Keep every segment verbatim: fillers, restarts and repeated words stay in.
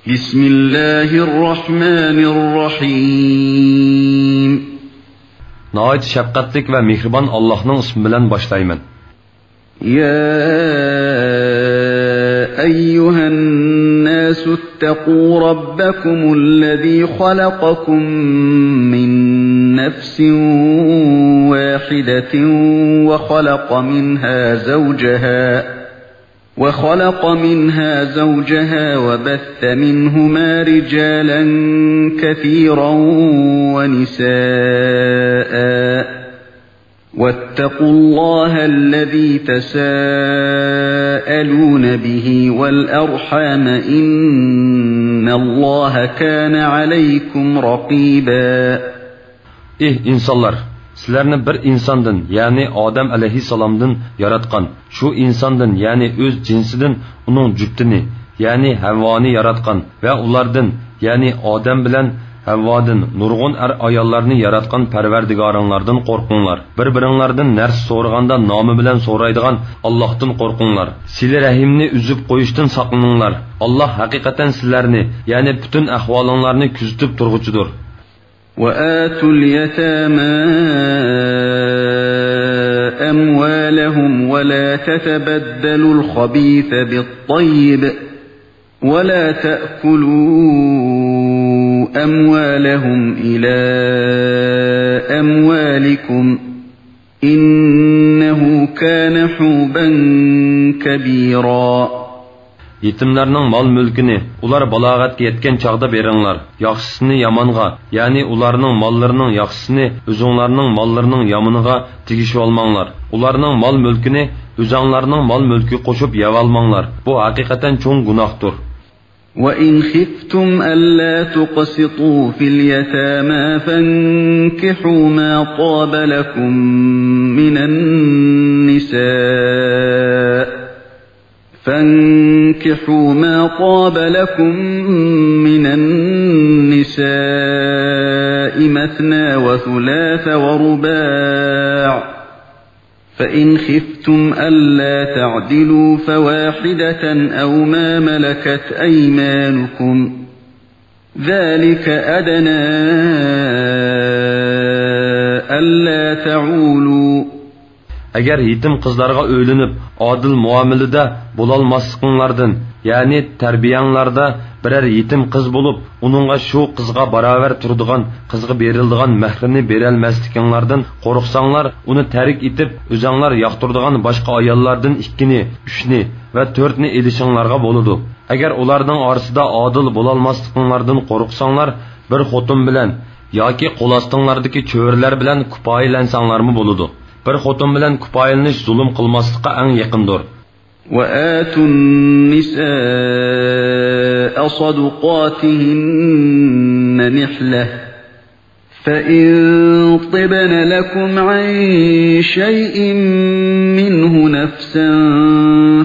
بسم الله الرحمن الرحيم. ناھايىتى شەپقەتلىك ۋە مېھرىبان ئاللاھنىڭ ئىسمى بىلەن باشلايمەن. يا أيها الناس اتقوا ربكم الذي خلقكم من نفس واحدة وخلق منها زوجها وخلق منها زوجها وبث منهما رجالا كثيرا ونساء، واتقوا الله الذي تساءلون به والأرحام، إن الله كان عليكم رقيبا. ئېھ ئىنسانلار! سىلەرنى بىر ئىنساندىن، يەنى ئادەم ئەلەيھىسسالامدىن ياراتقان، شۇ ئىنساندىن، يەنى ئۆز جىنسىدىن ئۇنىڭ جۈپتىنى، يەنى ھەۋۋانى ياراتقان ۋە ئۇلاردىن، يەنى ئادەم بىلەن ھەۋۋادىن نۇرغۇن ئەر-ئاياللارنى ياراتقان پەرۋەردىگارىڭلاردىن قورقۇڭلار. بىر-بىرىڭلاردىن نەرسە سورىغاندا نامى بىلەن سورايدىغان ئاللاھتىن قورقۇڭلار. سىلە رەھىمنى ئۈزۈپ قويۇشتىن ساقلىنىڭلار. ئاللاھ ھەقىقەتەن سىلەرنى، يەنى پۈتۈن ئەھۋالىڭلارنى كۆزىتىپ تۇرغۇچىدۇر. وآتوا اليتامى أموالهم ولا تتبدلوا الخبيث بالطيب ولا تأكلوا أموالهم إلى أموالكم إنه كان حوبا كبيرا. يېتىملەرنىڭ مال-مۈلكىنى ئۇلار بالاغەتكە يەتكەن چاغدا بېرىڭلار. ياخشىسىنى يامانغا، يەنى ئۇلارنىڭ ماللىرىنىڭ ياخشىسىنى ئۆزۈڭلارنىڭ ماللىرىنىڭ يامىنىغا تېگىشىۋالماڭلار. ئۇلارنىڭ مال-مۈلكىنى ئۆزۈڭلارنىڭ مال-مۈلكىگە قوشۇپ يەۋالماڭلار. بۇ ھەقىقەتەن چوڭ گۇناھتۇر. وإن خفتم ألا تقسطوا في اليتامى فانكحوا ما طاب لكم من النساء فانكحوا ما طاب لكم من النساء مثنى وثلاث ورباع، فإن خفتم ألا تعدلوا فواحدة أو ما ملكت أيمانكم، ذلك أدنى ألا تعولوا. ئەگەر يېتىم قىزلارغا ئۆيلىنىپ، ئادىل مۇئامىلىدە بولالماسلىقىڭلاردىن، يەنى تەربىيەڭلاردا بىرەر يېتىم قىز بولۇپ، ئۇنىڭغا شۇ قىزغا باراۋەر تۇرىدىغان قىزغا بېرىلىدىغان مەھرىنى بېرەلمەسلىكىڭلاردىن قورقساڭلار، ئۇنى تەرك ئېتىپ، ئۆزەڭلار ياقتۇرىدىغان باشقا ئاياللاردىن ئىككىنى، ئۈچنى ۋە تۆتنى ئېلىشىڭلارغا بولىدۇ. ئەگەر ئۇلارنىڭ ئارىسىدا ئادىل بولالماسلىقىڭلاردىن قورقساڭلار، بىر خوتۇن بىلەن ياكى قول ئاستىڭلاردىكى چۆرىلەر بىلەن كۇپايىلەنسەڭلارمۇ بولىدۇ. بىر خوتۇن بىلەن كۇپايىلىنىش زۇلۇم قىلماسلىققا ئەڭ يېقىندۇر. وآتوا النساء صدقاتهن نحلة، فإن طبن لكم عن شيء منه نفسا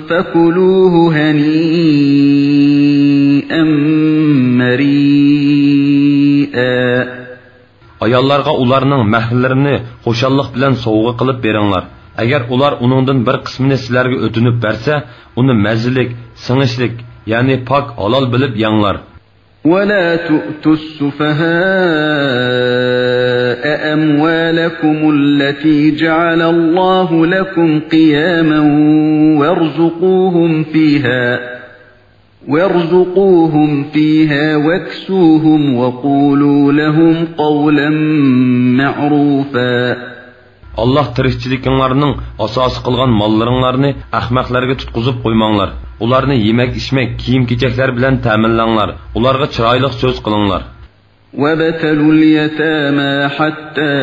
فكلوه هنيئا مريئا. ئاياللارغا ئۇلارنىڭ مەھرلىرىنى خۇشاللىق بىلەن سوۋغا قىلىپ بېرىڭلار. ئەگەر ئۇلار ئۇنىڭدىن بىر قىسمىنى سىلەرگە ئۆتۈنۈپ بەرسە، ئۇنى مەززىلىك، سىڭىشلىك، يەنى پاك، ھالال بىلىپ يەڭلار. ولا تؤتوا السفهاء أموالكم التي جعل الله لكم قياما وارزقوهم فيها، وارزقوهم فيها واكسوهم وقولوا لهم قولا معروفا. ئاللاھ تىرىكچىلىكىڭلارنىڭ ئاساسى قىلغان ماللىرىڭلارنى ئەخمەقلەرگە تۇتقۇزۇپ قويماڭلار. ئۇلارنى يېمەك-ئىچمەك، كىيىم-كېچەكلەر بىلەن تەمىنلەڭلار. ئۇلارغا چىرايلىق سۆز قىلىڭلار. وابتلوا اليتامى حتى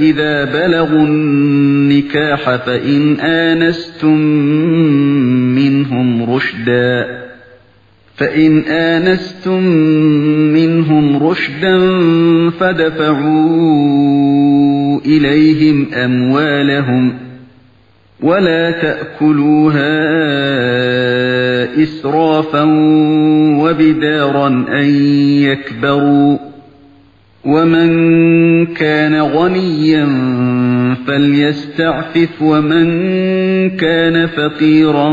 إذا بلغوا النكاح فإن آنستم منهم رشدا، فإن آنستم منهم رشدا فادفعوا إليهم أموالهم، ولا تأكلوها إسرافا وبدارا أن يكبروا، ومن كان غنيا فليستعفف ومن كان فقيرا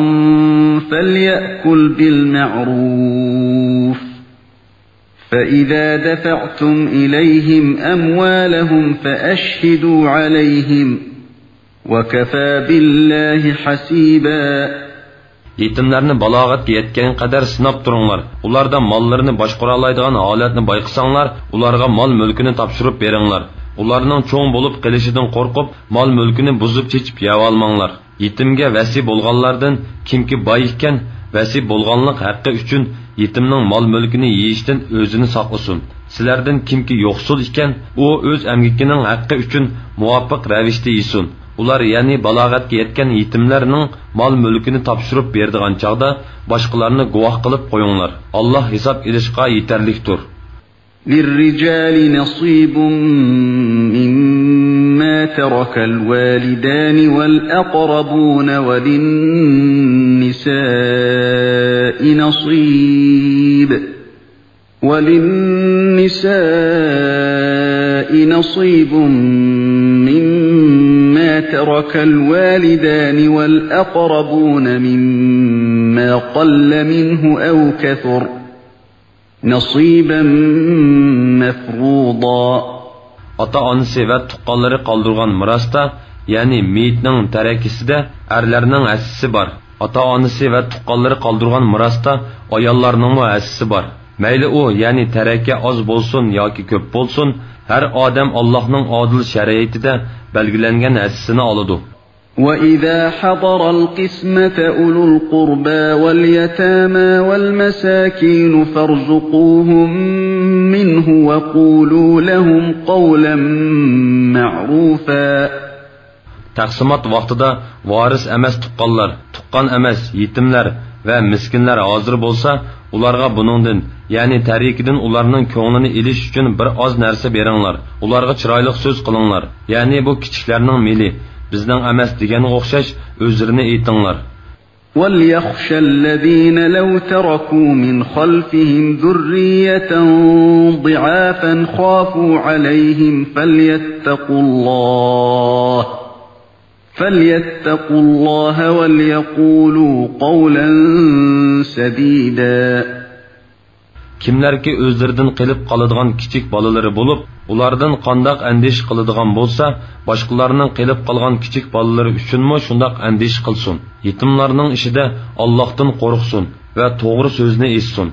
فليأكل بالمعروف فإذا دفعتم إليهم أموالهم فأشهدوا عليهم وكفى بالله حسيبا. يېتىملەرنى بالاغەتكە يەتكەن قەدەر سىناپ تۇرۇڭلار. ئۇلاردا ماللىرىنى باشقۇرالايدىغان ھالەتنى بايقىساڭلار، ئۇلارغا مال-مۈلكىنى تاپشۇرۇپ بېرىڭلار. ئۇلارنىڭ چوڭ بولۇپ قېلىشىدىن قورقۇپ، مال-مۈلكىنى بۇزۇپ-چېچىپ يەۋالماڭلار. يېتىمگە ۋەسىي بولغانلاردىن كىمكى باي ئىكەن، ۋەسىي بولغانلىق ھەققى ئۈچۈن يېتىمنىڭ مال-مۈلكىنى يېيىشتىن ئۆزىنى ساقلىسۇن. سىلەردىن كىمكى يوقسۇل ئىكەن، ئۇ ئۆز ئەمگىكىنىڭ ھەققى ئۈچۈن مۇۋاپىق رەۋىشتە يېسۇن. ئۇلار، يەنى بالاغەتكە يەتكەن يېتىملەرنىڭ مال-مۈلكىنى تاپشۇرۇپ بېرىدىغان چاغدا باشقىلارنى گۇۋاھ قىلىپ قويۇڭلار. ئاللاھ ھېساب ئېلىشقا يېتەرلىكتۇر. للرجال نصيب مما ترك الوالدان والأقربون وللنساء نصيب وللنساء نصيب مما ترك الوالدان والأقربون مما قل منه أو كثر نصيبا مفروضا. ئاتا-ئانىسى ۋە تۇغقانلىرى قالدۇرغان مىراستا، يەنى مېيىتنىڭ تەرىكىسىدە ئەرلەرنىڭ ھەسسىسى بار. ئاتا-ئانىسى ۋە تۇغقانلىرى قالدۇرغان مىراستا ئاياللارنىڭمۇ ھەسسىسى بار. مەيلى ئۇ، يەنى تەرەكە ئاز بولسۇن ياكى كۆپ بولسۇن، ھەر ئادەم ئاللاھنىڭ ئادىل شەرىئىتىدە بەلگىلەنگەن ھەسسىسىنى ئالىدۇ. وإذا حضر القسمة أولو القربى واليتامى والمساكين فارزقوهم منه وقولوا لهم قولا معروفا. تەقسىمات ۋاقتىدا ۋارىس ئەمەس تۇغقانلار، تۇغقان ئەمەس يېتىملەر ۋە مىسكىنلەر ھازىر بولسا، ئۇلارغا بۇنىڭدىن، يەنى تەرىكىدىن ئۇلارنىڭ كۆڭلىنى ئېلىش ئۈچۈن بىر ئاز نەرسە بېرىڭلار. ئۇلارغا چىرايلىق سۆز قىلىڭلار. يەنى بۇ كىچىكلەرنىڭ مېلى، بىزنىڭ ئەمەس دېگەنگە ئوخشاش ئۆزرىنى ئېيتىڭلار. وليخش الذين لو تركوا من خلفهم ذرية ضعافا خافوا عليهم فليتقوا الله، فليتقوا الله وليقولوا قولا سديدا. كىملەركى ئۆزلىرىدىن قېلىپ قالىدىغان كىچىك بالىلىرى بولۇپ، ئۇلاردىن قانداق ئەندىشە قىلىدىغان بولسا، باشقىلارنىڭ قېلىپ قالغان كىچىك بالىلىرى ئۈچۈنمۇ شۇنداق ئەندىشە قىلسۇن. يېتىملارنىڭ ئىشىدا ئاللاھتىن قورقسۇن ۋە توغرا سۆزنى ئېيتسۇن.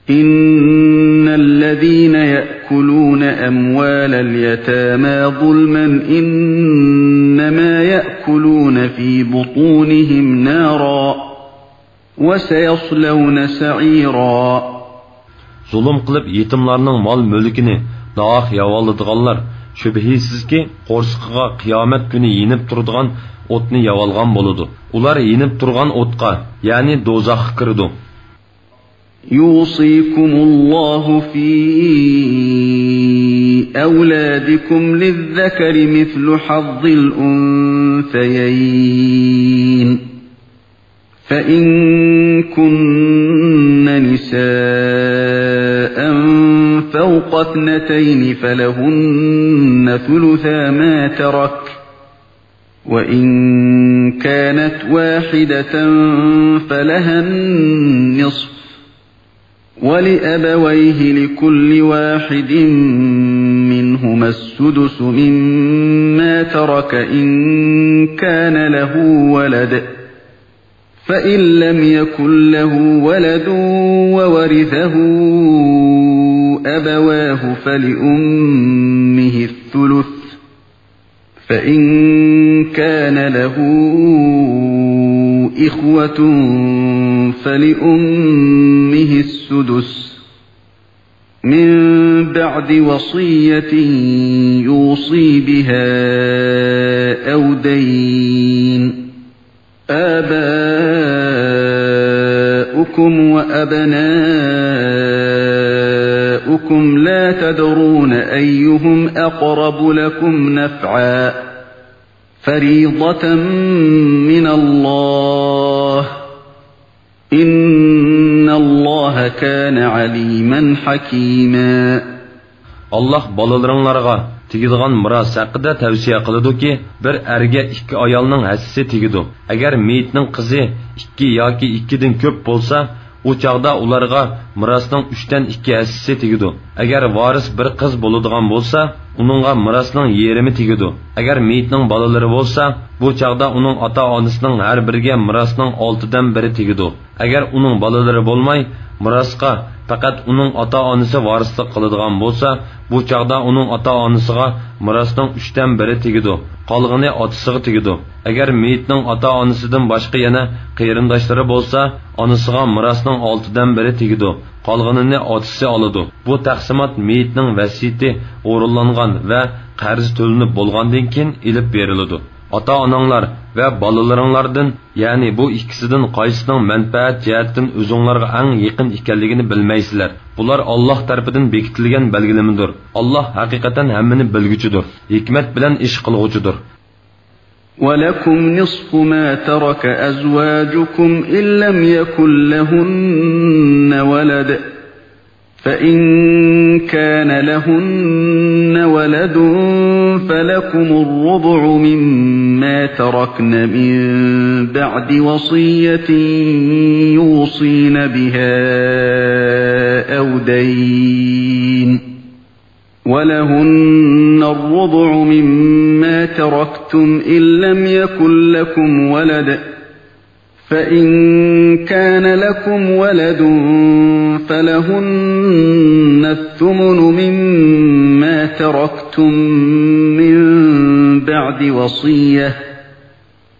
إن الذين يأكلون أموال اليتامى ظلما إنما يأكلون في بطونهم نارا وسيصلون سعيرا. زۇلۇم قىلىپ يېتىملارنىڭ مال-مۈلكىنى ناھەق يەۋالىدىغانلار شۈبھىسىزكى قورسىقىغا قىيامەت كۈنى يېنىپ تۇرىدىغان ئوتنى يەۋالغان بولىدۇ. ئۇلار يېنىپ تۇرغان ئوتقا، يەنى دوزاخقا كىرىدۇ. يوصيكم الله في أولادكم للذكر مثل حظ الأنثيين فإن كن نساء فوق اثنتين فلهن ثلثا ما ترك وإن كانت واحدة فلها النصف ولأبويه لكل واحد منهما السدس مما ترك إن كان له ولد فإن لم يكن له ولد وورثه أبواه فلأمه الثلث فإن كان له إخوة فلأمه السدس من بعد وصية يوصي بها أو دين. آباؤكم وأبناؤكم لا تدرون أيهم أقرب لكم نفعا فريضة من الله إن الله كان عليما حكيما. ئاللاھ بالىلىرىڭلارغا تېگىدىغان مىراس ھەققىدە تەۋسىيە قىلىدۇكى، بىر ئەرگە ئىككى ئايالنىڭ ھەسسىسى تېگىدۇ. ئەگەر مېيىتنىڭ قىزى ئىككى ياكى ئىككىدىن كۆپ بولسا، ئۇ چاغدا ئۇلارغا مىراسنىڭ ئۈچتىن ئىككى ھەسسىسى تېگىدۇ. ئەگەر ۋارىس بىر قىز بولىدىغان بولسا، ئۇنىڭغا مىراسنىڭ يېرىمى تېگىدۇ. ئەگەر مېيىتنىڭ بالىلىرى بولسا، بۇ چاغدا ئۇنىڭ ئاتا-ئانىسىنىڭ ھەر بىرىگە مىراسنىڭ ئالتىدىن بىرى تېگىدۇ. ئەگەر ئۇنىڭ بالىلىرى بولماي، مىراسقا پەقەت ئۇنىڭ ئاتا-ئانىسى ۋارىسلىق قىلىدىغان بولسا، بۇ چاغدا ئۇنىڭ ئاتا-ئانىسىغا مىراسنىڭ ئۈچتىن بىرى تېگىدۇ، قالغىنى ئاتىسىغا تېگىدۇ. ئەگەر مېيىتنىڭ ئاتا-ئانىسىدىن باشقا يەنە قېرىنداشلىرى بولسا، ئانىسىغا مىراسنىڭ ئالتىدىن بىرى تېگىدۇ، قالغىنىنى ئاتىسى ئالىدۇ. بۇ تەقسىمات مېيىتنىڭ ۋەسىيىتى ئورۇنلانغان ۋە قەرزى تۆلىنىپ بولغاندىن كېيىن ئېلىپ بېرىلىدۇ. ئاتا-ئاناڭلار ۋە بالىلىرىڭلاردىن، يەنى بۇ ئىككىسىدىن قايسىنىڭ مەنپەئەت جەھەتتىن ئۆزۈڭلارغا ئەڭ يېقىن ئىكەنلىكىنى بىلمەيسىلەر. بۇلار ئاللاھ تەرىپىدىن بېكىتىلگەن بەلگىلىمىدۇر. ئاللاھ ھەقىقەتەن ھەممىنى بىلگۈچىدۇر، ھېكمەت بىلەن ئىش قىلغۇچىدۇر. ولكم نصف ما ترك أزواجكم إن لم يكن لهن ولد، فإن كان لهن ولد فلكم الربع مما تركن من بعد وصية يوصين بها أو دين، ولهن الربع مما تركتم إن لم يكن لكم ولد، فإن كان لكم ولد فلهن الثمن مما تركتم من بعد وصية،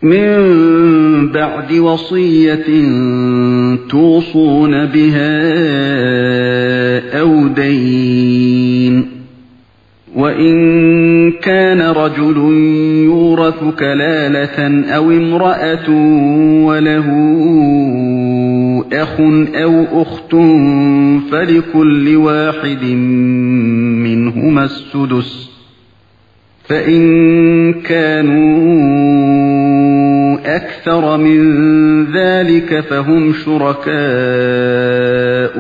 من بعد وصية توصون بها أو دين، وإن كان رجل يورث كلالة أو امرأة وله أخ أو أخت فلكل واحد منهما السدس، فإن كانوا أكثر من ذلك فهم شركاء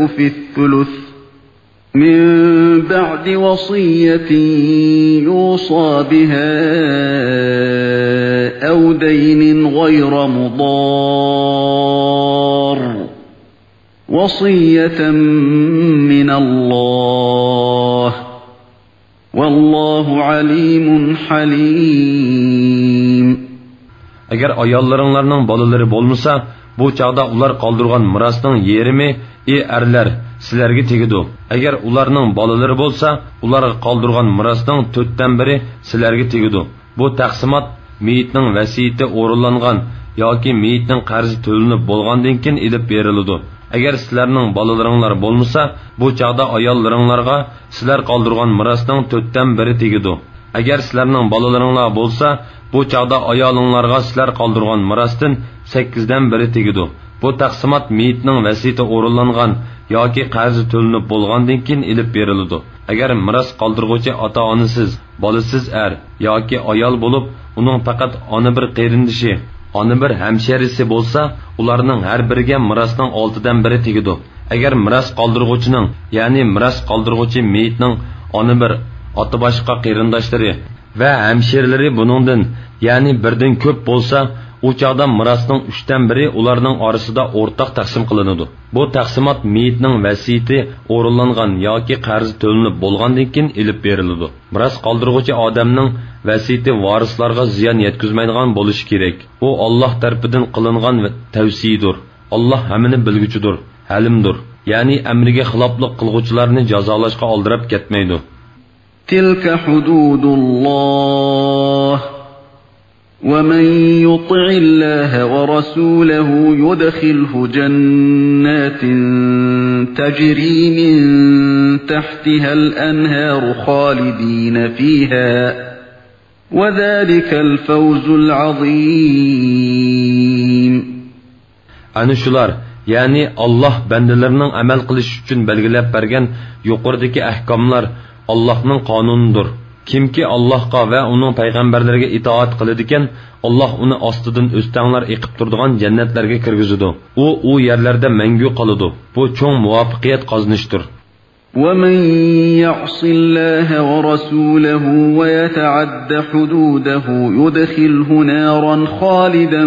في الثلث، من بعد وصية يوصى بها أو دين غير مضار، وصية من الله، والله عليم حليم. ئەگەر ئاياللىرىڭلارنىڭ بالىلىرى بولمىسا، بۇ چاغدا ئۇلار قالدۇرغان مىراسنىڭ يېرىمى، ئى ئەرلەر، سىلەرگە تېگىدۇ. ئەگەر ئۇلارنىڭ بالىلىرى بولسا، ئۇلارغا قالدۇرغان مىراسنىڭ تۆتتىن بىرى سىلەرگە تېگىدۇ. بۇ تەقسىمات مېيىتنىڭ ۋەسىيىتى ئورۇنلانغان ياكى مېيىتنىڭ قەرزى تۆلىنىپ بولغاندىن كېيىن ئېلىپ بېرىلىدۇ. ئەگەر سىلەرنىڭ بالىلىرىڭلار بولمىسا، بۇ چاغدا ئاياللىرىڭلارغا سىلەر قالدۇرغان مىراسنىڭ تۆتتىن بىرى تېگىدۇ. ئەگەر سىلەرنىڭ بالىلىرىڭلار بولسا، بۇ چاغدا ئايالىڭلارغا سىلەر قالدۇرغان مىراستىن سەككىزدىن بىرى تېگىدۇ. بۇ تەقسىمات مېيىتنىڭ ۋەسىيىتى ئورۇنلانغان ياكى قەرزى تۆلىنىپ بولغاندىن كېيىن ئېلىپ بېرىلىدۇ. ئەگەر مىراس قالدۇرغۇچى ئاتا-ئانىسىز، بالىسىز ئەر ياكى ئايال بولۇپ، ئۇنىڭ پەقەت ئانا بىر قېرىندىشى، ئانا بىر ھەمشېرىسى بولسا، ئۇلارنىڭ ھەر بىرىگە مىراسنىڭ ئالتىدىن بىرى تېگىدۇ. ئەگەر مىراس قالدۇرغۇچىنىڭ، يەنى مىراس قالدۇرغۇچى مېيىتنىڭ ئانا بىر، ئاتا باشقا قېرىنداشلىرى ۋە ھەمشېرىلىرى بۇنىڭدىن، يەنى بىردىن كۆپ بولسا، ئۇ چاغدا مىراسنىڭ ئۈچتىن بىرى ئۇلارنىڭ ئارىسىدا ئورتاق تەقسىم قىلىنىدۇ. بۇ تەقسىمات مېيىتنىڭ ۋەسىيىتى ئورۇنلانغان ياكى قەرزى تۆلىنىپ بولغاندىن كېيىن ئېلىپ بېرىلىدۇ. مىراس قالدۇرغۇچى ئادەمنىڭ ۋەسىيىتى ۋارىسلارغا زىيان يەتكۈزمەيدىغان بولۇشى كېرەك. ئۇ ئاللاھ تەرىپىدىن قىلىنغان تەۋسىيىدۇر. ئاللاھ ھەممىنى بىلگۈچىدۇر، ھەلىمدۇر. يەنى ئەمرىگە خىلاپلىق قىلغۇچىلارنى جازالاشقا ئالدىراپ كەتمەيدۇ. تلك حدود الله، ومن يطع الله ورسوله يدخله جنات تجري من تحتها الأنهار خالدين فيها، وذلك الفوز العظيم. ئەنە شۇلار، يەنى ئاللاھ بەندىلىرىنىڭ ئەمەل قىلىشى ئۈچۈن بەلگىلەپ بەرگەن يۇقىرىدىكى ئەھكاملار ئاللاھنىڭ قانۇنىدۇر. كىمكى ئاللاھقا ۋە ئۇنىڭ پەيغەمبەرلىرىگە ئىتائەت قىلىدىكەن، ئاللاھ ئۇنى ئاستىدىن ئۆستەڭلەر ئېقىپ تۇرىدىغان جەننەتلەرگە كىرگۈزىدۇ. ئۇ ئۇ يەرلەردە مەڭگۈ قالىدۇ. بۇ چوڭ مۇۋەپپەقىيەت قازىنىشتۇر. ومن يعص الله ورسوله ويتعد حدوده يدخله نارا خالدا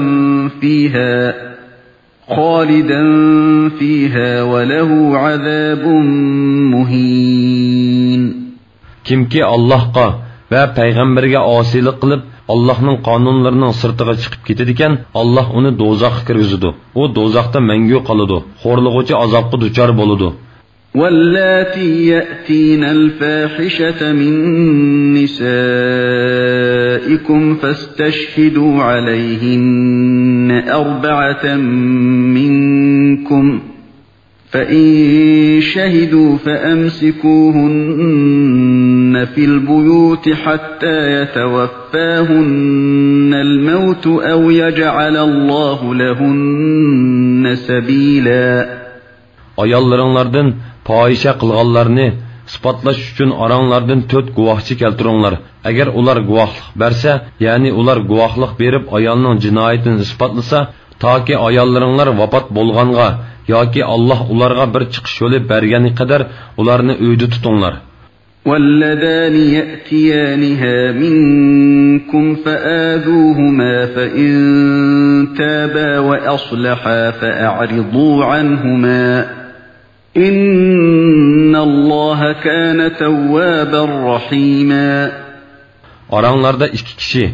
فيها، خالدا فيها وله عذاب مهين. كىمكى ئاللاھقا ۋە پەيغەمبىرىگە ئاسىيلىق قىلىپ، ئاللاھنىڭ قانۇنلىرىنىڭ سىرتىغا چىقىپ كېتىدىكەن، ئاللاھ ئۇنى دوزاخقا كىرگۈزىدۇ. ئۇ دوزاختا مەڭگۈ قالىدۇ، خورلىغۇچى ئازابقا دۇچار بولىدۇ. واللاتي يأتين الفاحشة من نسائكم فاستشهدوا عليهن أربعة منكم، فإن شهدوا فأمسكوهن في البيوت حتى يتوفاهن الموت أو يجعل الله لهن سبيلا. ئاياللىرىڭلاردىن پاھىشە قىلغانلارنى ئىسپاتلاش ئۈچۈن ئاراڭلاردىن تۆت گۇۋاھچى كەلتۈرۈڭلار. ئەگەر ئۇلار گۇۋاھلىق بەرسە، يەنى ئۇلار گۇۋاھلىق بېرىپ ئايالنىڭ جىنايىتىنى ئىسپاتلىسا، تاكى ئاياللىرىڭلار ۋاپات بولغانغا ياكى ئاللاھ ئۇلارغا بىر چىقىش يولى بەرگەنگە قەدەر ئۇلارنى ئۆيدە تۇتۇڭلار. واللذان يأتيانها منكم فآذوهما فإن تابا وأصلحا فأعرضوا عنهما، إن الله كان توابا رحيما. ئاراڭلاردا ئىككى كىشى،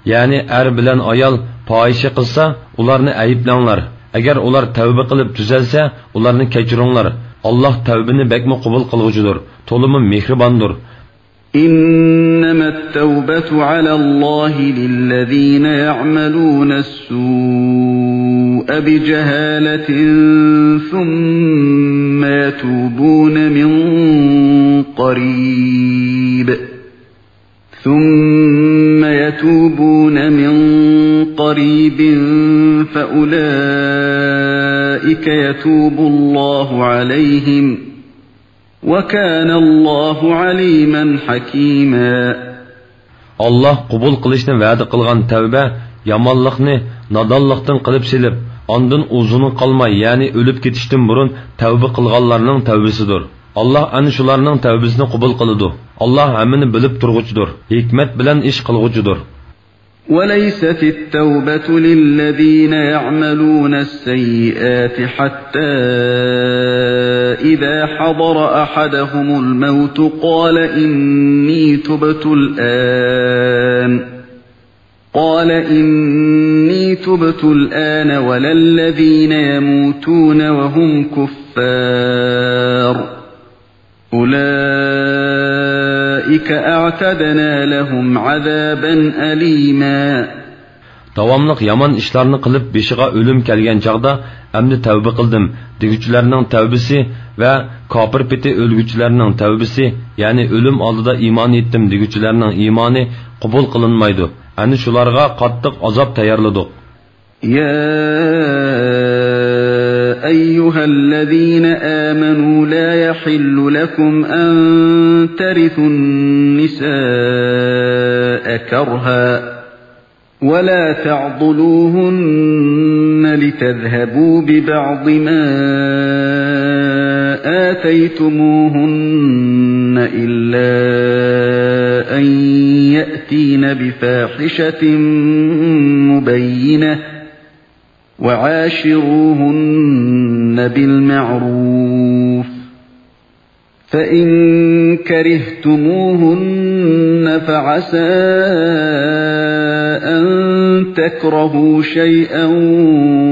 يەنى ئەر بىلەن ئايال پاھىشە قىلسا، ئۇلارنى ئەيىبلەڭلار. ئەگەر ئۇلار تەۋبە قىلىپ تۈزەلسە، ئۇلارنى كەچۈرۈڭلار. ئاللاھ تەۋبىنى بەكمۇ قوبۇل قىلغۇچىدۇر، تولىمۇ مېھرىباندۇر. إنما التوبة على الله للذين يعملون السوء بجهالة ثم يتوبون من قريب، ثم يتوبون من قريب فأولئك يتوب الله عليهم، وكان الله عليما حكيما. ئاللاھ قوبۇل قىلىشنى ۋەدە قىلغان تەۋبە يامانلىقنى نادانلىقتىن قىلىپ سېلىپ، ئاندىن ئۇزۇنغا قالماي، يەنى ئۆلۈپ كېتىشتىن بۇرۇن تەۋبە قىلغانلارنىڭ تەۋبىسىدۇر. ئاللاھ ئەنە شۇلارنىڭ تەۋبىسىنى قوبۇل قىلىدۇ. ئاللاھ ھەممىنى بىلىپ تۇرغۇچىدۇر، ھېكمەت بىلەن ئىش قىلغۇچىدۇر. وليست التوبة للذين يعملون السيئات حتى إذا حضر أحدهم الموت قال إني تبت الآن، قال إني تبت الآن ولا الذين يموتون وهم كفار، أولئك أعتدنا لهم عذابا أليما. داۋاملىق يامان ئىشلارنى قىلىپ، بېشىغا ئۆلۈم كەلگەن چاغدا، ئەمدى تەۋبە قىلدىم دېگۈچىلەرنىڭ تەۋبىسى ۋە كاپىر پېتى ئۆلگۈچىلەرنىڭ تەۋبىسى، يەنى ئۆلۈم ئالدىدا ئىمان ئېيتتىم دېگۈچىلەرنىڭ ئىمانى قوبۇل قىلىنمايدۇ. ئەنە شۇلارغا قاتتىق ئازاب تەييارلىدۇق. يا أيها الذين آمنوا لا يحل لكم أن ترثوا النساء كرها ولا تعضلوهن لتذهبوا ببعض ما آتيتموهن إلا أن يأتين بفاحشة مبينة وعاشروهن بالمعروف، فإن كرهتموهن فعسى أن تكرهوا شيئا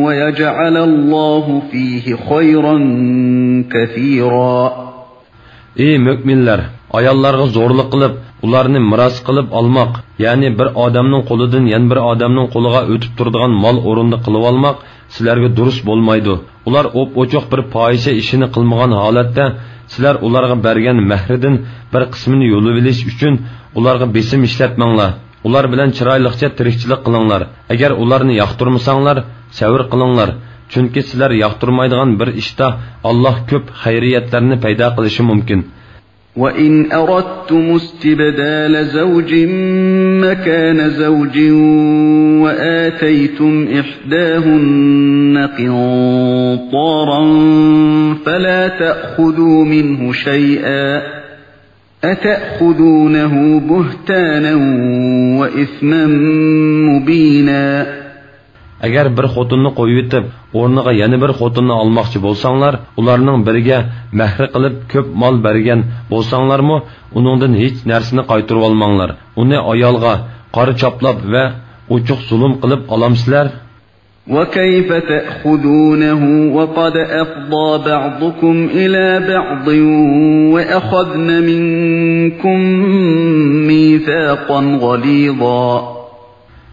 ويجعل الله فيه خيرا كثيرا. ئى مۆمىنلەر! ئاياللارغا زورلۇق قىلىپ، ئۇلارنى مىراس قىلىپ ئالماق، يەنى بىر ئادەمنىڭ قولىدىن يەنە بىر ئادەمنىڭ قولىغا ئۆتۈپ تۇرىدىغان مال ئورنىدا قىلىۋالماق سىلەرگە دۇرۇس بولمايدۇ. ئۇلار ئوپئوچۇق بىر پاھىشە ئىشىنى قىلمىغان ھالەتتە، سىلەر ئۇلارغا بەرگەن مەھرىدىن بىر قىسمىنى يۇلۇۋېلىش ئۈچۈن ئۇلارغا بېسىم ئىشلەتمەڭلار. ئۇلار بىلەن چىرايلىقچە تىرىكچىلىك قىلىڭلار. ئەگەر ئۇلارنى ياقتۇرمىساڭلار، سەۋر قىلىڭلار. چۈنكى سىلەر ياقتۇرمايدىغان بىر ئىشتا ئاللاھ كۆپ خەيرىيەتلەرنى پەيدا قىلىشى مۇمكىن. وَإِنْ أَرَدْتُمُ اسْتِبْدَالَ زَوْجٍ مَّكَانَ زَوْجٍ وَآتَيْتُمْ إِحْدَاهُنَّ قِنطَارًا فَلَا تَأْخُذُوا مِنْهُ شَيْئًا أَتَأْخُذُونَهُ بُهْتَانًا وَإِثْمًا مُّبِينًا. ئەگەر بىر خوتۇننى قويۇۋېتىپ، ئورنىغا يەنە بىر خوتۇننى ئالماقچى بولساڭلار، ئۇلارنىڭ بىرىگە مەھرى قىلىپ كۆپ مال بەرگەن بولساڭلارمۇ، ئۇنىڭدىن ھېچ نەرسىنى قايتۇرۇۋالماڭلار. ئۇنى ئايالغا قارا چاپلاپ ۋە ئوچۇق زۇلۇم قىلىپ ئالامسىلەر؟ وَكَيْفَ تَأْخُذُونَهُ وَقَدْ أَفْضَىٰ بَعْضُكُمْ إِلَىٰ بَعْضٍ وَأَخَذْنَ مِنكُم مِّيثَاقًا غَلِيظًا.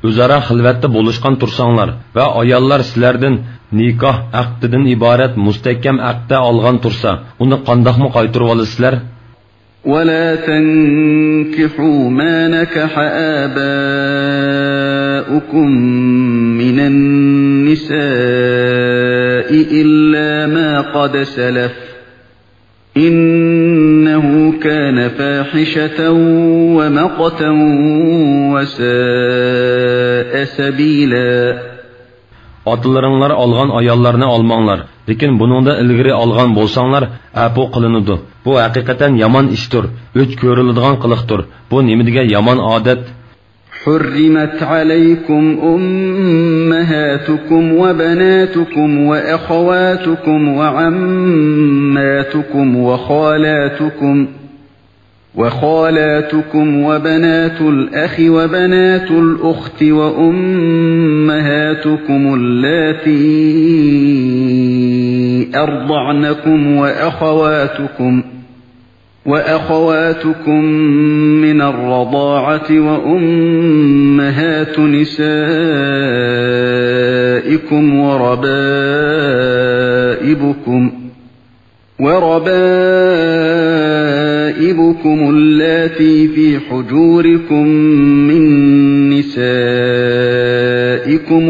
ئۆزئارا خىلۋەتتە بولۇشقان تۇرساڭلار ۋە ئاياللار سىلەردىن نىكاھ ئەقدىدىن ئىبارەت مۇستەھكەم ئەقدە ئالغان تۇرسا، ئۇنى قانداقمۇ قايتۇرۇۋالىسىلەر؟ وَلَا تَنكِحُوا مَا نَكَحَ آبَاؤُكُم مِّنَ النِّسَاءِ إِلَّا مَا قَدْ سَلَفَ إِنَّهُ كَانَ فَاحِشَةً وَمَقْتًا وَسَاءَ سَبِيلًا. ئاتىلىرىڭلار ئالغان ئاياللارنى ئالماڭلار، لېكىن بۇنىڭدا ئىلگىرى ئالغان بولساڭلار، ئەپۇ قىلىنىدۇ. بۇ ھەقىقەتەن يامان ئىشتۇر، ئۆچ كۆرۈلىدىغان قىلىقتۇر. بۇ نېمە دېگەن يامان ئادەت! حُرِّمَتْ عَلَيْكُمْ أُمَّهَاتُكُمْ وَبَنَاتُكُمْ وَأَخَوَاتُكُمْ وَعَمَّاتُكُمْ وَخَالَاتُكُمْ وَخَالَاتُكُمْ وَبَنَاتُ الْأَخِ وَبَنَاتُ الْأُخْتِ وَأُمَّهَاتُكُمُ اللَّاتِي أَرْضَعْنَكُمْ وَأَخَوَاتُكُمْ وَأَخَوَاتُكُم مِّنَ الرَّضَاعَةِ وَأُمَّهَاتُ نِسَائِكُمْ وَرَبَائِبُكُمْ وَرَبَائِبُكُمُ اللَّاتِي فِي حُجُورِكُم مِّن نِّسَائِكُمُ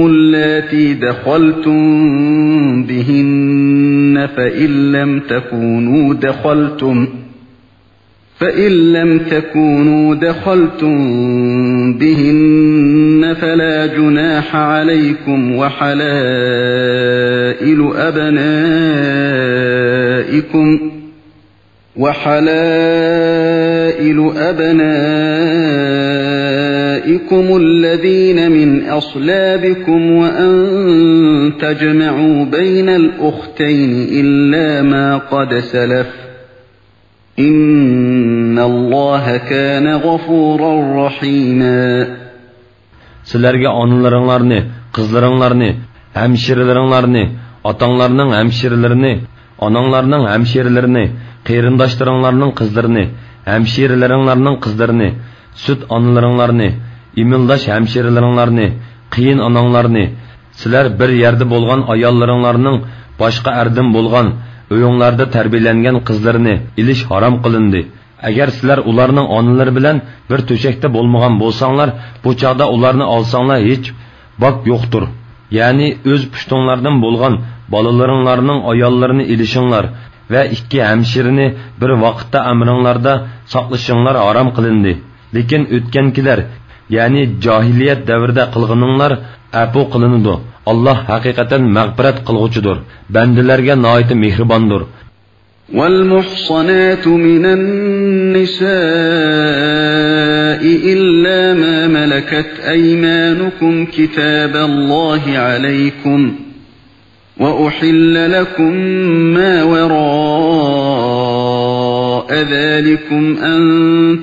اللَّاتِي دَخَلْتُم بِهِنَّ فَإِن لَّمْ تَكُونُوا دَخَلْتُم فَإِن لَّمْ تَكُونُوا دَخَلْتُم بِهِنَّ فَلَا جُنَاحَ عَلَيْكُمْ وَحَلَائِلُ أَبْنَائِكُمْ وَحَلَائِلُ أَبْنَائِكُمُ الَّذِينَ مِنْ أَصْلَابِكُمْ وَأَن تَجْمَعُوا بَيْنَ الْأُخْتَيْنِ إِلَّا مَا قَدْ سَلَفَ إِنَّ اللَّهَ كَانَ غَفُورًا رَّحِيمًا. سىلەرگە ئانىلىرىڭلارنى، قىزلىرىڭلارنى، ھەمشىرىلىرىڭلارنى، ئاتاڭلارنىڭ ھەمشىرىلىرىنى، ئاناڭلارنىڭ ھەمشىرىلىرىنى، قېرىنداشلىرىڭلارنىڭ قىزلىرىنى، ھەمشىرىلىرىڭلارنىڭ قىزلىرىنى، سۈت ئانىلىرىڭلارنى، ئىمىلداش ھەمشىرىلىرىڭلارنى، قېيىن ئاناڭلارنى، سىلەر بىر يەردە بولغان ئاياللىرىڭلارنىڭ باشقا ئەردىن بولغان، ئۆيۈڭلاردا تەربىيەلەنگەن قىزلىرىنى ئېلىش ھارام قىلىندى. ئەگەر سىلەر ئۇلارنىڭ ئانىلىرى بىلەن بىر تۆشەكتە بولمىغان بولساڭلار، بۇ چاغدا ئۇلارنى ئالساڭلار ھېچ باك يوقتۇر. يەنى ئۆز پۇشتۇڭلاردىن بولغان بالىلىرىڭلارنىڭ ئاياللىرىنى ئېلىشىڭلار ۋە ئىككى ھەمشىرىنى بىر ۋاقىتتا ئەمرىڭلاردا ساقلىشىڭلار ھارام قىلىندى. لېكىن ئۆتكەنكىلەر، يەنى جاھىلىيەت دەۋرىدە قىلغىنىڭلار ئەپۇ قىلىنىدۇ. ئاللاھ ھەقىقەتەن مەغپىرەت قىلغۇچىدۇر، بەندىلەرگە ناھايىتى مېھرىباندۇر. وَالْمُحْصَنَاتُ مِنَ النِّسَاءِ إِلَّا مَا مَلَكَتْ أَيْمَانُكُمْ كِتَابَ اللَّهِ عَلَيْكُمْ وَأُحِلَّ لَكُم مَّا وَرَاءَ ذَٰلِكُمْ أَن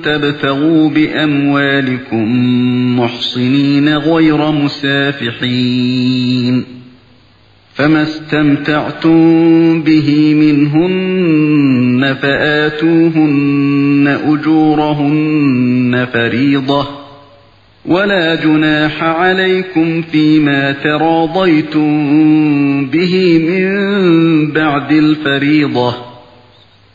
تَبْتَغُوا بِأَمْوَالِكُم مُّحْصِنِينَ غَيْرَ مُسَافِحِينَ، فَمَا اسْتَمْتَعْتُم بِهِ مِنْهُنَّ فَآتُوهُنَّ أُجُورَهُنَّ فَرِيضَةً، وَلَا جُنَاحَ عَلَيْكُمْ فِيمَا تَرَاضَيْتُم بِهِ مِّن بَعْدِ الْفَرِيضَةِ،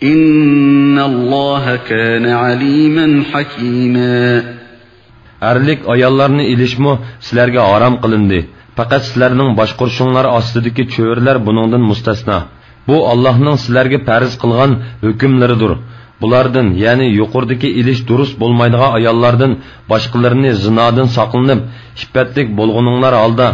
إِنَّ اللَّهَ كَانَ عَلِيمًا حَكِيمًا. ھەرلىك ئاياللارنى ئېلىشمۇ سىلەرگە ھارام قىلىندى. پەقەت سىلەرنىڭ باشقۇرۇشۇڭلار ئاستىدىكى چۆرىلەر بۇنىڭدىن مۇستەسنا. بۇ ئاللاھنىڭ سىلەرگە پەرز قىلغان ھۆكۈملىرىدۇر. بۇلاردىن، يەنى يۇقىرىدىكى ئېلىش دۇرۇس بولمايدىغان ئاياللاردىن باشقىلىرىنى زىنادىن ساقلىنىپ، ئىپپەتلىك بولغىنىڭلار ھالدا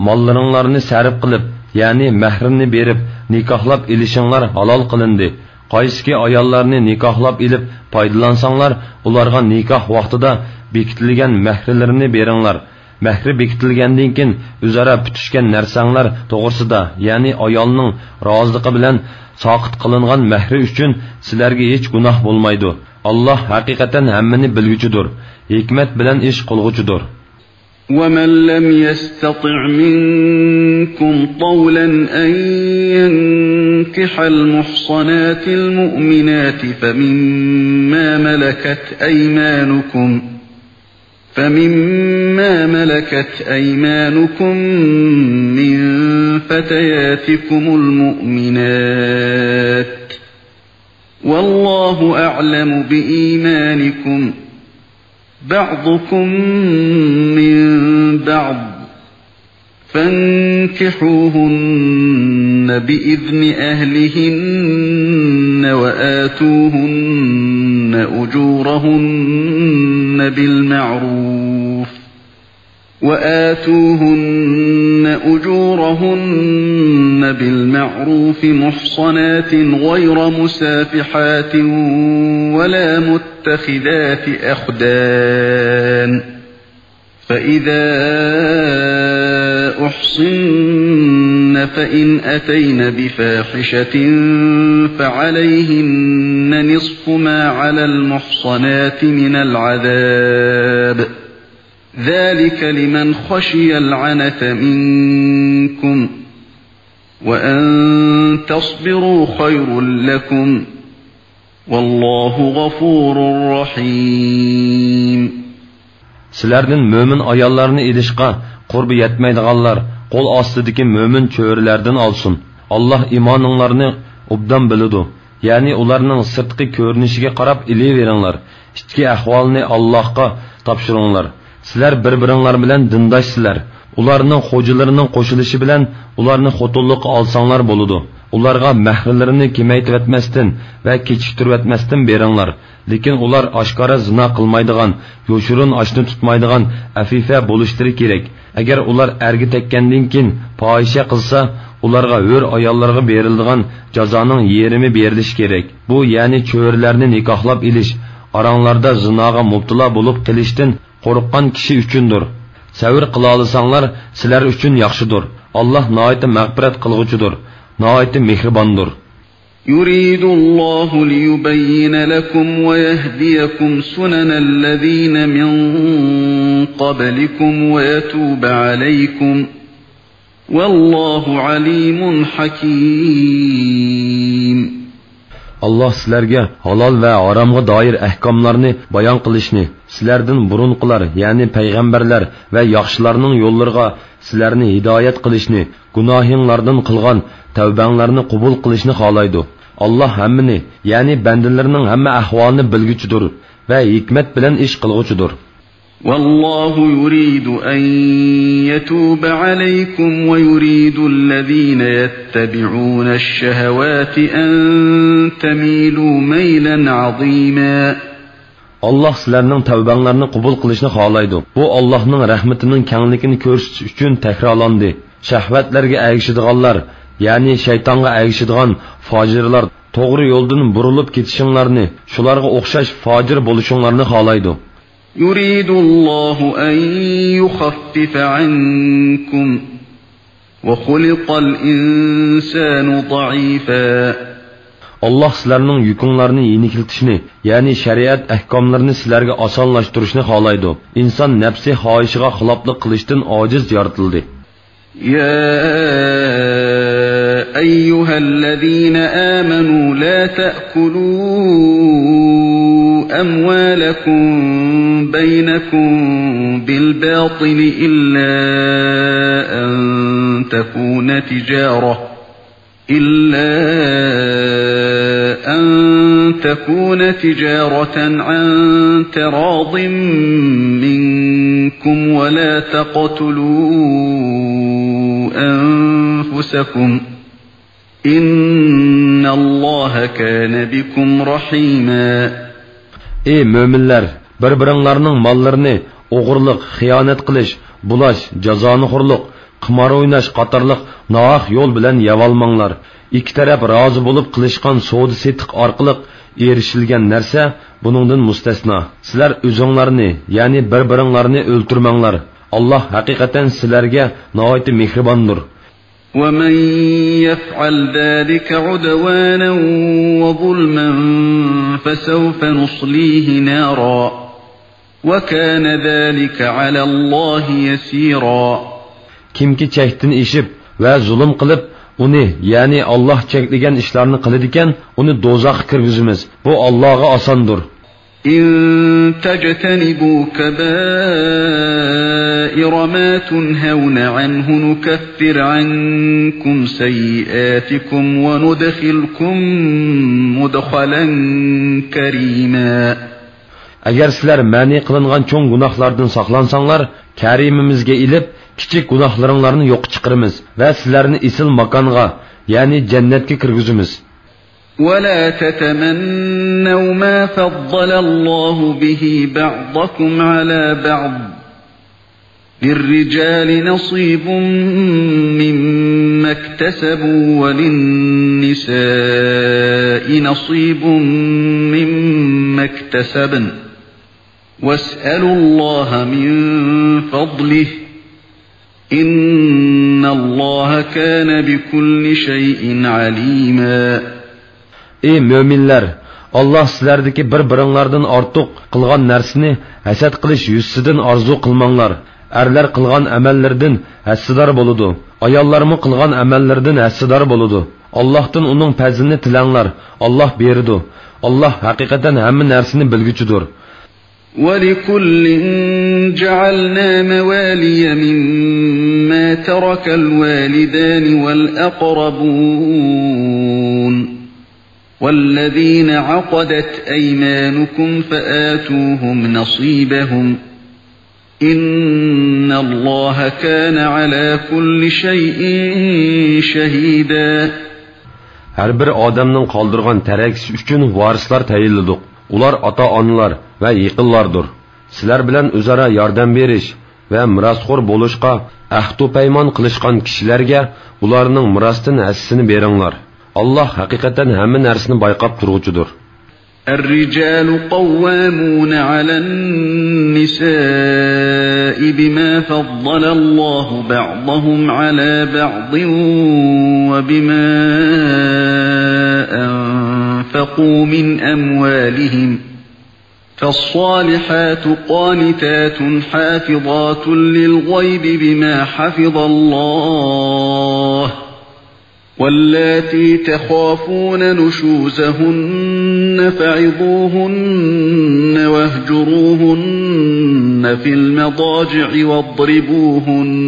ماللىرىڭلارنى سەرپ قىلىپ، يەنى مەھرىنى بېرىپ نىكاھلاپ ئېلىشىڭلار ھالال قىلىندى. قايسىكى ئاياللارنى نىكاھلاپ ئېلىپ پايدىلانساڭلار، ئۇلارغا نىكاھ ۋاقتىدا بېكىتىلگەن مەھرىلىرىنى بېرىڭلار. مەھرى بېكىتىلگەندىن كېيىن ئۆزئارا پۈتۈشكەن نەرسەڭلار توغرىسىدا، يەنى ئايالنىڭ رازىلىقى بىلەن ساقىت قىلىنغان مەھرى ئۈچۈن سىلەرگە ھېچ گۇناھ بولمايدۇ. ئاللاھ ھەقىقەتەن ھەممىنى بىلگۈچىدۇر، ھېكمەت بىلەن ئىش قىلغۇچىدۇر. ومن لم يستطع منكم طولا أن ينكح المحصنات المؤمنات فمما ملكت أيمانكم فمما ملكت أيمانكم من فتياتكم المؤمنات والله أعلم بإيمانكم بعضكم من بعض فانكحوهن بإذن أهلهن وآتوهن أجورهن بالمعروف وآتوهن أجورهن بالمعروف محصنات غير مسافحات ولا متخذات أخدان فإذا أحصن فإن أتين بفاحشة فعليهن نصف ما على المحصنات من العذاب ذلك لمن خشي العنة منكم وأن تصبروا خير لكم والله غفور رحيم. سىلەردىن مۆمىن ئاياللارنى ئېلىشقا قۇربى يەتمەيدىغانلار قول ئاستىدىكى مۆمىن چۆرىلەردىن ئالسۇن. ئاللاھ ئىمانىڭلارنى ئوبدان بىلىدۇ. يەنى ئۇلارنىڭ سىرتقى كۆرۈنۈشىگە قاراپ ئېلىۋېرىڭلار. ئىچكى ئەھۋالىنى ئاللاھقا تاپشۇرۇڭلار. سىلەر بىر-بىرىڭلار بىلەن دىنداشسىلەر. ئۇلارنىڭ خوجىلىرىنىڭ قوشۇلۇشى بىلەن ئۇلارنى خوتۇنلۇققا ئالساڭلار بولىدۇ. ئۇلارغا مەھرلىرىنى كېمەيتىۋەتمەستىن ۋە كېچىكتۈرۈۋەتمەستىن بېرىڭلار. لېكىن ئۇلار ئاشكارا زىنا قىلمايدىغان، يوشۇرۇن ئاشنا تۇتمايدىغان ئەفىفە بولۇشلىرى كېرەك. ئەگەر ئۇلار ئەرگە تەگكەندىن كېيىن پاھىشە قىلسا، ئۇلارغا ھۆر ئاياللارغا بېرىلىدىغان جازانىڭ يېرىمى بېرىلىشى كېرەك. بۇ، يەنى چۆرىلەرنى نىكاھلاپ ئېلىش، ئاراڭلاردا زىناغا مۇپتىلا بولۇپ قېلىشتىن قورققان كىشى ئۈچۈندۇر. سەۋر قىلالىساڭلار، سىلەر ئۈچۈن ياخشىدۇر. ئاللاھ ناھايىتى مەغپىرەت قىلغۇچىدۇر، ناھايىتى مېھرىباندۇر. يريد الله ليبين لكم ويهديكم سنن الذين من قبلكم ويتوب عليكم والله عليم حكيم. ئاللاھ سىلەرگە ھالال ۋە ھارامغا دائىر ئەھكاملارنى بايان قىلىشنى، سىلەردىن بۇرۇنقىلار، يەنى پەيغەمبەرلەر ۋە ياخشىلارنىڭ يوللىرىغا سىلەرنى ھىدايەت قىلىشنى، گۇناھىڭلاردىن قىلغان تەۋبەڭلارنى قوبۇل قىلىشنى خالايدۇ. ئاللاھ ھەممىنى، يەنى بەندىلىرىنىڭ ھەممە ئەھۋالىنى بىلگۈچىدۇر ۋە ھېكمەت بىلەن ئىش قىلغۇچىدۇر. والله يريد أن يتوب عليكم ويريد الذين يتبعون الشهوات أن تميلوا ميلا عظيما. ئاللاھ سىلەرنىڭ تەۋبەڭلارنى قوبۇل قىلىشنى خالايدۇ. بۇ ئاللاھنىڭ رەھمىتىنىڭ كەڭلىكىنى كۆرسىتىش ئۈچۈن تەكرارلاندى. شەھۋەتلەرگە ئەگىشىدىغانلار، يەنى شەيتانغا ئەگىشىدىغان فاجىرلار توغرا يولدىن بۇرۇلۇپ كېتىشىڭلارنى، شۇلارغا ئوخشاش فاجىر بولۇشۇڭلارنى خالايدۇ. يريد الله أن يخفف عنكم وخلق الإنسان ضعيفا. ئاللاھ سىلەرنىڭ يۈكۈڭلارنى يېنىكلىتىشنى، يەنى شەرىئەت ئەھكاملىرىنى سىلەرگە ئاسانلاشتۇرۇشنى خالايدۇ. ئىنسان نەپسى خاھىشىغا خىلاپلىق قىلىشتىن ئاجىز يارىتىلدى. يا أيها الذين آمنوا لا تأكلوا أموالكم بينكم بالباطل إلا أن تكون تجارة إلا أن تكون تجارة عن تراض منكم ولا تقتلوا أنفسكم إن الله الله كان بكم رحيما. ئى مۆمىنلەر، بىر-بىرىڭلارنىڭ ماللىرىنى ئوغرىلىق، خىيانەت قىلىش، بۇلاش، جازانىخورلۇق، قىمار ئويناش قاتارلىق ناھەق يول بىلەن يەۋالماڭلار. ئىككى تەرەپ رازى بولۇپ قىلىشقان سودا-سېتىق ئارقىلىق ئېرىشىلگەن نەرسە بۇنىڭدىن مۇستەسنا. سىلەر ئۆزۈڭلارنى، يەنى بىر-بىرىڭلارنى ئۆلتۈرمەڭلار. ئاللاھ ھەقىقەتەن سىلەرگە ناھايىتى مېھرىباندۇر. ومن يفعل ذلك عدوانا وظلما فسوف نصليه نارا وكان ذلك على الله يسيرا. كىمكى چەكتىن ئېشىپ ۋە زۇلۇم قىلىپ، ئۇنى، يەنى ئاللاھ چەكلىگەن ئىشلارنى قىلىدىكەن، ئۇنى دوزاخقا كىرگۈزىمىز. بۇ ئاللاھقا ئاساندۇر. إن تجتنبوا كبائر ما تنهون عنه نكفر عنكم سيئاتكم وندخلكم مدخلا كريما. ئەگەر سىلەر مەنئى قىلىنغان چوڭ گۇناھلاردىن ساقلانساڭلار، كەرىمىمىزگە ئېلىپ، كىچىك گۇناھلىرىڭلارنى يوققا چىقىرىمىز ۋە سىلەرنى ئېسىل ماكانغا، يەنى جەننەتكە كىرگۈزىمىز. ولا تتمنوا ما فضل الله به بعضكم على بعض، للرجال نصيب مما اكتسبوا وللنساء نصيب مما اكتسبن، واسألوا الله من فضله، إن الله كان بكل شيء عليما. ئى مۆمىنلەر! ئاللاھ سىلەردىكى بىر-بىرىڭلاردىن ئارتۇق قىلغان نەرسىنى ھەسەت قىلىش يۈزىسىدىن ئارزۇ قىلماڭلار. ئەرلەر قىلغان ئەمەللىرىدىن ھەسسىدار بولىدۇ. ئاياللارمۇ قىلغان ئەمەللىرىدىن ھەسسىدار بولىدۇ. ئاللاھتىن ئۇنىڭ پەزلىنى تىلەڭلار. ئاللاھ بېرىدۇ. ئاللاھ ھەقىقەتەن ھەممە نەرسىنى بىلگۈچىدۇر. ولكل جعلنا موالي مما ترك الوالدان والأقربون والذين عقدت أيمانكم فآتوهم نصيبهم، إن الله كان على كل شيء شهيدا. ھەر بىر ئادەمنىڭ قالدۇرغان تەرەكىسى ئۈچۈن ۋارىسلار تەيىنلىدۇق. ئۇلار ئاتا-ئانىلار ۋە يېقىنلاردۇر. سىلەر بىلەن ئۆزئارا ياردەم بېرىش ۋە مىراسخور بولۇشقا ئەھدۇ-پەيمان قىلىشقان كىشىلەرگە ئۇلارنىڭ مىراستىن ھەسسىسىنى بېرىڭلار. ئاللاھ ھەقىقەتەن ھەممە نەرسىنى بايقاپ تۇرغۇچىدۇر. الرجال قوامون على النساء بما فضل الله بعضهم على بعض وبما أنفقوا من أموالهم، فالصالحات قانتات حافظات للغيب بما حفظ الله، واللاتي تخافون نشوزهن فعظوهن واهجروهن في المضاجع واضربوهن،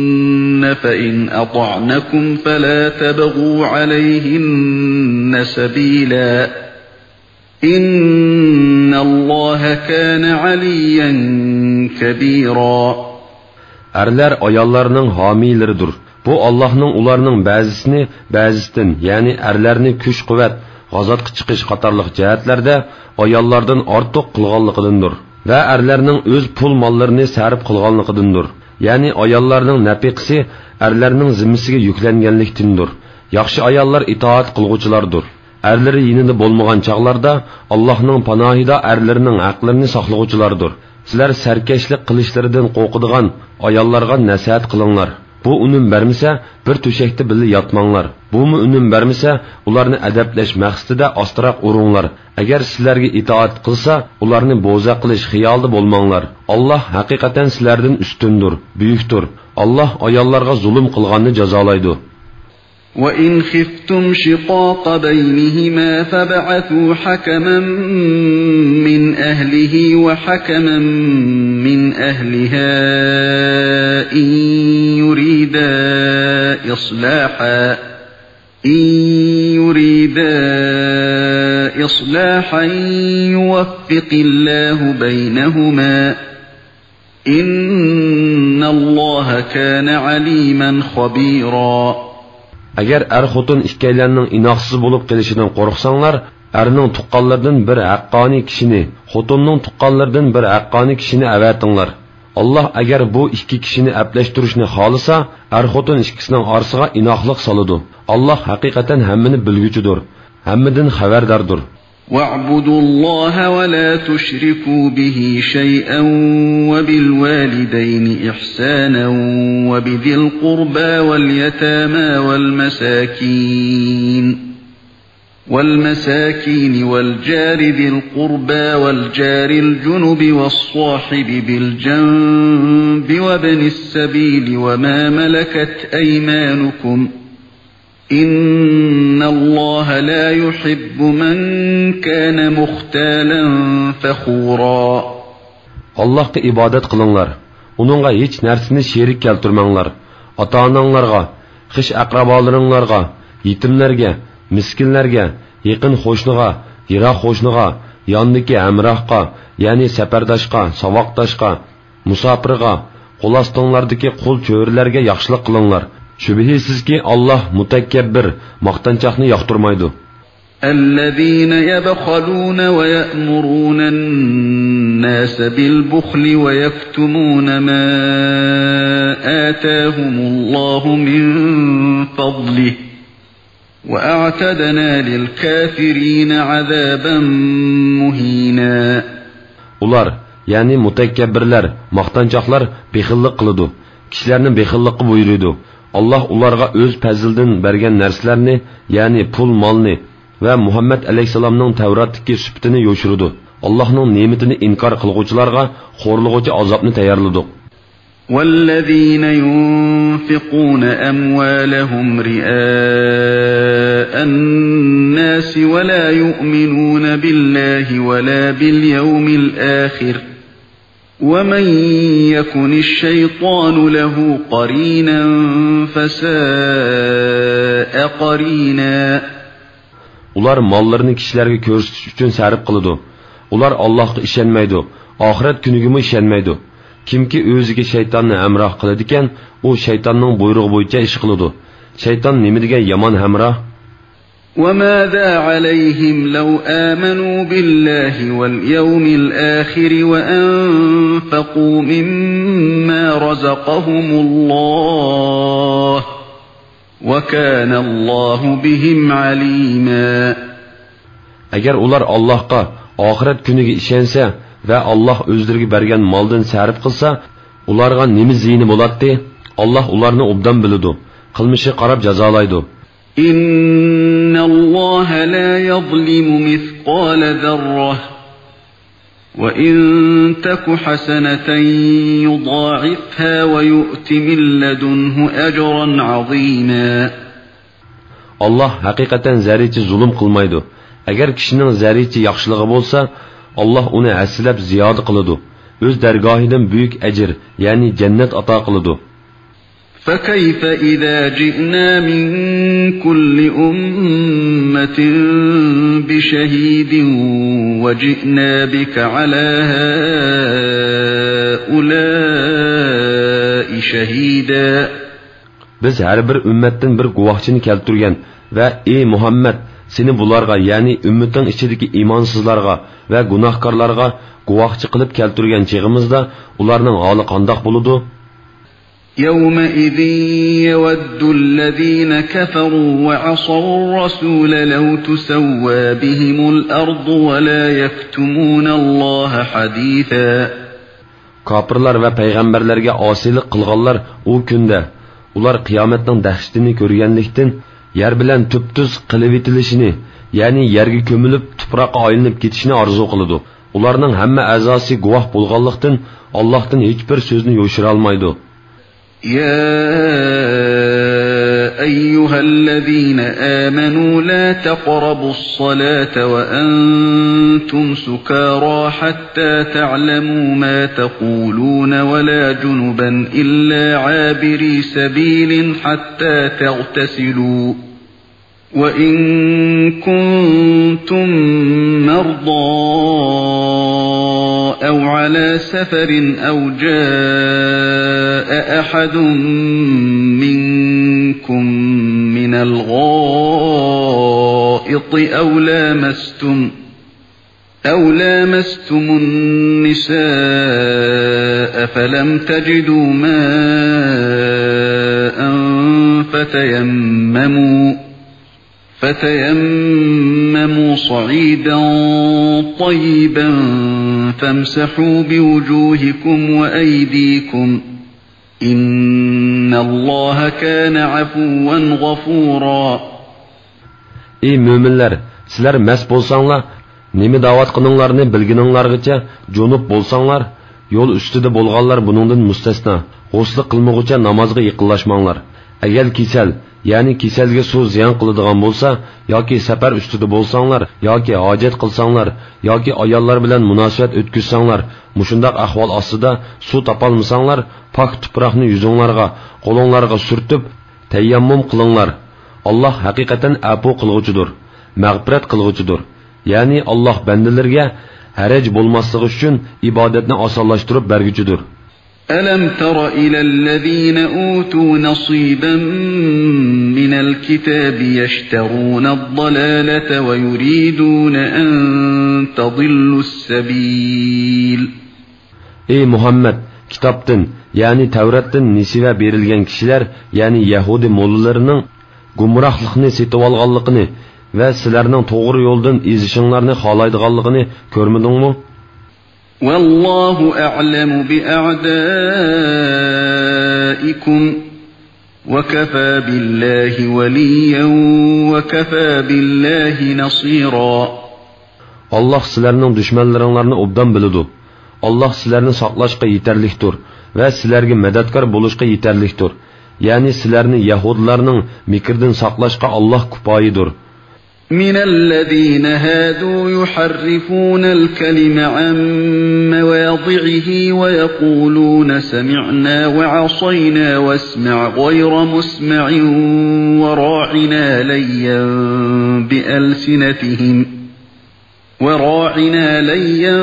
فإن أطعنكم فلا تبغوا عليهن سبيلا، إن الله كان عليا كبيرا. ئەرلەر ئاياللارنىڭ ھامىيلىرىدۇر. بۇ ئاللاھنىڭ ئۇلارنىڭ بەزىسىنى بەزىسىدىن، يەنى ئەرلەرنى كۈچ-قۇۋۋەت، غازاتقا چىقىش قاتارلىق جەھەتلەردە ئاياللاردىن ئارتۇق قىلغانلىقىدىندۇر. ۋە ئەرلەرنىڭ ئۆز پۇل-ماللىرىنى سەرپ قىلغانلىقىدىندۇر. يەنى ئاياللارنىڭ نەپىقىسى ئەرلەرنىڭ زىممىسىگە يۈكلەنگەنلىكتىندۇر. ياخشى ئاياللار ئىتائەت قىلغۇچىلاردۇر. ئەرلىرى يېنىدا بولمىغان چاغلاردا ئاللاھنىڭ پاناھىدا ئەرلىرىنىڭ ھەقلىرىنى ساقلىغۇچىلاردۇر. سىلەر سەركەشلىك قىلىشلىرىدىن قورقىدىغان ئاياللارغا نەسىھەت قىلىڭلار. بۇ ئۈنۈم بەرمىسە، بىر تۆشەكتە بىللە ياتماڭلار. بۇمۇ ئۈنۈم بەرمىسە، ئۇلارنى ئەدەپلەش مەقسىتىدە ئاستىراق ئۇرۇڭلار. ئەگەر سىلەرگە ئىتائەت قىلسا، ئۇلارنى بوزەك قىلىش خىيالىدا بولماڭلار. ئاللاھ ھەقىقەتەن سىلەردىن ئۈستۈندۇر، بۈيۈكتۇر. ئاللاھ ئاياللارغا زۇلۇم قىلغاننى جازالايدۇ. وإن خفتم شقاق بينهما فابعثوا حكما من أهله وحكما من أهلها إن يريدا إصلاحا، إن يريدا إصلاحا يوفق الله بينهما، إن الله كان عليما خبيرا. ئەگەر ئەر-خوتۇن ئىككىيلەننىڭ ئىناقسىز بولۇپ قېلىشىدىن قورقساڭلار، ئەرنىڭ تۇغقانلىرىدىن بىر ھەققانىي كىشىنى، خوتۇننىڭ تۇغقانلىرىدىن بىر ھەققانىي كىشىنى ئەۋەتىڭلار. ئاللاھ ئەگەر بۇ ئىككى كىشىنى ئەپلەشتۈرۈشنى خالىسا، ئەر-خوتۇن ئىككىسىنىڭ ئارىسىغا ئىناقلىق سالىدۇ. ئاللاھ ھەقىقەتەن ھەممىنى بىلگۈچىدۇر، ھەممىدىن خەۋەرداردۇر. واعبدوا الله ولا تشركوا به شيئا وبالوالدين إحسانا وبذي القربى واليتامى والمساكين والمساكين والجار ذي القربى والجار الجنب والصاحب بالجنب وابن السبيل وما ملكت أيمانكم إن الله لا يحب من كان مختالا فخورا. ئاللاھقا ئىبادەت قىلىڭلار، ئۇنىڭغا ھېچ نەرسىنى شېرىك كەلتۈرمەڭلار. ئاتا-ئاناڭلارغا، خىش-ئەقرىبالىرىڭلارغا، يېتىملەرگە، مىسكىنلەرگە، يېقىن قوشنىغا، يىراق قوشنىغا، ياندىكى ھەمراھقا، يەنى سەپەرداشقا، ساۋاقداشقا، مۇساپىرغا، قول ئاستىڭلاردىكى قۇل چۆرىلەرگە ياخشىلىق قىلىڭلار. شۈبھىسىزكى، ئاللاھ مۇتەكەببىر، ماختانچاقنى ياقتۇرمايدۇ. الذين يبخلون ويأمرون الناس بالبخل ويكتمون ما آتاهم الله من فضله وأعتدنا للكافرين عذابا مهينا. ئۇلار، يەنى مۇتەكەببىرلەر، ماختانچاقلار بېخىللىق قىلىدۇ، كىشىلەرنى بېخىللىققا بۇيرۇيدۇ. ئاللاھ ئۇلارغا ئۆز پەزلىدىن بەرگەن نەرسىلەرنى، يەنى پۇل-مالنى ۋە مۇھەممەد ئەلەيھىسسالامنىڭ تەۋراتتىكى سۈپىتىنى يوشۇرىدۇ. ئاللاھنىڭ نېمىتىنى ئىنكار قىلغۇچىلارغا خورلىغۇچى ئازابنى تەييارلىدۇق. والذين ينفقون أموالهم رئاء الناس ولا يؤمنون بالله ولا باليوم الآخر ومن يكن الشيطان له قرينا فساء قرينا. ئۇلار ماللىرىنى كىشىلەرگە كۆرسىتىش ئۈچۈن سەرپ قىلىدۇ. ئۇلار ئاللاھقا ئىشەنمەيدۇ، ئاخىرەت كۈنىگىمۇ ئىشەنمەيدۇ. كىمكى ئۆزىگە شەيتاننى ھەمراھ قىلىدىكەن، ئۇ شەيتاننىڭ بۇيرۇقى بويىچە ئىش قىلىدۇ. شەيتان نېمىدېگەن يامان ھەمراھ! وماذا عليهم لو آمنوا بالله واليوم الآخر وأنفقوا مما رزقهم الله وكان الله بهم عليما. ئەگەر ئۇلار ئاللاھقا، ئاخىرەت كۈنىگە ئىشەنسە ۋە ئاللاھ ئۆزلىرىگە بەرگەن مالدىن سەرپ قىلسا، ئۇلارغا نېمە زىيىنى بولاتتى؟ ئاللاھ ئۇلارنى ئوبدان بىلىدۇ، قىلمىشىغا قاراپ جازالايدۇ. إن الله لا يظلم مثقال ذرة وإن تك حسنة يضاعفها ويؤت من لدنه أجرا عظيما. ئاللاھ ھەقىقەتەن زەررىچە زۇلۇم قىلمايدۇ. ئەگەر كىشىنىڭ زەررىچە ياخشىلىقى بولسا، ئاللاھ ئۇنى ھەسسىلەپ زىيادە قىلىدۇ، ئۆز دەرگاھىدىن بۈيۈك ئەجىر، يەنى جەننەت ئاتا قىلىدۇ. فكيف إذا جئنا من كل أمة بشهيد وجئنا بك على هؤلاء شهيدا. بىز ھەر بىر ئۈممەتتىن بىر گۇۋاھچىنى كەلتۈرگەن ۋە، ئى مۇھەممەد، سېنى بۇلارغا، يەنى ئۈممىتىڭ ئىچىدىكى ئىمانسىزلارغا ۋە گۇناھكارلارغا گۇۋاھچى قىلىپ كەلتۈرگەن چېغىمىزدا ئۇلارنىڭ ھالى قانداق بولىدۇ؟ يومئذ يود الذين كفروا وعصوا الرسول لو تسوى بهم الأرض ولا يكتمون الله حديثا. كاپىرلار ۋە پەيغەمبەرلەرگە ئاسىيلىق قىلغانلار ئۇ كۈندە، ئۇلار قىيامەتنىڭ دەھشىتىنى كۆرگەنلىكتىن، يەر بىلەن تۈپتۈز قىلىۋېتىلىشىنى، يەنى يەرگە كۆمۈلۈپ، تۇپراققا ئايلىنىپ كېتىشىنى ئارزۇ قىلىدۇ. ئۇلارنىڭ ھەممە ئەزاسى گۇۋاھ بولغانلىقتىن، ئاللاھتىن ھېچبىر سۆزنى يوشۇرالمايدۇ. يا أيها الذين آمنوا لا تقربوا الصلاة وأنتم سكارى حتى تعلموا ما تقولون ولا جنبا إلا عابري سبيل حتى تغتسلوا وإن كنتم مرضى أو على سفر أو جاء أحد منكم من الغائط الحيض أو لامستم، أو لامستم النساء فلم تجدوا ماء فتيمموا، فتيمموا صعيدا طيبا فامسحوا بوجوهكم وأيديكم، إن الله كان عفوا غفورا. ئەي مۆمىنلەر، سىلەر مەس بولساڭلار، نېمە دەۋاتقىنىڭلارنى بىلگىنىڭلارغىچە جۇنۇپ بولساڭلار، يول ئۈستىدە بولغانلار بۇنىڭدىن مۇستەسنا، غۇسلى قىلمىغۇچە نامازغا يېقىنلاشماڭلار. ئەگەر كېسەل، يەنى كېسەلگە سۇ زىيان قىلىدىغان بولسا، ياكى سەپەر ئۈستىدە بولساڭلار، ياكى ھاجەت قىلساڭلار، ياكى ئاياللار بىلەن مۇناسىۋەت ئۆتكۈزسەڭلار، مۇشۇنداق ئەھۋال ئاستىدا سۇ تاپالمىساڭلار، پاك تۇپراقنى يۈزۈڭلارغا، قولۇڭلارغا سۈرتۈپ، تەيەممۇم قىلىڭلار. ئاللاھ ھەقىقەتەن ئەپۇ قىلغۇچىدۇر، مەغپىرەت قىلغۇچىدۇر. يەنى ئاللاھ بەندىلىرىگە ھەرەج بولماسلىقى ئۈچۈن ئىبادەتنى ئاسانلاشتۇرۇپ بەرگۈچىدۇر. ألم تر إلى الذين أوتوا نصيبا من الكتاب يشترون الضلالة ويريدون أن تضلوا السبيل. ئەي مۇھەممەد، كىتابتىن، يەنى تەۋراتتىن نېسىۋە بېرىلگەن كىشىلەر، يەنى يەھۇدىي موللىلىرىنىڭ گۇمراھلىقنى سېتىۋالغانلىقىنى ۋە سىلەرنىڭ توغرا يولدىن ئېزىشىڭلارنى خالايدىغانلىقىنى كۆرمىدىڭمۇ؟ والله أعلم بأعدائكم، وكفى بالله وليا، وكفى بالله نصيرا. ئاللاھ سىلەرنىڭ دۈشمەنلىرىڭلارنى ئوبدان بىلىدۇ. ئاللاھ سىلەرنى ساقلاشقا يېتەرلىكتۇر ۋە سىلەرگە مەدەتكار بولۇشقا يېتەرلىكتۇر. يەنى سىلەرنى يەھۇدىيلارنىڭ مىكرىدىن ساقلاشقا ئاللاھ كۇپايىدۇر. من الذين هادوا يحرفون الكلم عن مواضعه ويقولون سمعنا وعصينا واسمع غير مسمع وراعنا ليا بألسنتهم، وراعنا ليا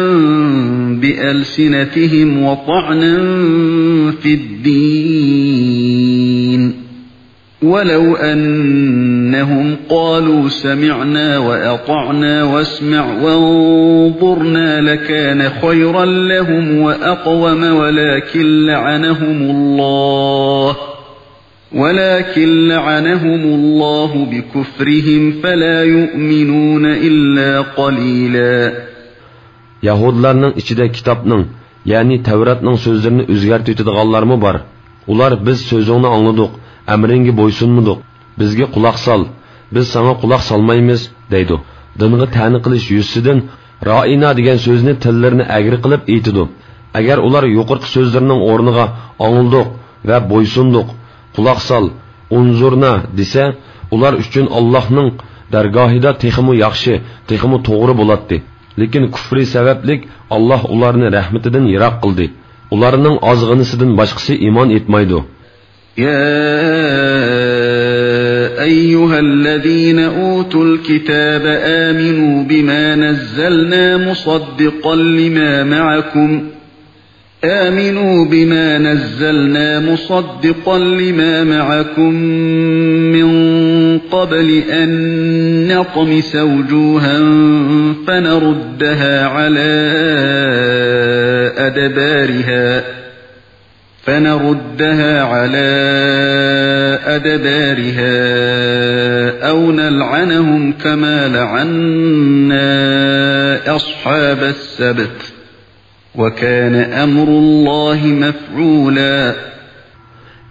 بألسنتهم وطعنا في الدين. ولو أنهم قالوا سمعنا وأطعنا واسمع وانظرنا لكان خيرا لهم وأقوم ولكن لعنهم الله، ولكن لعنهم الله بكفرهم فلا يؤمنون إلا قليلا. يەھۇدىيلارنىڭ ئىچىدە كىتابنىڭ، يەنى تەۋراتنىڭ سۆزلىرىنى ئۆزگەرتىۋېتىدىغانلارمۇ بار. ئۇلار، بىز سۆزۈڭنى ئاڭلىدۇق، ئەمرىڭگە بويسۇنمىدۇق، بىزگە قۇلاق سال، بىز ساڭا قۇلاق سالمايمىز، دەيدۇ. دىنغا تەنە قىلىش يۈزىسىدىن رائىنا دېگەن سۆزنى تىللىرىنى ئەگرى قىلىپ ئېيتىدۇ. ئەگەر ئۇلار يۇقىرىقى سۆزلىرىنىڭ ئورنىغا ئاڭلىدۇق ۋە بويسۇندۇق، قۇلاق سال، ئۇنزۇرنا دېسە، ئۇلار ئۈچۈن ئاللاھنىڭ دەرگاھىدا تېخىمۇ ياخشى، تېخىمۇ توغرا بولاتتى. لېكىن كۇفرى سەۋەبلىك ئاللاھ ئۇلارنى رەھمىتىدىن يىراق قىلدى. ئۇلارنىڭ ئازغىنىسىدىن باشقىسى ئىمان ئېيتمايدۇ. يا أيها الذين أوتوا الكتاب آمنوا بما نزلنا مصدقا لما معكم، آمنوا بما نزلنا مصدقا لما معكم من قبل أن نطمس وجوها فنردها على أدبارها، فنردها على أدبارها أو نلعنهم كما لعنا أصحاب السبت، وكان أمر الله مفعولا.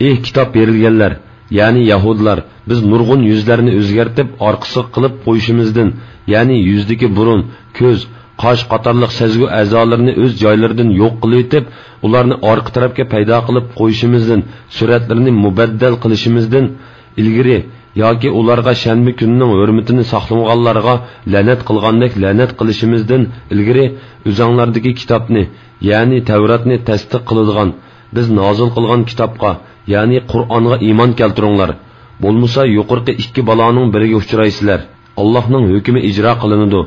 ئى كىتاب بېرىلگەنلەر، يەنى يەھۇدىيلار، بىز نۇرغۇن يۈزلەرنى ئۆزگەرتىپ ئارقىسىغا قىلىپ قويۇشىمىزدىن، يەنى يۈزدىكى بۇرۇن، كۆز، قاش قاتارلىق سەزگۈ ئەزالىرىنى ئۆز جايلىرىدىن يوق قىلىۋېتىپ، ئۇلارنى ئارقا تەرەپكە پەيدا قىلىپ قويۇشىمىزدىن، سۈرەتلىرىنى مۇبەددەل قىلىشىمىزدىن ئىلگىرى ياكى ئۇلارغا شەنبە كۈنىنىڭ ھۆرمىتىنى ساقلىمىغانلارغا لەنەت قىلغاندەك لەنەت قىلىشىمىزدىن ئىلگىرى ئۆزۈڭلاردىكى كىتابنى، يەنى تەۋراتنى تەستىق قىلىدىغان، بىز نازىل قىلغان كىتابقا، يەنى قۇرئانغا ئىمان كەلتۈرۈڭلار. بولمىسا يۇقىرىقى ئىككى بالانىڭ بىرىگە ئۇچرايسىلەر. ئاللاھنىڭ ھۆكمى ئىجرا قىلىنىدۇ.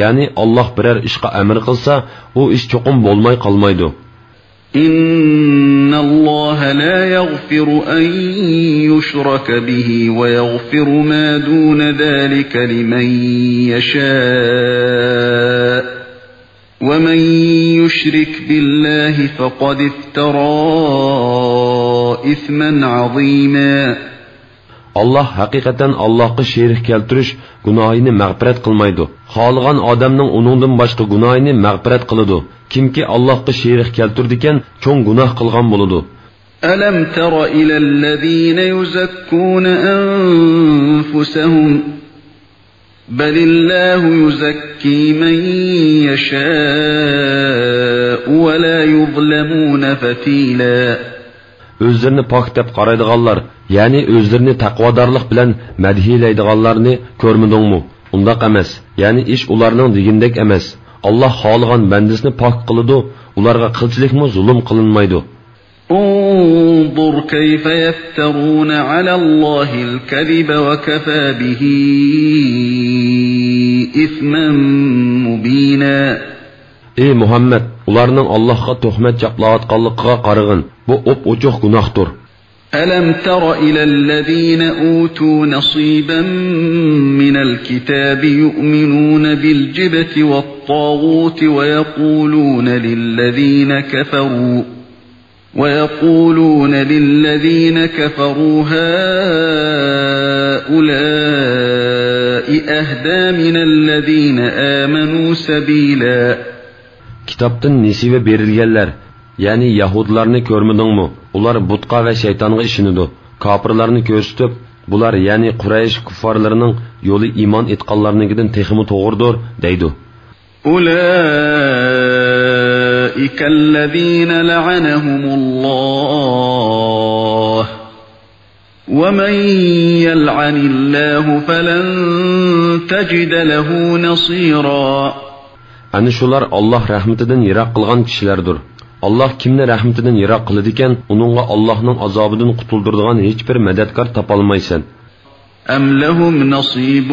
يەنى ئاللاھ بىرەر ئىشقا ئەمر قىلسا، ئۇ ئىش چوقۇم بولماي قالمايدۇ. إن الله لا يغفر أن يشرك به ويغفر ما دون ذلك لمن يشاء، ومن يشرك بالله فقد افترى إثما عظيما. ئاللاھ ھەقىقەتەن ئاللاھقا شېرىك كەلتۈرۈش گۇناھىنى مەغپىرەت قىلمايدۇ. خالىغان ئادەمنىڭ ئۇنىڭدىن باشقا گۇناھىنى مەغپىرەت قىلىدۇ. كىمكى ئاللاھقا شېرىك كەلتۈرىدىكەن، چوڭ گۇناھ قىلغان بولىدۇ. ألم تر إلى الذين يزكون أنفسهم، بل الله يزكي من يشاء ولا يظلمون فتيلا. ئۆزلىرىنى پاك دەپ قارايدىغانلار، يەنى ئۆزلىرىنى تەقۋادارلىق بىلەن مەدھىيلەيدىغانلارنى كۆرمىدىڭمۇ؟ ئۇنداق ئەمەس، يەنى ئىش ئۇلارنىڭ دېگىنىدەك ئەمەس. ئاللاھ خالىغان بەندىسىنى پاك قىلىدۇ، ئۇلارغا قىلچىلىكمۇ زۇلۇم قىلىنمايدۇ. انظر كيف يفترون على الله الكذب وكفى به إثما مبينا. ئى مۇھەممەد، ئۇلارنىڭ ئاللاھقا تۆھمەت چاپلاۋاتقانلىقىغا قارىغىن، بۇ ئوپئوچۇق گۇناھتۇر. ألم تر إلى الذين أوتوا نصيبا من الكتاب يؤمنون بالجبت والطاغوت ويقولون للذين كفروا ويقولون للذين كفروا هؤلاء أهدى من الذين آمنوا سبيلا. كىتابتىن نېسىۋە بېرىلگەنلەر، يەنى يەھۇدلارنى كۆرمىدىڭمۇ؟ ئۇلار بۇتقا ۋە شەيتانغا ئىشىنىدۇ. كاپىرلارنى كۆرسىتىپ، بۇلار، يەنى قۇرەيش كۇففارلىرىنىڭ يولى ئىمان ئېيتقانلارنىڭكىدىن تېخىمۇ توغرىدۇر، دەيدۇ. أولئك الذين لعنهم الله، ومن يلعن الله فلن تجد له نصيرا. ئەنە شۇلار ئاللاھ رەھمىتىدىن يىراق قىلغان كىشىلەردۇر. ئاللاھ كىمنى رەھمىتىدىن يىراق قىلىدىكەن، ئۇنىڭغا ئاللاھنىڭ ئازابىدىن قۇتۇلدۇرىدىغان ھېچبىر مەدەتكار تاپالمايسەن. أم لهم نصيب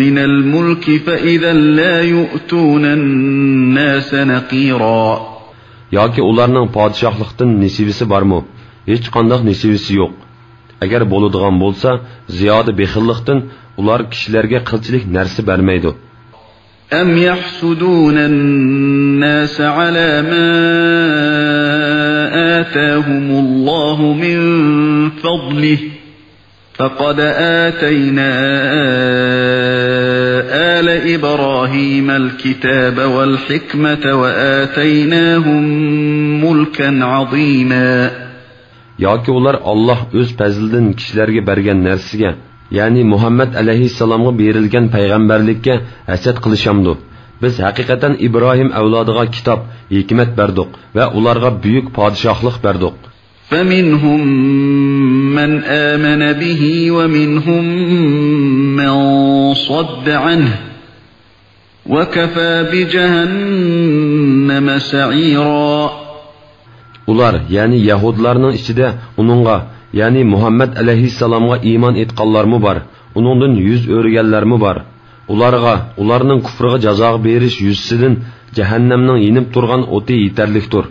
من الملك فإذا لا يؤتون الناس نقيرا. ياكى ئۇلارنىڭ پادىشاھلىقتىن نېسىۋىسى بارمۇ؟ ھېچقانداق نېسىۋىسى يوق. ئەگەر بولىدىغان بولسا، زىيادە بېخىللىقتىن ئۇلار كىشىلەرگە قىلچىلىك نەرسە بەرمەيدۇ. أم يحسدون الناس على ما آتاهم الله من فضله، فقد آتينا آل إبراهيم الكتاب والحكمة وآتيناهم ملكا عظيما. ياكى ئۇلار ئاللاھ ئۆز پەزلىدىن كىشىلەرگە بەرگەن نەرسىگە، يەنى مۇھەممەد ئەلەيھىسسالامغا بېرىلگەن پەيغەمبەرلىككە ھەسەت قىلىشامدۇ؟ بىز ھەقىقەتەن ئىبراھىم ئەۋلادىغا كىتاب، ھېكمەت بەردۇق ۋە ئۇلارغا بۈيۈك پادىشاھلىق بەردۇق. فمنهم من آمن به ومنهم من صد عنه، وكفى بجهنم سعيرا. ئۇلار، يەنى يەھۇدلارنىڭ ئىچىدە ئۇنىڭغا، يەنى مۇھەممەد ئەلەيھىسسالامغا ئىمان ئېيتقانلارمۇ بار، ئۇنىڭدىن يۈز ئۆرۈگەنلەرمۇ بار. ئۇلارغا، ئۇلارنىڭ كۇفرىغا جازا بېرىش يۈزىسىدىن جەھەننەمنىڭ يېنىپ تۇرغان ئوتى يېتەرلىكتۇر.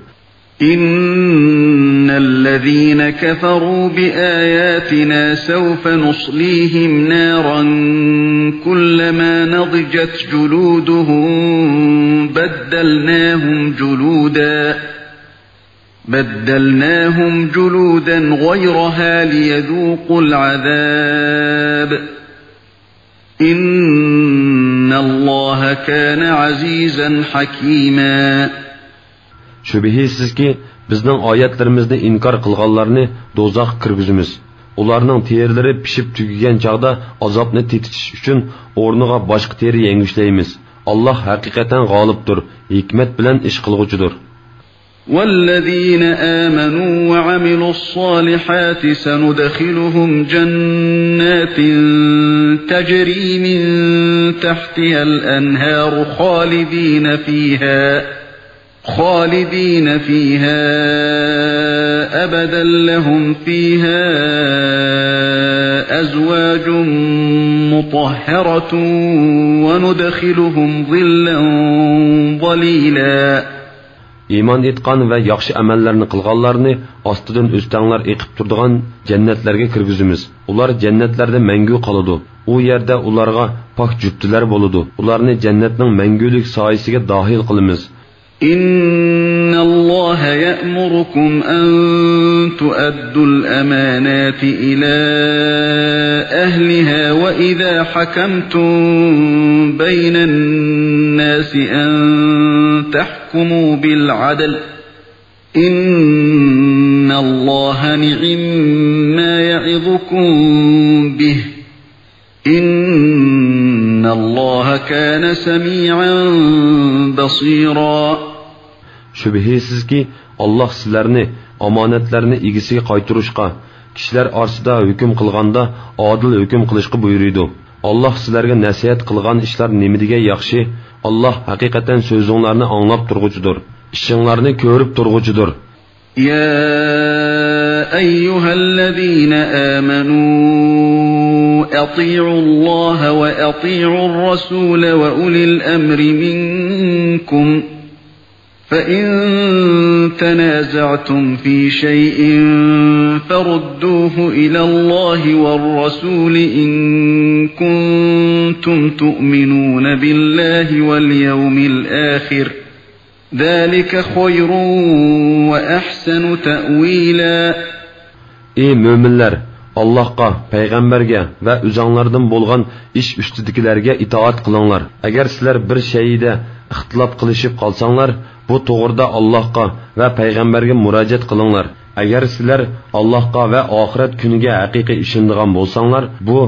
إن الذين كفروا بآياتنا سوف نصليهم نارا كلما نضجت جلودهم بدلناهم جلودا بدلناهم جلودا غيرها ليذوقوا العذاب إن الله كان عزيزا حكيما. شۈبھىسىزكى، بىزنىڭ ئايەتلىرىمىزنى ئىنكار قىلغانلارنى دوزاخقا كىرگۈزىمىز. ئۇلارنىڭ تېرىلىرى پىشىپ تۈگىگەن چاغدا ئازابنى تېتىتىش ئۈچۈن ئورنىغا باشقا تېرە يەڭگۈشلەيمىز. ئاللاھ ھەقىقەتەن غالىبتۇر، ھېكمەت بىلەن ئىش قىلغۇچىدۇر. والذين آمنوا وعملوا الصالحات سندخلهم جنات تجري من تحتها الأنهار خالدين فيها خالدين فيها أبدا لهم فيها أزواج مطهرة وندخلهم ظلا ظليلا. ئىمان ئېيتقان ۋە ياخشى ئەمەللەرنى قىلغانلارنى ئاستىدىن ئۆستەڭلەر ئېقىپ تۇرىدىغان جەننەتلەرگە كىرگۈزىمىز. ئۇلار جەننەتلەردە مەڭگۈ قالىدۇ. ئۇ يەردە ئۇلارغا پاك جۈپتىلەر بولىدۇ. ئۇلارنى جەننەتنىڭ مەڭگۈلۈك سايىسىگە داخىل قىلىمىز. إن الله يأمركم أن تؤدوا الأمانات إلى أهلها وإذا حكمتم بين الناس أن تحكموا بالعدل إن الله نعم ما يعظكم به إن الله كان سميعا بصيرا. شۈبھىسىزكى، ئاللاھ سىلەرنى ئامانەتلەرنى ئىگىسىگە قايتۇرۇشقا، كىشىلەر ئارىسىدا ھۆكۈم قىلغاندا ئادىل ھۆكۈم قىلىشقا بۇيرۇيدۇ. ئاللاھ سىلەرگە نەسىھەت قىلغان ئىشلار نېمىدېگەن ياخشى. ئاللاھ ھەقىقەتەن سۆزۈڭلارنى ئاڭلاپ تۇرغۇچىدۇر، ئىشىڭلارنى كۆرۈپ تۇرغۇچىدۇر. يا أيها الذين آمنوا أطيعوا الله وأطيعوا الرسول وأولي الأمر منكم، فإن تنازعتم في شيء فردوه إلى الله والرسول إن كنتم تؤمنون بالله واليوم الآخر، ذلك خير وأحسن تأويلا. ئى مۆمىنلەر، ئاللاھقا، پەيغەمبەرگە ۋە ئۆزۈڭلاردىن بولغان ئىش ئۈستىدىكىلەرگە ئىتائەت قىلىڭلار. ئەگەر سىلەر بىر شەيئىدە ئىختىلاپ قىلىشىپ قالساڭلار، بۇ توغرىدا ئاللاھقا ۋە پەيغەمبەرگە مۇراجىئەت قىلىڭلار. ئەگەر سىلەر ئاللاھقا ۋە ئاخىرەت كۈنىگە ھەقىقىي ئىشىنىدىغان بولساڭلار، بۇ،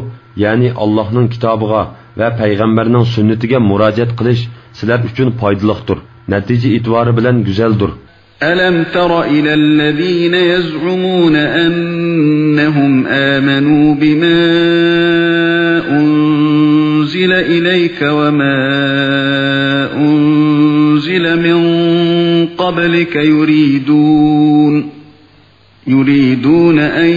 يەنى ئاللاھنىڭ كىتابىغا ۋە پەيغەمبەرنىڭ سۈننىتىگە مۇراجىئەت قىلىش سىلەر ئۈچۈن پايدىلىقتۇر، نەتىجە ئېتىبارى بىلەن گۈزەلدۇر. ألم تر إلى الذين يزعمون أنهم آمنوا بما أنزل إليك وما أنزل من قبلك يريدون يريدون أن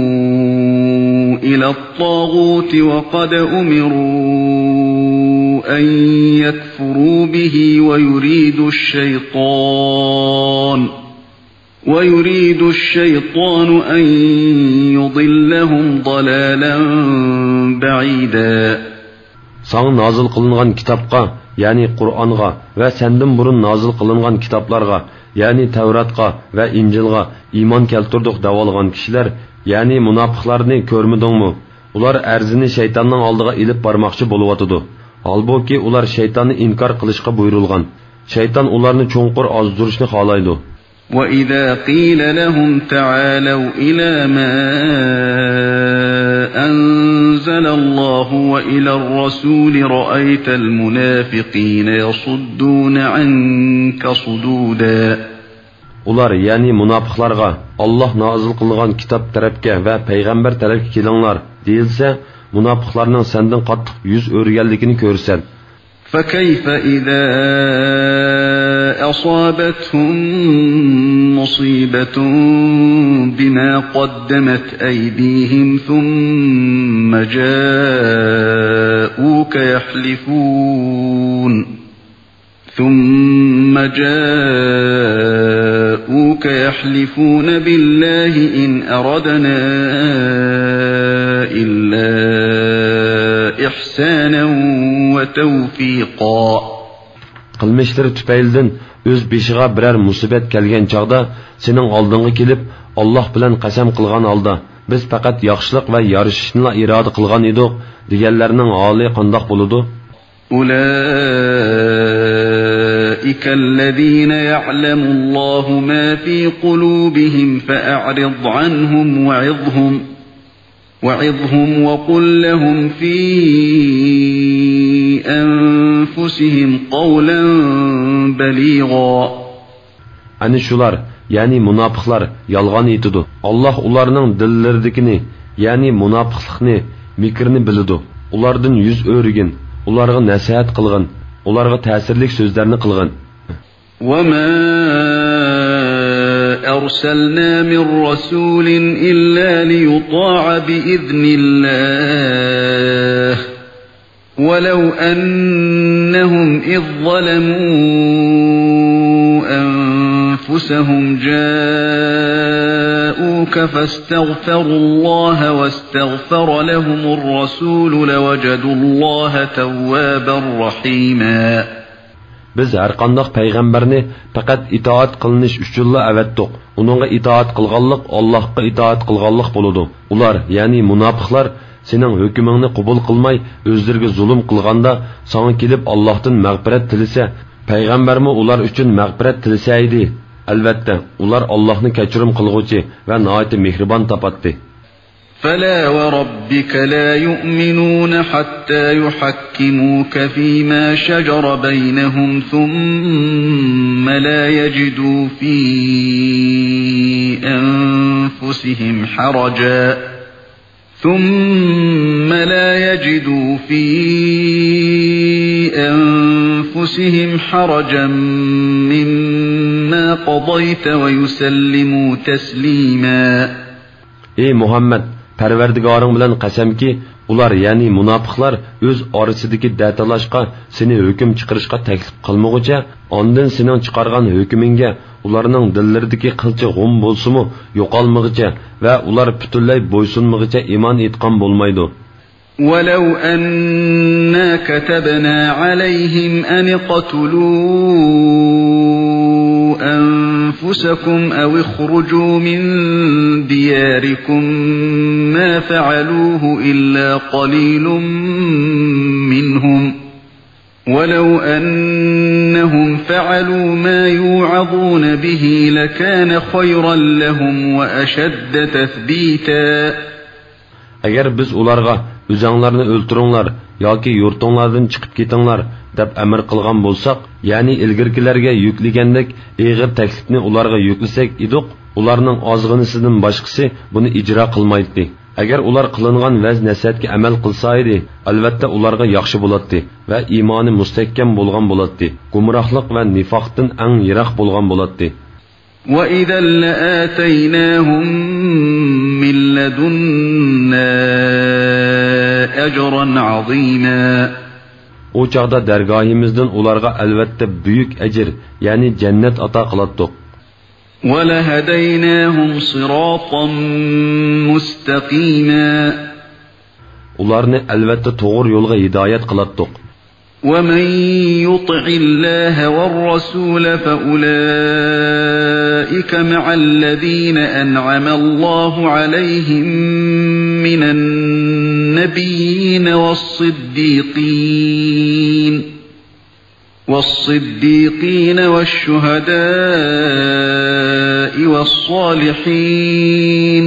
يتحاكموا إلى الطاغوت وقد أمروا أن يكفروا به ويريد الشيطان ويريد الشيطان أن يضلهم ضلالا بعيدا. ساڭا نازىل قىلىنغان كىتابقا، يەنى قۇرئانغا ۋە سەندىن بۇرۇن نازىل قىلىنغان كىتابلارغا، يەنى تەۋراتقا ۋە ئىنجىلغا ئىمان كەلتۈردۇق دەۋالغان كىشىلەر، يەنى مۇناپىقلارنى كۆرمىدىڭمۇ؟ ئۇلار ئەرزىنى شەيتاننىڭ ئالدىغا ئېلىپ بارماقچى بولۇۋاتىدۇ. ھالبۇكى، ئۇلار شەيتاننى ئىنكار قىلىشقا بۇيرۇلغان. شەيتان ئۇلارنى چوڭقۇر ئازدۇرۇشنى خالايدۇ. وإذا قيل لهم تعالوا إلى ما أنزل الله وإلى الرسول رأيت المنافقين يصدون عنك صدودا. ئۇلار، يەنى مۇناپىقلارغا، ئاللاھ نازىل قىلغان كىتاب تەرەپكە ۋە پەيغەمبەر تەرەپكە كېلىڭلار، دېيىلسە، مۇناپىقلارنىڭ سەندىن قاتتىق يۈز ئۆرۈگەنلىكىنى كۆرىسەن. فكيف إذا أصابتهم مصيبة بما قدمت أيديهم ثم جاءوك يحلفون ثم جاءوك يحلفون بالله إن أردنا إلا إحسانا وتوفيقا. قىلمىشلىرى تۈپەيلىدىن ئۆز بېشىغا بىرەر مۇسىبەت كەلگەن چاغدا سېنىڭ ئالدىڭغا كېلىپ، ئاللاھ بىلەن قەسەم قىلغان ھالدا، بىز پەقەت ياخشىلىق ۋە يارىشىشنىلا ئىرادە قىلغان ئىدۇق، دېگەنلەرنىڭ ھالى قانداق بولىدۇ؟ أولئك الذين يعلم الله ما في قلوبهم فأعرض عنهم وعظهم وعظهم وقل لهم في أنفسهم قولا بليغا. ئەنە شۇلار، يەنى مۇناپىقلار يالغان ئېيتىدۇ. ئاللاھ ئۇلارنىڭ دىللىرىدىكىنى، يەنى مۇناپىقلىقنى، مىكرىنى بىلىدۇ. ئۇلاردىن يۈز ئۆرۈگىن، ئۇلارغا نەسىھەت قىلغىن، ئۇلارغا تەسىرلىك سۆزلەرنى قىلغىن. وما أرسلنا من رسول إلا ليطاع بإذن الله ولو أنهم إذ ظلموا أنفسهم جاءوك فاستغفروا الله واستغفر لهم الرسول لوجدوا الله توابا رحيما. بىز ھەرقانداق پەيغەمبەرنى پەقەت ئىتائەت قىلىنىش ئۈچۈنلا ئەۋەتتۇق. ئۇنىڭغا ئىتائەت قىلغانلىق ئاللاھقا ئىتائەت قىلغانلىق بولىدۇ. ئۇلار، يەنى مۇناپىقلار، سېنىڭ ھۆكمۈڭنى قوبۇل قىلماي، ئۆزلىرىگە زۇلۇم قىلغاندا، ساڭا كېلىپ ئاللاھتىن مەغپىرەت تىلىسە، پەيغەمبەرمۇ ئۇلار ئۈچۈن مەغپىرەت تىلىسە ئىدى. ئەلۋەتتە، ئۇلار ئاللاھنى كەچۈرۈم قىلغۇچى ۋە ناھايىتى مېھرىبان تاپاتتى. فلا وربك لا يؤمنون حتى يحكموك فيما شجر بينهم ثم لا يجدوا في أنفسهم حرجا ثم لا يجدوا في أنفسهم حرجا مما قضيت ويسلموا تسليما. ئى مۇھەممەد، پەرۋەردىگارىڭ بىلەن قەسەمكى، ئۇلار، يەنى مۇناپىقلار ئۆز ئارىسىدىكى دەتالاشقا، سېنى ھۆكۈم چىقىرىشقا تەكلىپ قىلمىغۇچە، ئاندىن سېنىڭ چىقارغان ھۆكمۈڭگە ئۇلارنىڭ دىللىرىدىكى قىلچە غۇم بولسىمۇ يوقالمىغۇچە ۋە ئۇلار پۈتۈنلەي بويسۇنمىغۇچە ئىمان ئېيتقان بولمايدۇ. ولو أنا كتبنا عليهم أن اقتلوا أنفسكم أو اخرجوا من دياركم ما فعلوه إلا قليل منهم ولو أنهم فعلوا ما يوعظون به لكان خيرا لهم وأشد تثبيتا. ئەگەر بىز ئۇلارغا، «ئۆزەڭلارنى ئۆلتۈرۈڭلار ياكى يۇرتۇڭلاردىن چىقىپ كېتىڭلار» دەپ ئەمىر قىلغان بولساق، يەنى ئىلگىرىكىلەرگە يۈكلىگەندەك ئېغىر تەكلىپنى ئۇلارغا يۈكلىسەك ئىدۇق، ئۇلارنىڭ ئازغىنىسىدىن باشقىسى بۇنى ئىجرا قىلمايتتى. ئەگەر ئۇلار قىلىنغان ۋەز-نەسىھەتكە ئەمەل قىلسا ئىدى، ئەلۋەتتە ئۇلارغا ياخشى بولاتتى ۋە ئىمانى مۇستەھكەم بولغان بولاتتى، گۇمراھلىق ۋە نىفاقتىن ئەڭ يىراق بولغان بولاتتى. وإذا لآتيناهم من لدنا أجرا عظيما. ئۇ چاغدا دەرگاھىمىزدىن ئۇلارغا ئەلۋەتتە بۈيۈك ئەجىر، يەنى جەننەت ئاتا قىلاتتۇق. ولهديناهم صراطا مستقيما. ئۇلارنى ئەلۋەتتە توغرا يولغا ھىدايەت قىلاتتۇق. ومن يطع الله والرسول فأولئك مع الذين أنعم الله عليهم من النبيين والصديقين والصديقين والشهداء والصالحين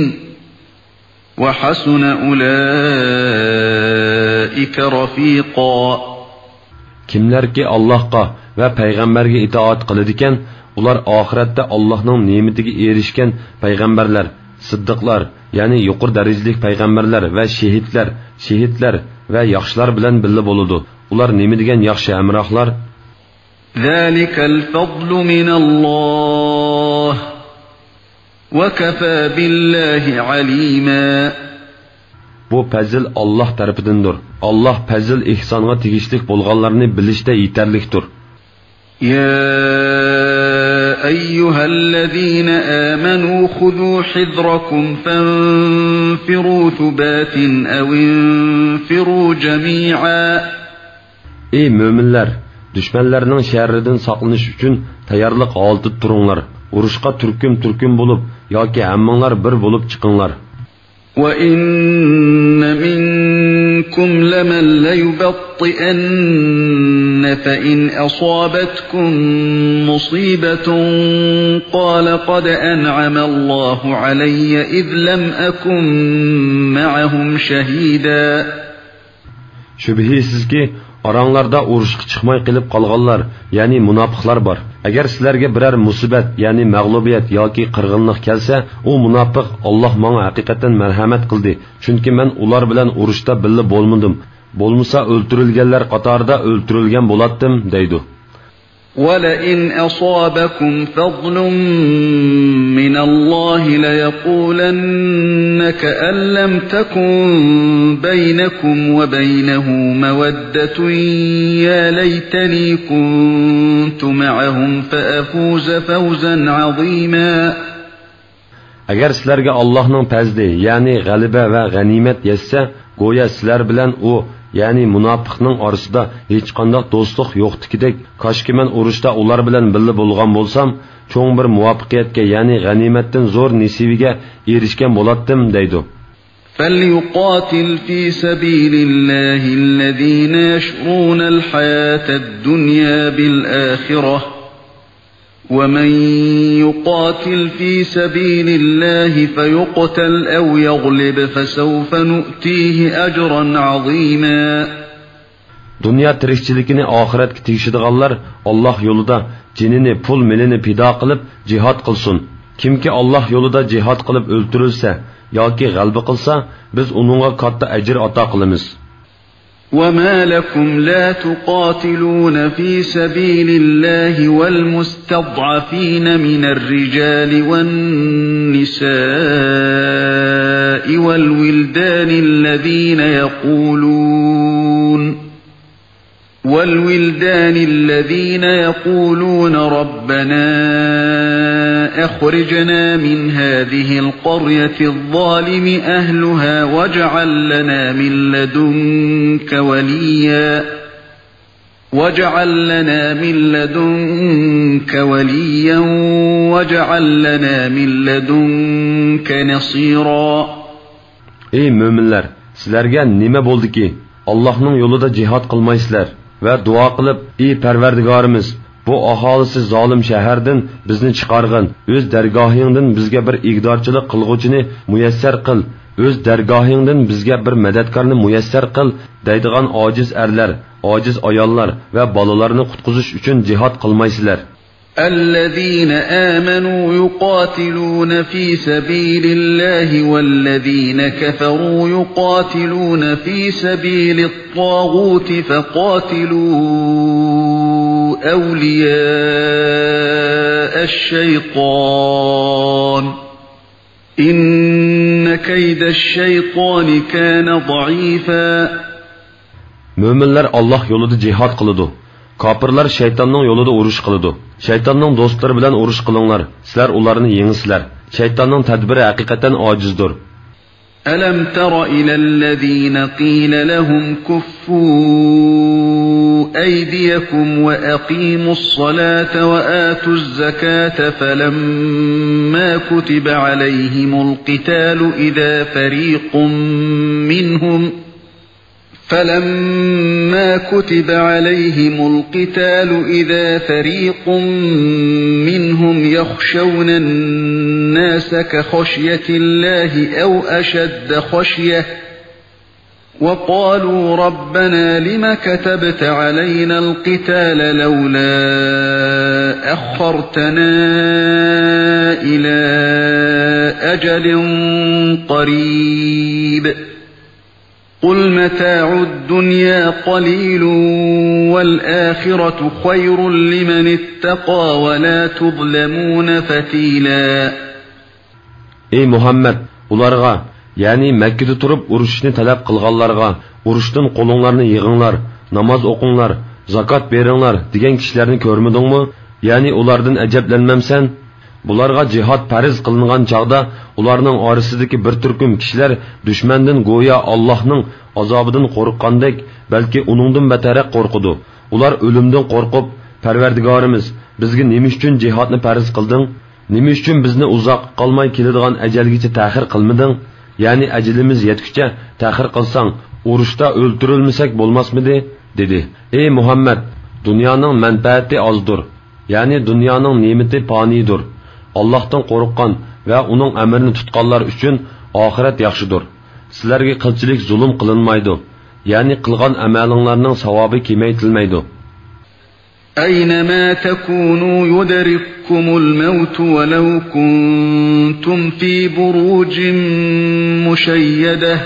وحسن أولئك رفيقا. كىملەركى ئاللاھقا ۋە پەيغەمبەرگە ئىتائەت قىلىدىكەن، ئۇلار ئاخىرەتتە ئاللاھنىڭ نېمىتىگە ئېرىشكەن پەيغەمبەرلەر، سىددىقلار، يەنى يۇقىرى دەرىجىلىك پەيغەمبەرلەر ۋە شېھىتلەر، شېھىتلەر ۋە ياخشىلار بىلەن بىللە بولىدۇ. ئۇلار نېمە دېگەن ياخشى ھەمراھلار! ذلك الفضل من الله وكفى بالله عليما. بۇ پەزىل ئاللاھ تەرىپىدىندۇر. ئاللاھ پەزىل-ئېھسانغا تېگىشلىك بولغانلارنى بىلىشتە يېتەرلىكتۇر. يا أيها الذين آمنوا خذوا حذركم فانفروا ثبات أو انفروا جميعا. ئى مۆمىنلەر! دۈشمەنلەرنىڭ شەررىدىن ساقلىنىش ئۈچۈن تەييارلىق ھالىتىدە تۇرۇڭلار. ئۇرۇشقا تۈركۈم-تۈركۈم بولۇپ ياكى ھەممىڭلار بىر بولۇپ چىقىڭلار. وإن منكم لمن ليبطئن فإن أصابتكم مصيبة قال قد أنعم الله علي إذ لم أكن معهم شهيدا. شۈبھىسىزكى، ئاراڭلاردا ئۇرۇشقا چىقماي قېلىپ قالغانلار، يەنى مۇناپىقلار بار. ئەگەر سىلەرگە بىرەر مۇسىبەت، يەنى مەغلۇبىيەت ياكى قىرغىنلىق كەلسە، ئۇ مۇناپىق، «ئاللاھ ماڭا ھەقىقەتەن مەرھەمەت قىلدى، چۈنكى مەن ئۇلار بىلەن ئۇرۇشتا بىللە بولمىدىم، بولمىسا ئۆلتۈرۈلگەنلەر قاتارىدا ئۆلتۈرۈلگەن بولاتتىم» دەيدۇ. وَلَئِنْ أَصَابَكُمْ فَضْلٌ مِّنَ اللَّهِ لَيَقُولَنَّ كَأَن لَّمْ تَكُن بَيْنَكُمْ وَبَيْنَهُ مَوَدَّةٌ يَا لَيْتَنِي كُنتُ مَعَهُمْ فَأَفُوزَ فَوْزًا عَظِيمًا. ئەگەر سىلەرگە ئاللاھنىڭ پەزلى، يەنى غەلىبە ۋە غەنىيمەت يەتسە، گويا سىلەر بىلەن ئۇ، يەنى مۇناپىقنىڭ ئارىسىدا ھېچقانداق دوستلۇق يوقتىكىدەك، كاشكى مەن ئۇرۇشتا ئۇلار بىلەن بىللە بولغان بولسام، چوڭ بىر مۇۋەپپەقىيەتكە، يەنى غەنىيمەتتىن زور نېسىۋىگە ئېرىشكەن بولاتتىم، دەيدۇ. فَلْيُقَاتِلْ فِي سَبِيلِ اللَّهِ الَّذِينَ يَشْرُونَ الْحَيَاةَ الدُّنْيَا بِالْآخِرَةِ، وَمَنْ يُقَاتِلْ فِي سَبِيلِ اللَّهِ فَيُقْتَلْ أَوْ يَغْلِبْ فَسَوْفَ نُؤْتِيهِ أَجْرًا عَظِيمًا. دۇنيا تىرىكچىلىكىنى ئاخىرەتكە تېگىشىدىغانلار ئاللاھ يولىدا جېنىنى، پۇل-مېلىنى پىدا قىلىپ جىھاد قىلسۇن. كىمكى ئاللاھ يولىدا جىھاد قىلىپ ئۆلتۈرۈلسە ياكى غەلىبە قىلسا، بىز ئۇنىڭغا كاتتا ئەجىر ئاتا قىلىمىز. وَمَا لَكُمْ لَا تُقَاتِلُونَ فِي سَبِيلِ اللَّهِ وَالْمُسْتَضْعَفِينَ مِنَ الرِّجَالِ وَالنِّسَاءِ وَالْوِلْدَانِ الَّذِينَ يَقُولُونَ وَالْوِلْدَانِ الَّذِينَ يَقُولُونَ رَبَّنَا أَخْرِجْنَا مِنْ هَذِهِ الْقَرْيَةِ الظَّالِمِ أَهْلُهَا وَاجْعَل لَّنَا مِنْ لَّدُنكَ وَلِيًّا وَاجْعَل لَّنَا مِن لَّدُنكَ وَلِيًّا وَاجْعَل لَّنَا مِن لَّدُنكَ نَصِيرًا. ئەي مۆمىنلەر، سىلەرگە نېمە بولدىكى، ئاللاھنىڭ يولىدا جىھاد قىلمايسىلەر ۋە دۇئا قىلىپ، ئى پەرۋەردىگارىمىز، بۇ ئاھالىسى زالىم شەھەردىن بىزنى چىقارغىن، ئۆز دەرگاھىڭدىن بىزگە بىر ئىگىدارچىلىق قىلغۇچىنى مۇيەسسەر قىل، ئۆز دەرگاھىڭدىن بىزگە بىر مەدەتكارنى مۇيەسسەر قىل، دەيدىغان ئاجىز ئەرلەر، ئاجىز ئاياللار ۋە بالىلارنى قۇتقۇزۇش ئۈچۈن جىھاد قىلمايسىلەر. الَّذِينَ آمَنُوا يُقَاتِلُونَ فِي سَبِيلِ اللَّهِ وَالَّذِينَ كَفَرُوا يُقَاتِلُونَ فِي سَبِيلِ الطَّاغُوتِ فَقَاتِلُوا أَوْلِيَاءَ الشَّيْطَانِ إِنَّ كَيْدَ الشَّيْطَانِ كَانَ ضَعِيفًا. مۆمىنلەر ئاللاھ يولىدا جىھاد قىلىدۇ. كاپىرلار شەيتاننىڭ يولىدا ئۇرۇش قىلىدۇ. شەيتاننىڭ دوستلىرى بىلەن ئۇرۇش قىلىڭلار، سىلەر ئۇلارنى يېڭىسىلەر. شەيتاننىڭ تەدبىرى ھەقىقەتەن ئاجىزدۇر. أَلَمْ تَرَ إِلَى الَّذِينَ قِيلَ لَهُمْ كُفُّوا أَيْدِيَكُمْ وَأَقِيمُوا الصَّلَاةَ وَآتُوا الزَّكَاةَ فَلَمَّا كُتِبَ عَلَيْهِمُ الْقِتَالُ إِذَا فَرِيقٌ مِّنْهُمْ فَلَمَّا كُتِبَ عَلَيْهِمُ الْقِتَالُ إِذَا فَرِيقٌ مِّنْهُمْ يَخْشَوْنَ النَّاسَ كَخَشْيَةِ اللَّهِ أَوْ أَشَدَّ خَشْيَةً وَقَالُوا رَبَّنَا لِمَ كَتَبْتَ عَلَيْنَا الْقِتَالَ لَوْلَا أَخَّرْتَنَا إِلَىٰ أَجَلٍ قَرِيبٍ قُلْ مَتَاعُ الدُّنْيَا قَلِيلٌ وَالْآخِرَةُ خَيْرٌ لِّمَنِ اتَّقَىٰ وَلَا تُظْلَمُونَ فَتِيلًا. ئەي مۇھەممەد، ئۇلارغا، يەنى مەككىدە تۇرۇپ ئۇرۇشۇشنى تەلەپ قىلغانلارغا، ئۇرۇشتىن قولۇڭلارنى يىغىڭلار، ناماز ئوقۇڭلار، زاكات بېرىڭلار دېگەن كىشىلەرنى كۆرمىدىڭمۇ؟ يەنى ئۇلاردىن ئەجەبلەنمەمسەن؟ بۇلارغا جىھاد پەرز قىلىنغان چاغدا ئۇلارنىڭ ئارىسىدىكى بىر تۈركۈم كىشىلەر دۈشمەندىن گويا ئاللاھنىڭ ئازابىدىن قورققاندەك، بەلكى ئۇنىڭدىن بەتەررەك قورقىدۇ. ئۇلار ئۆلۈمدىن قورقۇپ، پەرۋەردىگارىمىز، بىزگە نېمە ئۈچۈن جىھادنى پەرز قىلدىڭ؟ نېمە ئۈچۈن بىزنى ئۇزاققا قالماي كېلىدىغان ئەجەلگىچە تەخىر قىلمىدىڭ؟ يەنى ئەجىلىمىز يەتكۈچە تەخىر قىلساڭ، ئۇرۇشتا ئۆلتۈرۈلمىسەك بولماسمىدى؟ دېدى. ئەي مۇھەممەد، دۇنيانىڭ مەنپەئەتى ئازدۇر. يەنى دۇنيانىڭ نېمىتى پانىيدۇر. ئاللاھتىن قورققان ۋە ئۇنىڭ ئەمرىنى تۇتقانلار ئۈچۈن ئاخىرەت ياخشىدۇر. سىلەرگە قىلچىلىك زۇلۇم قىلىنمايدۇ. يەنى قىلغان ئەمەلىڭلارنىڭ ساۋابى كېمەيتىلمەيدۇ. أَيْنَمَا تَكُونُوا يُدْرِككُّمُ الْمَوْتُ وَلَوْ كُنتُمْ فِي بُرُوجٍ مُّشَيَّدَةٍ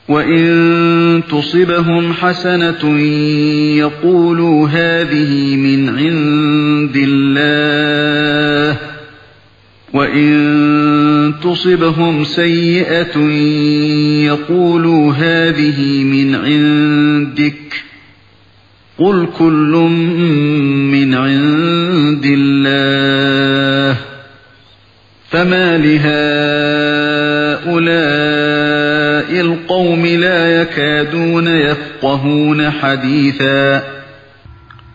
وَإِن تُصِبْهُمْ حَسَنَةٌ يَقُولُوا هَٰذِهِ مِنْ عِندِ اللَّهِ، وَإِن تُصِبْهُمْ سَيِّئَةٌ يَقُولُوا هَٰذِهِ مِنْ عِندِكَ، قُلْ كُلٌّ مِنْ عِندِ اللَّهِ، فَمَالِ هَٰؤُلَاءِ الْقَوْمِ لَا يَكَادُونَ يَفْقَهُونَ حَدِيثًا.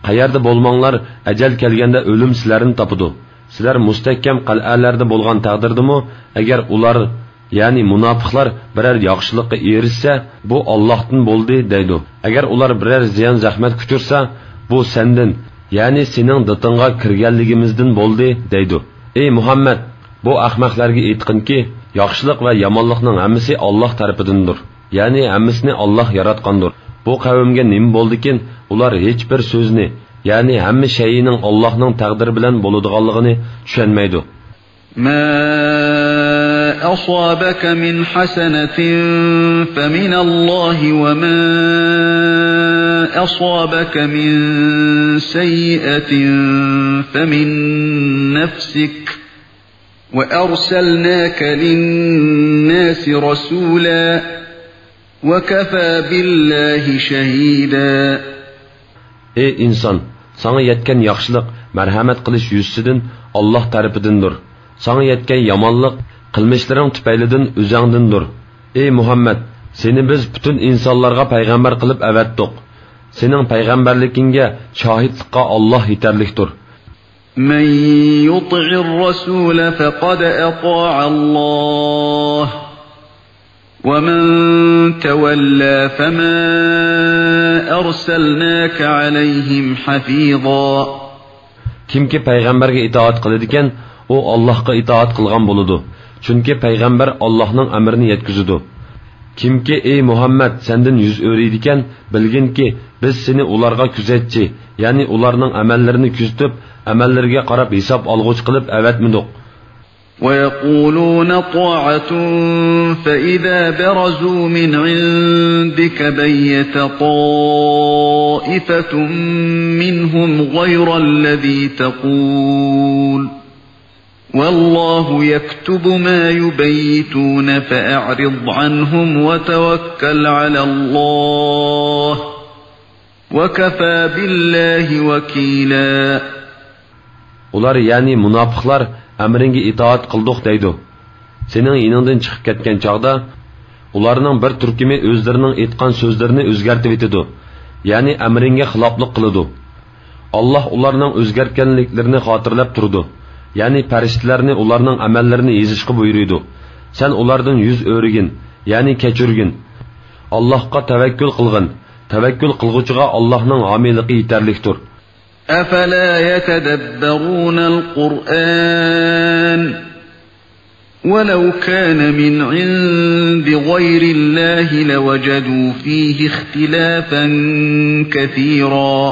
قەيەردە بولماڭلار، ئەجەل كەلگەندە ئۆلۈم سىلەرنى تاپىدۇ. سىلەر مۇستەھكەم قەلئەلەردە بولغان تەقدىردىمۇ، ئەگەر ئۇلار، يەنى مۇناپىقلار بىرەر ياخشىلىققا ئېرىشسە، بۇ ئاللاھتىن بولدى دەيدۇ. ئەگەر ئۇلار بىرەر زىيان-زەخمەتكە ئۇچرىسا، بۇ سەندىن، يەنى سېنىڭ دىتىڭغا كىرگەنلىكىمىزدىن بولدى دەيدۇ. ئەي مۇھەممەد، بۇ ئەخمەقلەرگە ئېيتقىنكى، ياخشىلىق ۋە يامانلىقنىڭ ھەممىسى ئاللاھ تەرىپىدىندۇر. يەنى ھەممىسىنى ئاللاھ ياراتقاندۇر. بۇ قەۋمگە نېمە بولدىكىن، ئۇلار ھېچبىر سۆزنى، يەنى ھەممە شەيئىنىڭ ئاللاھنىڭ تەقدىرى بىلەن بولىدىغانلىقىنى چۈشەنمەيدۇ. مَا أَصَابَكَ مِنْ حَسَنَةٍ فَمِنَ اللَّهِ، وَمَا أَصَابَكَ مِنْ سَيِّئَةٍ فَمِنْ نَفْسِكَ، وَأَرْسَلْنَاكَ لِلنَّاسِ رَسُولًا، وَكَفَىٰ بِاللَّهِ شَهِيدًا. ئەي ئىنسان، ساڭا يەتكەن ياخشىلىق مەرھەمەت قىلىش يۈزىسىدىن ئاللاھ تەرىپىدىندۇر. ساڭا يەتكەن يامانلىق قىلمىشلىرىڭ تۈپەيلىدىن ئۆزۈڭدىندۇر. ئەي مۇھەممەد، سېنى بىز پۈتۈن ئىنسانلارغا پەيغەمبەر قىلىپ ئەۋەتتۇق. سېنىڭ پەيغەمبەرلىكىڭگە شاھىتلىققا ئاللاھ يېتەرلىكتۇر. مَنْ يُطِعِ الرَّسُولَ فَقَدْ أَطَاعَ اللَّهَ، وَمَنْ تَوَلَّىٰ فَمَا أَرْسَلْنَاكَ عَلَيْهِمْ حَفِيظًا. كىمكى پەيغەمبەرگە ئىتائەت قىلىدىكەن، ئۇ ئاللاھقا ئىتائەت قىلغان بولىدۇ. چۈنكى پەيغەمبەر ئاللاھنىڭ ئەمرىنى يەتكۈزىدۇ. كىمكى، ئەي مۇھەممەد، سەندىن يۈز ئۆرۈيدىكەن، بىلگىنكى، بىز سېنى ئۇلارغا كۆزەتچى، يەنى ئۇلارنىڭ ئەمەللىرىنى كۆزىتىپ، ئەمەللىرىگە قاراپ ھېساب ئالغۇچى قىلىپ ئەۋەتمىدۇق. وَيَقُولُونَ طَاعَةٌ فَإِذَا بَرَزُوا مِنْ عِنْدِكَ بَيَّتَ طَائِفَةٌ مِنْهُمْ غَيْرَ الَّذِي تَقُولُ، وَاللَّهُ يَكْتُبُ مَا يُبَيِّتُونَ، فَأَعْرِضْ عَنْهُمْ وَتَوَكَّلْ عَلَى اللَّهِ، وَكَفَىٰ بِاللَّهِ وَكِيلًا. ئۇلار، يەنى مۇناپىقلار، ئەمرىڭگە ئىتائەت قىلدۇق دەيدۇ. سېنىڭ يېنىڭدىن چىقىپ كەتكەن چاغدا، ئۇلارنىڭ بىر تۈركۈمى ئۆزلىرىنىڭ ئېيتقان سۆزلىرىنى ئۆزگەرتىۋېتىدۇ، يەنى ئەمرىڭگە خىلاپلىق قىلىدۇ. ئاللاھ ئۇلارنىڭ ئۆزگەرتكەنلىكلىرىنى خاتىرىلەپ تۇرىدۇ، يەنى پەرىشتىلەرنى ئۇلارنىڭ ئەمەللىرىنى يېزىشقا بۇيرۇيدۇ. سەن ئۇلاردىن يۈز ئۆرۈگىن، يەنى كەچۈرگىن. ئاللاھقا تەۋەككۈل قىلغىن، تەۋەككۈل قىلغۇچىغا ئاللاھنىڭ ھامىيلىقى يېتەرلىكتۇر. أَفَلَا يَتَدَبَّرُونَ الْقُرْآنَ، وَلَوْ كَانَ مِنْ عِنْدِ غَيْرِ اللَّهِ لَوَجَدُوا فِيهِ اخْتِلَافًا كَثِيرًا.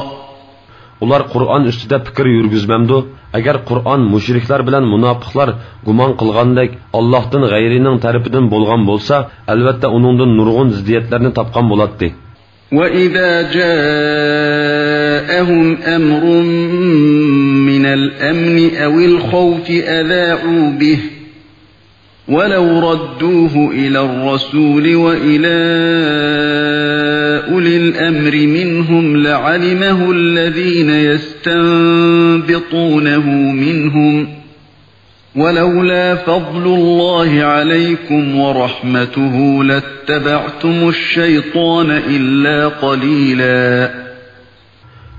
ئۇلار قۇرئان ئۈستىدە پىكىر يۈرگۈزمەمدۇ؟ ئەگەر قۇرئان مۇشرىكلار بىلەن مۇناپىقلار گۇمان قىلغاندەك ئاللاھتىن غەيرىنىڭ تەرىپىدىن بولغان بولسا، ئەلۋەتتە ئۇنىڭدىن نۇرغۇن زىددىيەتلەرنى تاپقان بولاتتى. وَإِذَا جَاءَهُمْ أَمْرٌ مِّنَ الْأَمْنِ أَوِ الْخَوْفِ أَذَاعُوا بِهِ، وَلَوْ رَدُّوهُ إِلَى الرَّسُولِ وَإِلَى أُولِي الْأَمْرِ مِنْهُمْ لَعَلِمَهُ الَّذِينَ يَسْتَنبِطُونَهُ مِنْهُمْ، وَلَوْلَا فَضْلُ اللَّهِ عَلَيْكُمْ وَرَحْمَتُهُ لَاتَّبَعْتُمُ الشَّيْطَانَ إِلَّا قَلِيلًا.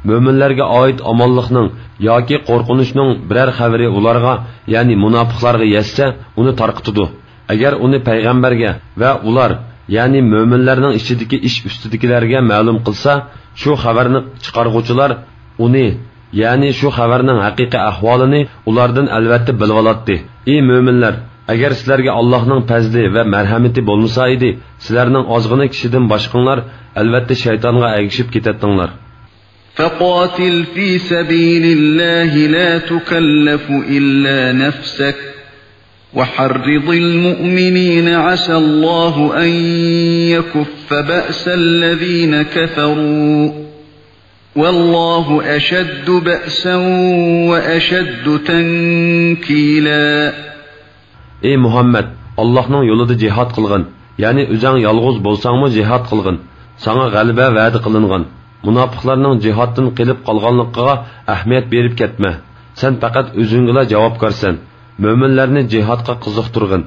مۆمىنلەرگە ئائىت ئامانلىقنىڭ ياكى قورقۇنچنىڭ بىرەر خەۋىرى ئۇلارغا، يەنى مۇناپىقلارغا يەتسە، ئۇنى تارقىتىدۇ. ئەگەر ئۇنى پەيغەمبەرگە ۋە ئۇلار، يەنى مۆمىنلەرنىڭ ئىچىدىكى ئىش ئۈستىدىكىلەرگە مەلۇم قىلسا، شۇ خەۋەرنى چىقارغۇچىلار ئۇنى، يەنى شۇ خەۋەرنىڭ ھەقىقىي ئەھۋالىنى ئۇلاردىن ئەلۋەتتە بىلىۋالاتتى. ئى مۆمىنلەر! ئەگەر سىلەرگە ئاللاھنىڭ پەزلى ۋە مەرھەمىتى بولمىسا ئىدى، سىلەرنىڭ ئازغىنە كىشىدىن باشقىڭلار ئەلۋەتتە شەيتانغا ئەگىشىپ كېتەتتىڭلار. فَقَاتِلْ فِي سَبِيلِ اللَّهِ لَا تُكَلَّفُ إِلَّا نَفْسَكَ، وحرض المؤمنين عسى الله أن يكف بأس الذين كفروا والله أشد بأسا وأشد تنكيلا. ئەي مۇھەممەد، ئاللاھنىڭ يولىدا جىھاد قىلغىن، يەنى ئۆزەڭ يالغۇز بولساڭمۇ جىھاد قىلغىن. ساڭا غەلىبە ۋەدە قىلىنغان. مۇناپىقلارنىڭ جىھادتىن قېلىپ قالغانلىقىغا ئەھمىيەت بېرىپ كەتمە. سەن پەقەت ئۆزۈڭگىلا جاۋابكارسەن. مۆمىنلەرنى جىھادقا قىزىقتۇرغىن.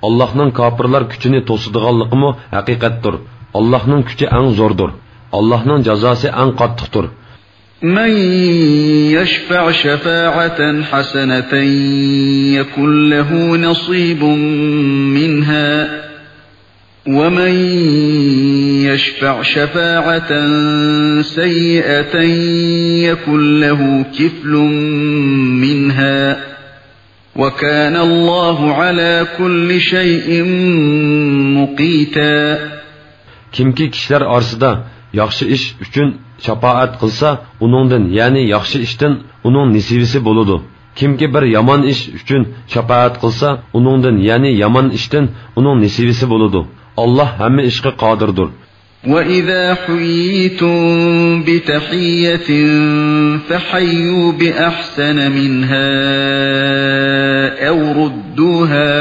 ئاللاھنىڭ كاپىرلار كۈچىنى توسىدىغانلىقىمۇ ھەقىقەتتۇر. ئاللاھنىڭ كۈچى ئەڭ زوردۇر. ئاللاھنىڭ جازاسى ئەڭ قاتتىقتۇر. من يشفع شفاعة حسنة يكن له نصيب منها ومن يشفع شفاعة سيئة يكن له كفل منها وكان الله على كل شيء مقيتا. كىمكى كىشىلەر ئارىسىدا ياخشى ئىش ئۈچۈن شاپائەت قىلسا، ئۇنىڭدىن، يەنى ياخشى ئىشتىن ئۇنىڭ نېسىۋىسى بولىدۇ. كىمكى بىر يامان ئىش ئۈچۈن شاپائەت قىلسا، ئۇنىڭدىن، يەنى يامان ئىشتىن ئۇنىڭ نېسىۋىسى بولىدۇ. ئاللاھ ھەممە ئىشقا قادىردۇر. وإذا حييتم بتحية فحيوا بأحسن منها أو ردوها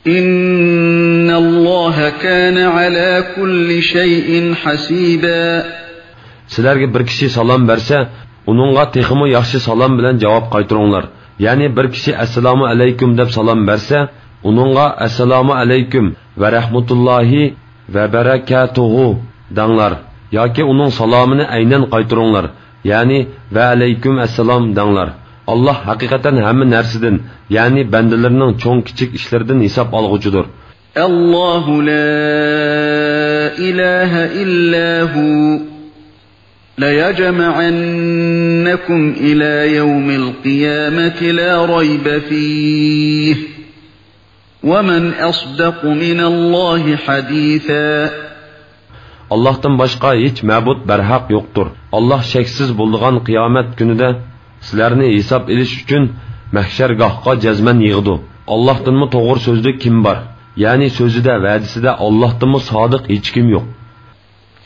إن الله كان على كل شيء حسيبا. سىلەرگە بىر كىشى سالام بەرسە، ئۇنىڭغا تېخىمۇ ياخشى سالام بىلەن جاۋاب قايتۇرۇڭلار. يەنى بىر كىشى ئەسسالامۇ ئەلەيكۇم دەپ سالام بەرسە، ئۇنىڭغا ئەسسالامۇ ئەلەيكۇم ۋە رەھمەتۇللاھى ۋە بەرەكاتۇھۇ دەڭلار. ياكى ئۇنىڭ سالامىنى ئەينەن قايتۇرۇڭلار. يەنى ۋە ئەلەيكۇم ئەسسالام دەڭلار. ئاللاھ ھەقىقەتەن ھەممە نەرسىدىن، يەنى بەندىلىرىنىڭ چوڭ كىچىك ئىشلىرىدىن ھېساب ئالغۇچىدۇر. الله لا إله إلا هو ليجمعنكم إلى يوم القيامة لا ريب فيه ومن أصدق من الله حديثا. ئاللاھتىن باشقا ھېچ مەبۇد بەرھەق يوقتۇر. ئاللاھ شەكسىز بولىدىغان قىيامەت كۈنىدە سىلەرنى ھېساب ئېلىش ئۈچۈن مەھشەرگاھقا جەزمەن يىغىدۇ. ئاللاھتىنمۇ توغرا سۆزلۈك كىم بار؟ يەنى سۆزىدە، ۋەدىسىدە ئاللاھتىنمۇ سادىق ھېچكىم يوق.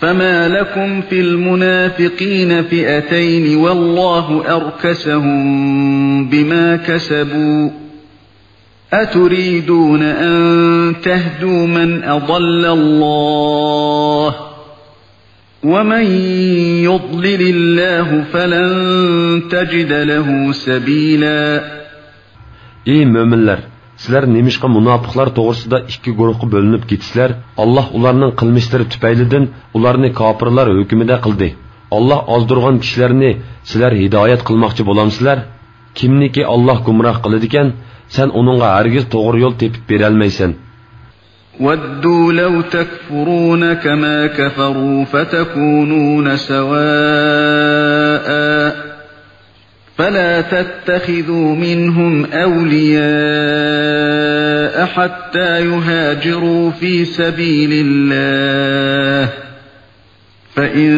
فما لكم في المنافقين فئتين والله أركسهم بما كسبوا أتريدون أن تهدوا من أضل الله ومن يضلل الله فلن تجد له سبيلا. ئى مۆمىنلەر! سىلەر نېمىشقا مۇناپىقلار توغرىسىدا ئىككى گۇرۇھقا بۆلۈنۈپ كېتىسىلەر؟ ئاللاھ ئۇلارنىڭ قىلمىشلىرى تۈپەيلىدىن ئۇلارنى كاپىرلار ھۆكمىدە قىلدى. ئاللاھ ئازدۇرغان كىشىلەرنى سىلەر ھىدايەت قىلماقچى بولامسىلەر؟ كىمنىكى ئاللاھ گۇمراھ قىلىدىكەن، سەن ئۇنىڭغا ھەرگىز توغرا يول تېپىپ بېرەلمەيسەن. ودوا لو تكفرون كما كفروا فتكونون سواء فلا تتخذوا منهم أولياء حتى يهاجروا في سبيل الله فإن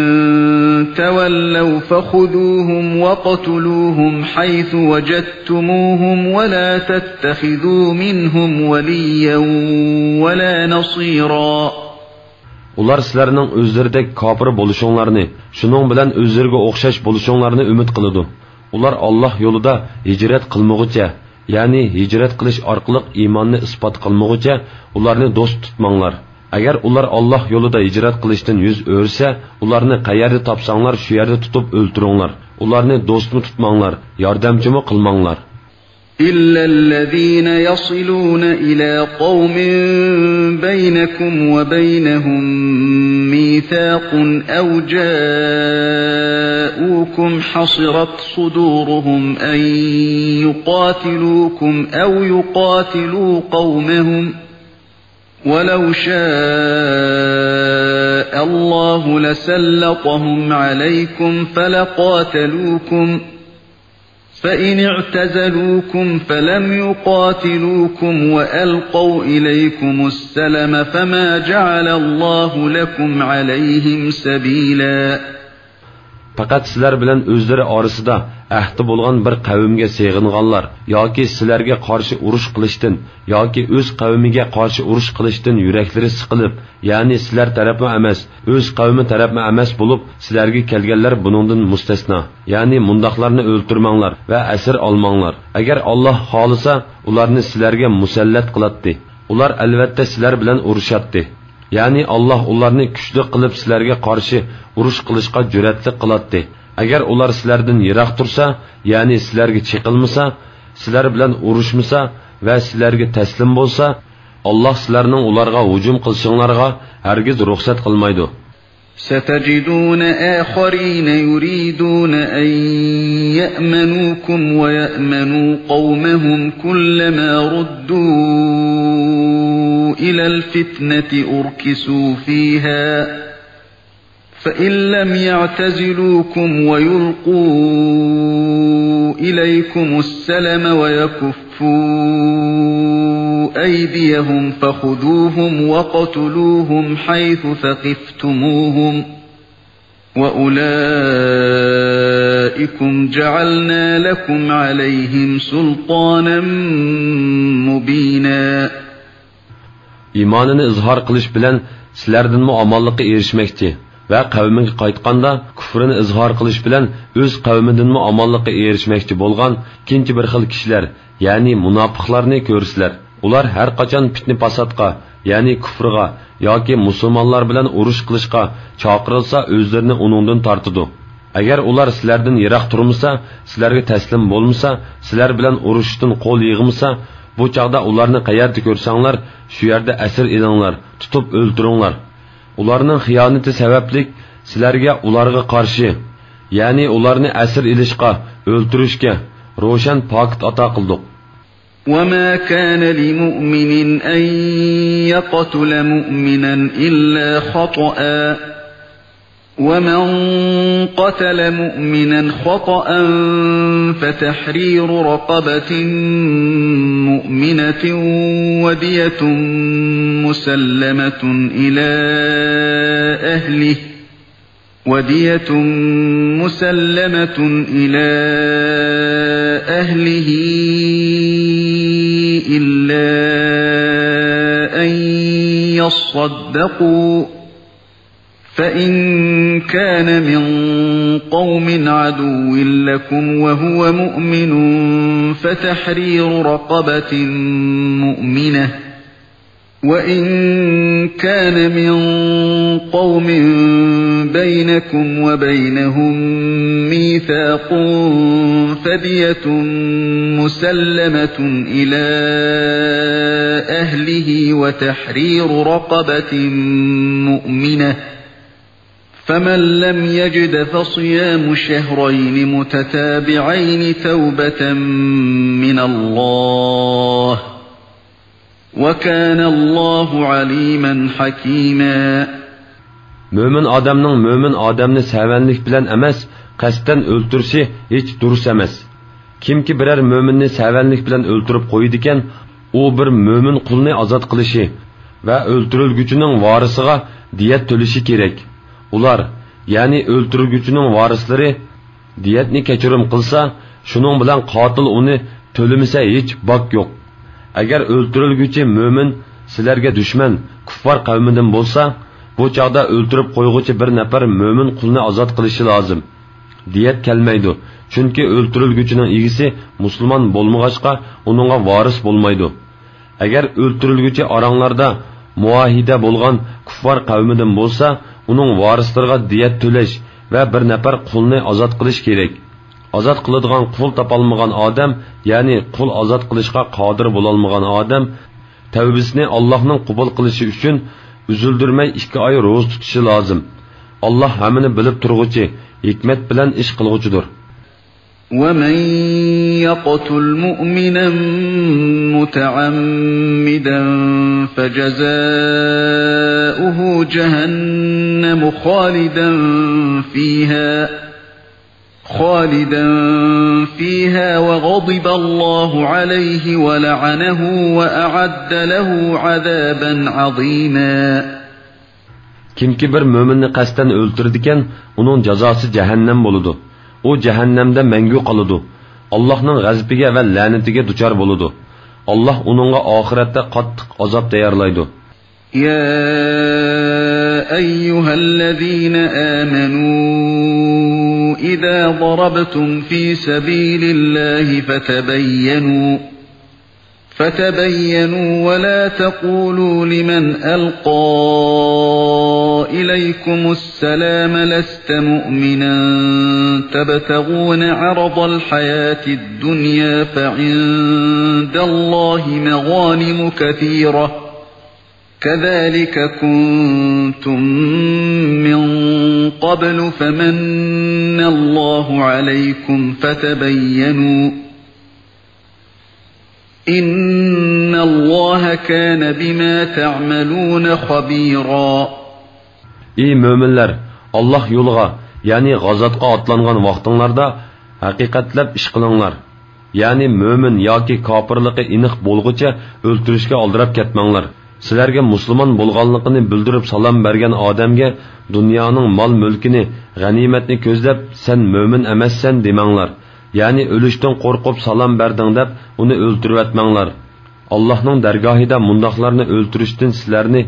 تولوا فخذوهم واقتلوهم حيث وجدتموهم ولا تتخذوا منهم وليا ولا نصيرا. ئۇلار سىلەرنىڭ ئۆزلىرىدەك كاپىر بولۇشۇڭلارنى، شۇنىڭ بىلەن ئۆزلىرىگە ئوخشاش بولۇشۇڭلارنى ئۈمىد قىلىدۇ. ئۇلار ئاللاھ يولىدا ھىجرەت قىلمىغۇچە، يەنى ھىجرەت قىلىش ئارقىلىق ئىماننى ئىسپات قىلمىغۇچە ئۇلارنى دوست تۇتماڭلار. ئەگەر ئۇلار ئاللاھ يولىدا ھىجرەت قىلىشتىن يۈز ئۆرۈسە، ئۇلارنى قەيەردە تاپساڭلار، شۇ يەردە تۇتۇپ ئۆلتۈرۈڭلار. ئۇلارنى دوستمۇ تۇتماڭلار، ياردەمچىمۇ قىلماڭلار. إلا الذين يصلون إلى قوم بينكم وبينهم ميثاق أو جاءوكم حصرت صدورهم أن يقاتلوكم أو يقاتلوا قومهم ولو شاء الله لسلطهم عليكم فلقاتلوكم فإن اعتزلوكم فلم يقاتلوكم وألقوا إليكم السلم فما جعل الله لكم عليهم سبيلا. پەقەت سىلەر بىلەن ئۆزلىرى ئارىسىدا ئەھدى بولغان بىر قەۋمگە سېغىنغانلار ياكى سىلەرگە قارشى ئۇرۇش قىلىشتىن ياكى ئۆز قەۋمىگە قارشى ئۇرۇش قىلىشتىن يۈرەكلىرى سىقىلىپ، يەنى سىلەر تەرەپمۇ ئەمەس، ئۆز قەۋمى تەرەپمۇ ئەمەس بولۇپ سىلەرگە كەلگەنلەر بۇنىڭدىن مۇستەسنا. يەنى مۇنداقلارنى ئۆلتۈرمەڭلار ۋە ئەسىر ئالماڭلار. ئەگەر ئاللاھ خالىسا، ئۇلارنى سىلەرگە مۇسەللەت قىلاتتى. ئۇلار ئەلۋەتتە سىلەر بىلەن ئۇرۇشاتتى. يەنى ئاللاھ ئۇلارنى كۈچلۈك قىلىپ سىلەرگە قارشى ئۇرۇش قىلىشقا جۈرئەتلىك قىلاتتى. ئەگەر ئۇلار سىلەردىن يىراق تۇرسا، يەنى سىلەرگە چېقىلمىسا، سىلەر بىلەن ئۇرۇشمىسا ۋە سىلەرگە تەسلىم بولسا، ئاللاھ سىلەرنىڭ ئۇلارغا ھۇجۇم قىلىشىڭلارغا ھەرگىز رۇخسەت قىلمايدۇ. ستجدون آخرين يريدون أن يأمنوكم ويأمنوا قومهم كلما ردوا إلى الفتنة أركسوا فيها فإن لم يعتزلوكم ويلقوا إليكم السلم ويكفوا أيديهم فخذوهم واقتلوهم حيث ثقفتموهم وأولئكم جعلنا لكم عليهم سلطانا مبينا. ئىمانىنى ئىزھار قىلىش بىلەن سىلەردىنمۇ ئامانلىققا ئېرىشمەكچى ۋە قەۋمىگە قايتقاندا كۇفرىنى ئىزھار قىلىش بىلەن ئۆز قەۋمىدىنمۇ ئامانلىققا ئېرىشمەكچى بولغان ئىككىنچى بىر خىل كىشىلەر، يەنى مۇناپىقلارنى كۆرىسىلەر. ئۇلار ھەر قاچان پىتنە-پاساتقا، يەنى كۇفرغا ياكى مۇسۇلمانلار بىلەن ئۇرۇش قىلىشقا چاقىرىلسا، ئۆزلىرىنى ئۇنىڭدىن تارتىدۇ. ئەگەر ئۇلار سىلەردىن يىراق تۇرمىسا، سىلەرگە تەسلىم بولمىسا، سىلەر بىلەن ئۇرۇشۇشتىن قول يىغمىسا، بۇ چاغدا ئۇلارنى قەيەردە كۆرسەڭلار، شۇ يەردە ئەسىر ئېلىڭلار، تۇتۇپ ئۆلتۈرۈڭلار. ئۇلارنىڭ خىيانىتى سەۋەبلىك سىلەرگە ئۇلارغا قارشى، يەنى ئۇلارنى ئەسىر ئېلىشقا، ئۆلتۈرۈشكە روشەن پاكىت ئاتا قىلدۇق. وما كان لمؤمن أن يقتل مؤمنا إلا خطأ، ومن قتل مؤمنا خطأ فتحرير رقبة مؤمنة ودية مسلمة إلى أهله، ودية مسلمة إلى أهله إلا أن يصدقوا، فإن كان من قوم عدو لكم وهو مؤمن فتحرير رقبة مؤمنة، وإن كان من قوم بينكم وبينهم ميثاق فدية مسلمة إلى أهله وتحرير رقبة مؤمنة، فمن لم يجد فصيام شهرين متتابعين توبة من الله، وكان الله عليما حكيما. مۆمىن ئادەمنىڭ مۆمىن ئادەمنى سەۋەنلىك بىلەن ئەمەس، قەستەن ئۆلتۈرۈشى ھېچ دۇرۇس ئەمەس. كىمكى بىرەر مۆمىننى سەۋەنلىك بىلەن ئۆلتۈرۈپ قويىدىكەن، ئۇ بىر مۆمىن قۇلنى ئازاد قىلىشى ۋە ئۆلتۈرۈلگۈچىنىڭ ۋارىسىغا دىيەت تۆلىشى كېرەك. ئۇلار، يەنى ئۆلتۈرۈلگۈچىنىڭ ۋارىسلىرى دىيەتنى كەچۈرۈم قىلسا، شۇنىڭ بىلەن قاتىل ئۇنى تۆلىمىسە ھېچ باك يوق. ئەگەر ئۆلتۈرۈلگۈچى مۆمىن سىلەرگە دۈشمەن، كۇففار قەۋمىدىن بولسا، بۇ چاغدا ئۆلتۈرۈپ قويغۇچى بىر نەپەر مۆمىن قۇلنى ئازاد قىلىشى لازىم. دىيەت كەلمەيدۇ، چۈنكى ئۆلتۈرۈلگۈچىنىڭ ئىگىسى مۇسۇلمان بولمىغاچقا، ئۇنىڭغا ۋارىس بولمايدۇ. ئەگەر ئۆلتۈرۈلگۈچى ئاراڭلاردا مۇئاھىدە بولغان كۇففار قەۋمىدىن بولسا، ئۇنىڭ ۋارىسلىرىغا دىيەت تۆلەش ۋە بىر نەپەر قۇلنى ئازاد قىلىش كېرەك. ئازاد قىلىدىغان قۇل تاپالمىغان ئادەم، يەنى قۇل ئازاد قىلىشقا قادىر بولالمىغان ئادەم، تەۋبىسىنى ئاللاھنىڭ قوبۇل قىلىشى ئۈچۈن ئۈزۈلدۈرمەي ئىككى ئاي روزا تۇتۇشى لازىم. ئاللاھ ھەممىنى بىلىپ تۇرغۇچى، ھېكمەت بىلەن ئىش قىلغۇچىدۇر. ومن يقتل مؤمنا متعمدا فجزاؤه جهنم خالدا فيها، خالدا فيها وغضب الله عليه ولعنه وأعد له عذابا عظيما. كىمكى بىر مۆمىننى قەستەن ئۆلتۈرىدىكەن، ئۇنىڭ جازاسى جەھەننەم بولىدۇ. ئۇ جەھەننەمدە مەڭگۈ قالىدۇ. ئاللاھنىڭ غەزىپىگە ۋە لەنىتىگە دۇچار بولىدۇ. ئاللاھ ئۇنىڭغا ئاخىرەتتە قاتتىق ئازاب تەييارلايدۇ. يا أيها الذين آمنوا إذا ضربتم في سبيل الله فتبينوا، فتبينوا ولا تقولوا لمن ألقى إليكم السلام لست مؤمنا تبتغون عرض الحياة الدنيا فعند الله مغانم كثيرة كذلك كنتم من قبل فمن الله عليكم فتبينوا إن الله كان بما تعملون خبيرا. ئى مۆمىنلەر، ئاللاھ يولىغا، يەنى غازاتقا ئاتلانغان ۋاقتىڭلاردا ھەقىقەتلەپ ئىش قىلىڭلار. يەنى مۆمىن ياكى كاپىرلىقى ئېنىق بولغۇچە ئۆلتۈرۈشكە ئالدىراپ كەتمەڭلار. سىلەرگە مۇسۇلمان بولغانلىقىنى بىلدۈرۈپ سالام بەرگەن ئادەمگە دۇنيانىڭ مال-مۈلكىنى، غەنىيمەتنى كۆزلەپ، سەن مۆمىن ئەمەسسەن دېمەڭلار. يەنى ئۆلۈشتىن قورقۇپ سالام بەردىڭ دەپ ئۇنى ئۆلتۈرۈۋەتمەڭلار. ئاللاھنىڭ دەرگاھىدا مۇنداقلارنى ئۆلتۈرۈشتىن سىلەرنى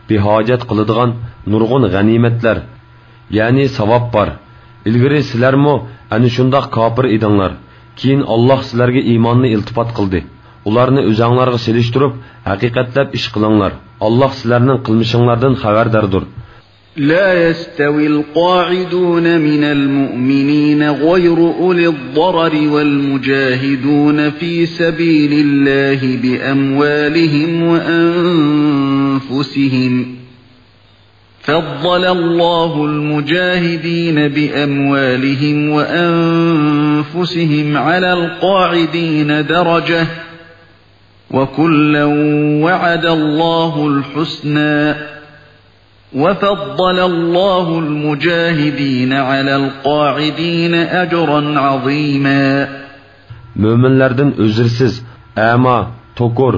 بىھاجەت قىلىدىغان نۇرغۇن غەنىيمەتلەر، يەنى ساۋاب بار. ئىلگىرى سىلەرمۇ ئەنە شۇنداق كاپىر ئىدىڭلار. كېيىن ئاللاھ سىلەرگە ئىماننى ئىلتىپات قىلدى. ئۇلارنى ئۆزەڭلارغا سېلىشتۇرۇپ، ھەقىقەتلەپ ئىش قىلىڭلار. ئاللاھ سىلەرنىڭ قىلمىشىڭلاردىن خەۋەرداردۇر. لا يستوي القاعدون من المؤمنين غير أولي الضرر والمجاهدون في سبيل الله بأموالهم وأنفسهم، فضل الله المجاهدين بأموالهم وأنفسهم على القاعدين درجة، وكلا وعد الله الحسنى، وفضل الله المجاهدين على القاعدين أجرا عظيما. مۆمىنلەردىن ئۆزرىسىز، ئەما، توكۇر،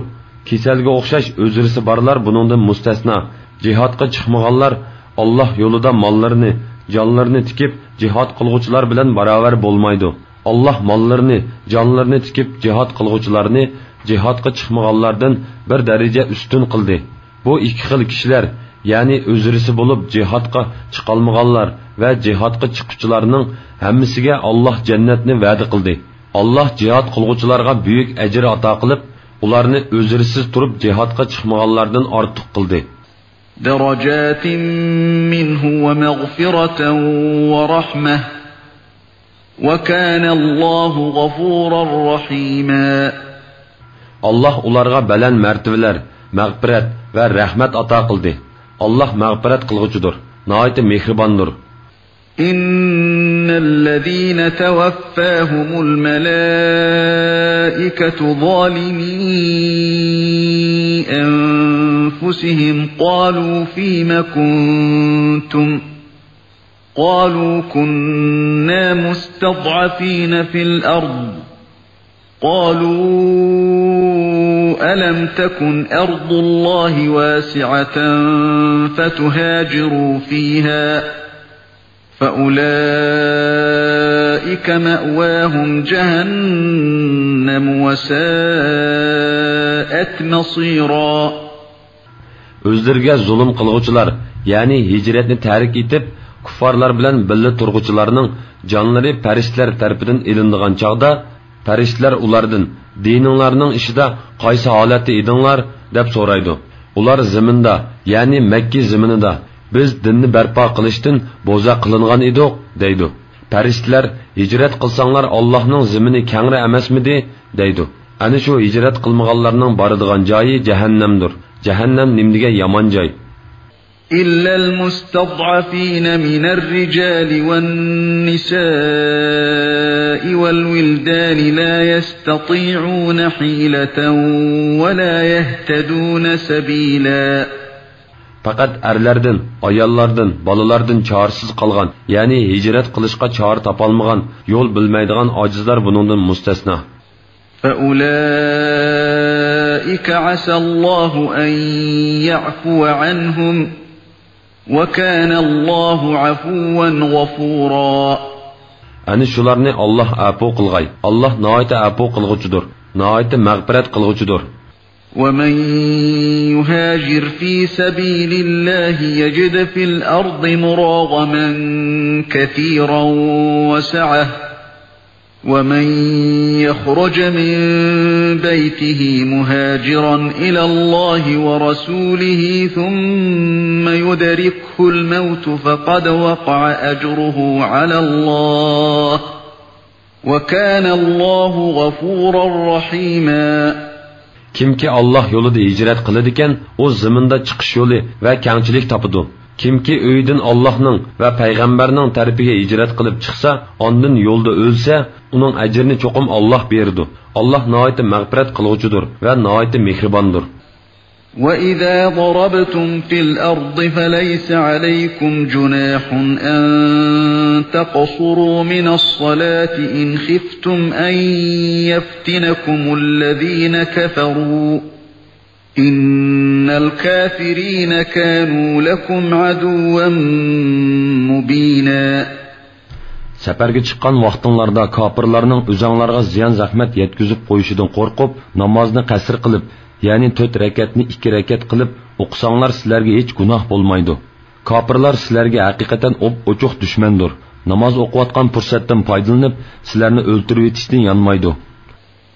كېسەلگە ئوخشاش ئۆزرىسى بارلار بۇنىڭدىن مۇستەسنا. جىھادقا چىقمىغانلار ئاللاھ يولىدا ماللىرىنى، جانلىرىنى تىكىپ جىھاد قىلغۇچىلار بىلەن باراۋەر بولمايدۇ. ئاللاھ ماللىرىنى، جانلىرىنى تىكىپ جىھاد قىلغۇچىلارنى جىھادقا چىقمىغانلاردىن بىر دەرىجە ئۈستۈن قىلدى. بۇ ئىككى خىل كىشىلەر، يەنى ئۆزرىسى بولۇپ جىھادقا چىقالمىغانلار ۋە جىھادقا چىققۇچىلارنىڭ ھەممىسىگە ئاللاھ جەننەتنى ۋەدە قىلدى. ئاللاھ جىھاد قىلغۇچىلارغا بۈيۈك ئەجىر ئاتا قىلىپ، ئۇلارنى ئۆزرىسىز تۇرۇپ جىھادقا چىقمىغانلاردىن ئارتۇق قىلدى. درجات منه ومغفرة ورحمة، وكان الله غفورا رحيما. ئاللاھ ئۇلارغا بەلەن مەرتىۋىلەر، مەغپىرەت ۋە رەھمەت ئاتا قىلدى. ئاللاھ مەغپىرەت قىلغۇچىدۇر، ناھايىتى مېھرىباندۇر. إن الذين توفاهم الملائكة ظالمي أنفسهم قالوا فيم كنتم قالوا كنا مستضعفين في الأرض، قالوا ألم تكن أرض الله واسعة فتهاجروا فيها، فأولئك مأواهم جهنم وساءت مصيرا. ئۆزلىرىگە زۇلۇم قىلغۇچىلار، يەنى ھىجرەتنى تەرك ئېتىپ، كۇففارلار بىلەن بىللە تۇرغۇچىلارنىڭ جانلىرى پەرىشتىلەر تەرىپىدىن ئېلىنىدىغان چاغدا، پەرىشتىلەر ئۇلاردىن، دىنىڭلارنىڭ ئىشىدا قايسى ھالەتتە ئىدىڭلار؟ دەپ سورايدۇ. ئۇلار زېمىندا، يەنى مەككە زېمىنىدا، بىز دىننى بەرپا قىلىشتىن بوزەك قىلىنغان ئىدۇق، دەيدۇ. پەرىشتىلەر، ھىجرەت قىلساڭلار ئاللاھنىڭ زېمىنى كەڭرى ئەمەسمىدى؟ دەيدۇ. ئەنە شۇ ھىجرەت قىلمىغانلارنىڭ بارىدىغان جايى جەھەننەمدۇر. جەھەننەم نېمىدېگەن يامان جاي! إلا المستضعفين من الرجال والنساء والولدان لا يستطيعون حيلة ولا يهتدون سبيلا. پەقەت ئەرلەردىن، ئاياللاردىن، بالىلاردىن چارىسىز قالغان، يەنى ھىجرەت قىلىشقا چارە تاپالمىغان، يول بىلمەيدىغان ئاجىزلار بۇنىڭدىن مۇستەسنا. فأولئك عسى الله أن يعفو عنهم، وكان الله عفوا غفورا. ئەنە شۇلارنى ئاللاھ ئەپۇ قىلغاي. ئاللاھ ناھايىتى ئەپۇ قىلغۇچىدۇر، ناھايىتى مەغپىرەت قىلغۇچىدۇر. ومن يهاجر في سبيل الله يجد في الأرض مراغما كثيرا وسعة، ومن يخرج من بيته مهاجرا إلى الله ورسوله ثم يدركه الموت فقد وقع أجره على الله، وكان الله غفورا رحيما. كىمكى ئاللاھ يولىدا ھىجرەت قىلىدىكەن، ئۇ زېمىندا چىقىش يولى ۋە كەڭچىلىك تاپىدۇ. كىمكى ئۆيىدىن ئاللاھنىڭ ۋە پەيغەمبەرنىڭ تەرىپىگە ھىجرەت قىلىپ چىقسا، ئاندىن يولدا ئۆلسە، ئۇنىڭ ئەجرىنى چوقۇم ئاللاھ بېرىدۇ. ئاللاھ ناھايىتى مەغپىرەت قىلغۇچىدۇر ۋە ناھايىتى مېھرىباندۇر. وإذا ضربتم في الأرض فليس عليكم جناح أن تقصروا من الصلاة إن خفتم أن يفتنكم الذين كفروا، إن الكافرين كانوا لكم عدوا مبينا. سەپەرگە چىققان ۋاقتىڭلاردا كاپىرلارنىڭ ئۆزۈڭلارغا زىيان-زەخمەت يەتكۈزۈپ قويۇشىدىن قورقۇپ، نامازنى قەسىر قىلىپ، يەنى تۆت رەكەتنى ئىككى رەكەت قىلىپ ئوقۇساڭلار، سىلەرگە ھېچ گۇناھ بولمايدۇ. كاپىرلار سىلەرگە ھەقىقەتەن ئوپئوچۇق دۈشمەندۇر. ناماز ئوقۇۋاتقان پۇرسەتتىن پايدىلىنىپ، سىلەرنى ئۆلتۈرۈۋېتىشتىن يانمايدۇ.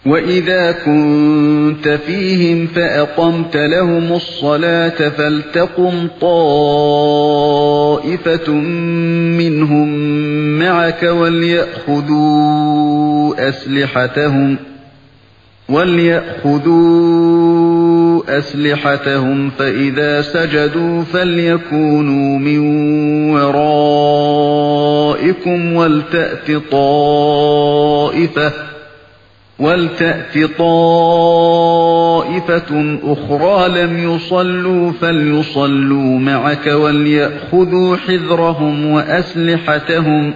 وإذا كنت فيهم فأقمت لهم الصلاة فلتقم طائفة منهم معك وليأخذوا أسلحتهم، وليأخذوا أسلحتهم فإذا سجدوا فليكونوا من ورائكم ولتأت طائفة، ولتأت طائفة أخرى لم يصلوا فليصلوا معك وليأخذوا حذرهم وأسلحتهم،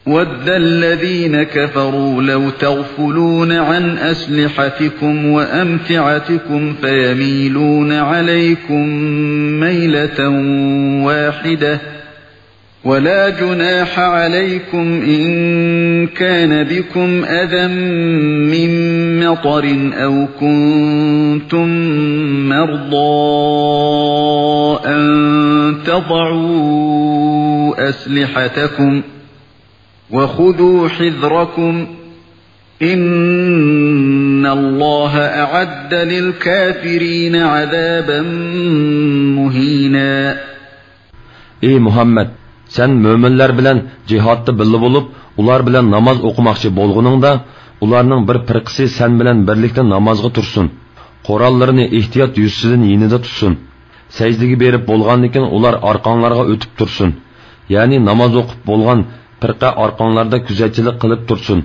ود الذين كفروا لو تغفلون عن أسلحتكم وأمتعتكم فيميلون عليكم ميلة واحدة، ولا جناح عليكم إن كان بكم أذى من مطر أو كنتم مرضى أن تضعوا أسلحتكم، وخذوا حذركم، إن الله أعد للكافرين عذابا مهينا. ئى مۇھەممەد، سەن مۆمىنلەر بىلەن جىھادتا بىللە بولۇپ، ئۇلار بىلەن ناماز ئوقۇماقچى بولغىنىڭدا، ئۇلارنىڭ بىر پىرقىسى سەن بىلەن بىرلىكتە نامازغا تۇرسۇن. قوراللىرىنى ئېھتىيات يۈزىسىدىن يېنىدا تۇتسۇن. سەجدىگە بېرىپ بولغاندىن كېيىن ئۇلار ئارقاڭلارغا ئۆتۈپ تۇرسۇن. يەنى ناماز ئوقۇپ بولغان پىرقە ئارقاڭلاردا كۆزەتچىلىك قىلىپ تۇرسۇن.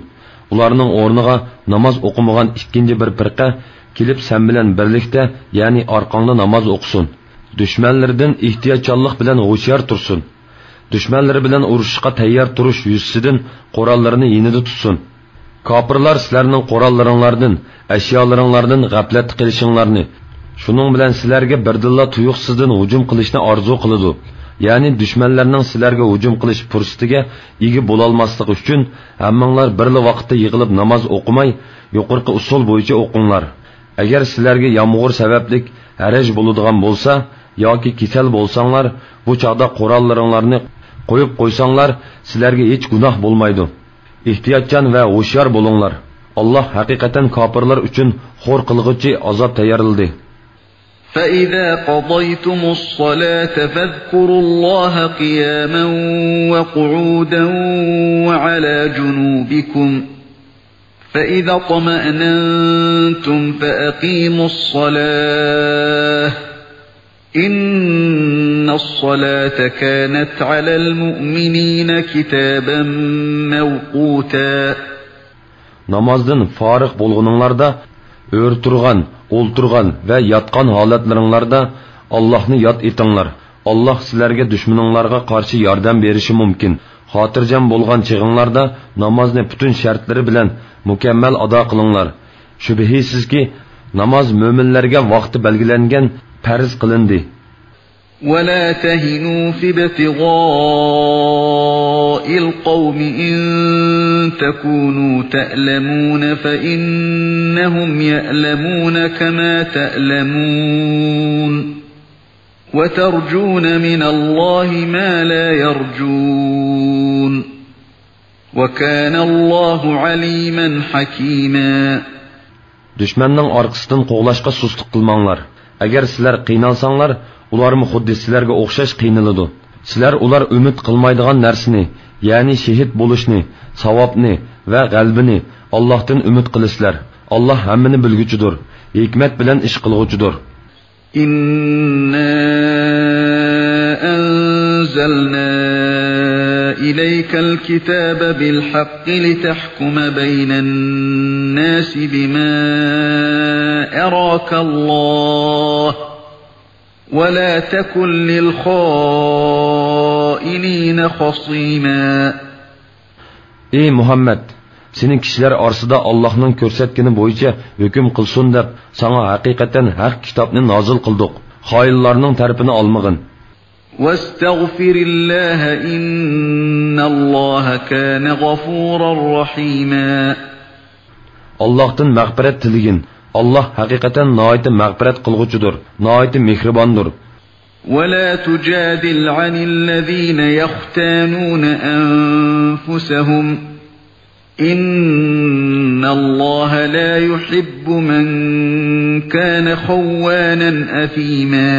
ئۇلارنىڭ ئورنىغا ناماز ئوقۇمىغان ئىككىنچى بىر پىرقە كېلىپ سەن بىلەن بىرلىكتە، يەنى ئارقاڭدا ناماز ئوقۇسۇن. دۈشمەنلىرىدىن ئېھتىياتچانلىق بىلەن ھوشيار تۇرسۇن. دۈشمەنلىرى بىلەن ئۇرۇشۇشقا تەييار تۇرۇش يۈزىسىدىن قوراللىرىنى يېنىدا تۇتسۇن. كاپىرلار سىلەرنىڭ قوراللىرىڭلاردىن، ئەشيالىرىڭلاردىن غەپلەتتە قېلىشىڭلارنى، شۇنىڭ بىلەن سىلەرگە بىردىنلا تۇيۇقسىزدىن ھۇجۇم قىلىشنى ئارزۇ قىلىدۇ. يەنى دۈشمەنلەرنىڭ سىلەرگە ھۇجۇم قىلىش پۇرسىتىگە ئىگە بولالماسلىقى ئۈچۈن، ھەممىڭلار بىرلا ۋاقىتتا يىغىلىپ ناماز ئوقۇماي، يۇقىرىقى ئۇسۇل بويىچە ئوقۇڭلار. ئەگەر سىلەرگە يامغۇر سەۋەبلىك ھەرەج بولىدىغان بولسا ياكى كېسەل بولساڭلار، بۇ چاغدا قوراللىرىڭلارنى قويۇپ قويساڭلار، سىلەرگە ھېچ گۇناھ بولمايدۇ. ئېھتىياتچان ۋە ھوشيار بولۇڭلار. ئاللاھ ھەقىقەتەن كاپىرلار ئۈچۈن خور قىلغۇچى ئازاب تەييارلىدى. فإذا قضيتم الصلاة فاذكروا الله قياما وقعودا وعلى جنوبكم، فإذا اطمأننتم فأقيموا الصلاة، إن الصلاة كانت على المؤمنين كتابا موقوتا. نامازدىن فارىغ بولغىنىڭلاردا، ئۆرە تۇرغان، ئولتۇرغان ۋە ياتقان ھالەتلىرىڭلاردا ئاللاھنى ياد ئېتىڭلار. ئاللاھ سىلەرگە دۈشمىنىڭلارغا قارشى ياردەم بېرىشى مۇمكىن. خاتىرجەم بولغان چېغىڭلاردا نامازنى پۈتۈن شەرتلىرى بىلەن مۇكەممەل ئادا قىلىڭلار. شۈبھىسىزكى، ناماز مۆمىنلەرگە ۋاقتى بەلگىلەنگەن پەرز قىلىندى. ولا تهنوا في ابتغاء القوم إن تكونوا تألمون فإنهم يألمون كما تألمون وترجون من الله ما لا يرجون وكان الله عليما حكيما. دۈشمەننىڭ ئارقىسىدىن قوغلاشقا سۇسلۇق قىلماڭلار. ئەگەر سىلەر قىينالساڭلار، ئۇلارمۇ خۇددى سىلەرگە ئوخشاش قىينىلىدۇ. سىلەر ئۇلار ئۈمىد قىلمايدىغان نەرسىنى، يەنى شېھىت بولۇشنى، ساۋابنى ۋە غەلىبىنى ئاللاھتىن ئۈمىد قىلىسىلەر. ئاللاھ ھەممىنى بىلگۈچىدۇر، ھېكمەت بىلەن ئىش قىلغۇچىدۇر. إنا أنزلنا إليك الكتاب بالحق لتحكم بين الناس بما أراك الله ولا تكن للخائنين خصيما. ئى مۇھەممەد، سېنى كىشىلەر ئارىسىدا ئاللاھنىڭ كۆرسەتكىنى بويىچە ھۆكۈم قىلسۇن دەپ، ساڭا ھەقىقەتەن ھەق كىتابنى نازىل قىلدۇق. خائىنلارنىڭ تەرىپىنى ئالمىغىن. واستغفر الله إن الله كان غفورا رحيما. ئاللاھتىن مەغپىرەت تىلىگىن. ئاللاھ ھەقىقەتەن ناھايىتى مەغپىرەت قىلغۇچىدۇر، ناھايىتى مېھرىباندۇر. ولا تجادل عن الذين يختانون أنفسهم إن الله لا يحب من كان خوانا أثيما.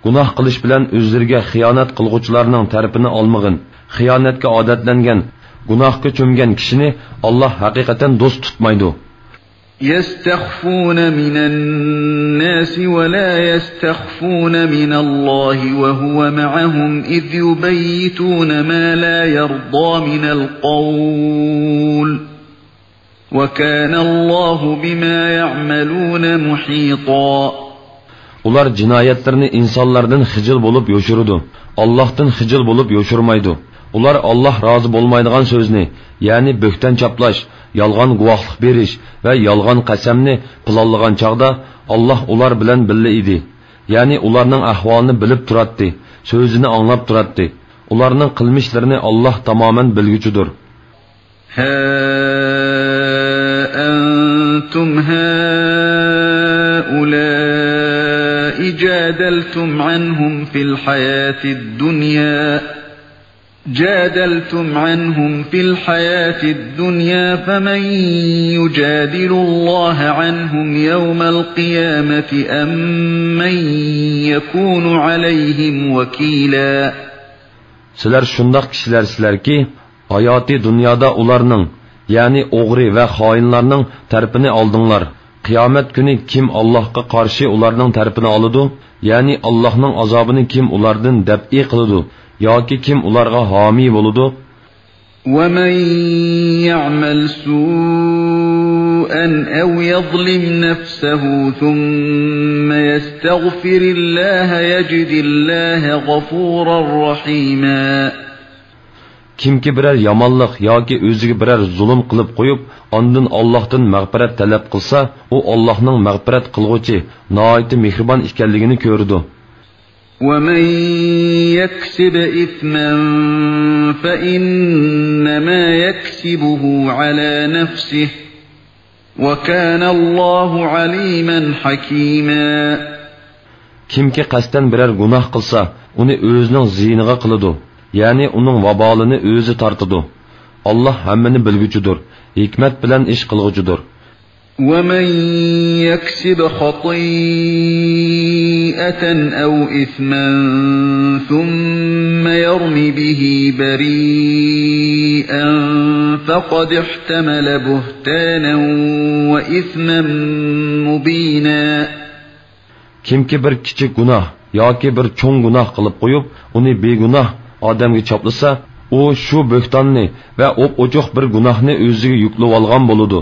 گۇناھ قىلىش بىلەن ئۆزلىرىگە خىيانەت قىلغۇچىلارنىڭ تەرىپىنى ئالمىغىن. خىيانەتكە ئادەتلەنگەن، گۇناھقا چۆمگەن كىشىنى ئاللاھ ھەقىقەتەن دوست تۇتمايدۇ. يستخفون من الناس ولا يستخفون من الله وهو معهم إذ يبيتون ما لا يرضى من القول وكان الله بما يعملون محيطا. ئۇلار جىنايەتلىرىنى ئىنسانلاردىن خىجىل بولۇپ يوشۇرىدۇ، ئاللاھتىن خىجىل بولۇپ يوشۇرمايدۇ. ئۇلار ئاللاھ رازى بولمايدىغان سۆزنى، يەنى بۆھتان چاپلاش، يالغان گۇۋاھلىق بېرىش ۋە يالغان قەسەمنى پىلانلىغان چاغدا ئاللاھ ئۇلار بىلەن بىللە ئىدى. يەنى ئۇلارنىڭ ئەھۋالىنى بىلىپ تۇراتتى، سۆزىنى ئاڭلاپ تۇراتتى. ئۇلارنىڭ قىلمىشلىرىنى ئاللاھ تامامەن بىلگۈچىدۇر. ها أنتم هؤلاء جادلتم عنهم في الحياة الدنيا، جادلتم عنهم في الحياة الدنيا فمن يجادل الله عنهم يوم القيامة أم من يكون عليهم وكيلا. سىلەر شۇنداق كىشىلەرسىلەركى، ھاياتىي دۇنيادا ئۇلارنىڭ، يەنى ئوغرى ۋە خائىنلارنىڭ تەرىپىنى ئالدىڭلار. قىيامەت كۈنى كىم ئاللاھقا قارشى ئۇلارنىڭ تەرىپىنى ئالىدۇ؟ يەنى ئاللاھنىڭ ئازابىنى كىم ئۇلاردىن دەپئى قىلىدۇ ياكى كىم ئۇلارغا ھامىي بولىدۇ؟ ومن يعمل سوءا أو يظلم نفسه ثم يستغفر الله يجد الله غفورا رحيما. كىمكى بىرەر يامانلىق ياكى ئۆزىگە بىرەر زۇلۇم قىلىپ قويۇپ، ئاندىن ئاللاھتىن مەغپىرەت تەلەپ قىلسا، ئۇ ئاللاھنىڭ مەغپىرەت قىلغۇچى، ناھايىتى مېھرىبان ئىكەنلىكىنى كۆرىدۇ. ومن يكسب إثما فإنما يكسبه على نفسه وكان الله عليما حكيما. كىمكى قەستەن بىرەر گۇناھ قىلسا، ئۇنى ئۆزىنىڭ زىيىنىغا قىلىدۇ، يەنى ئۇنىڭ ۋابالىنى ئۆزى تارتىدۇ. ئاللاھ ھەممىنى بىلگۈچىدۇر، ھېكمەت بىلەن ئىش قىلغۇچىدۇر. ومن يكسب خطيئة أو إثما ثم يرم به بريئا فقد احتمل بهتانا وإثما مبينا. كىمكى بىر كىچىك گۇناھ ياكى بىر چوڭ گۇناھ قىلىپ قويۇپ، ئۇنى بىگۇناھ ئادەمگە چاپلىسا، ئۇ شۇ بۆھتاننى ۋە ئوپئوچۇق بىر گۇناھنى ئۆزىگە يۈكلىۋالغان بولىدۇ.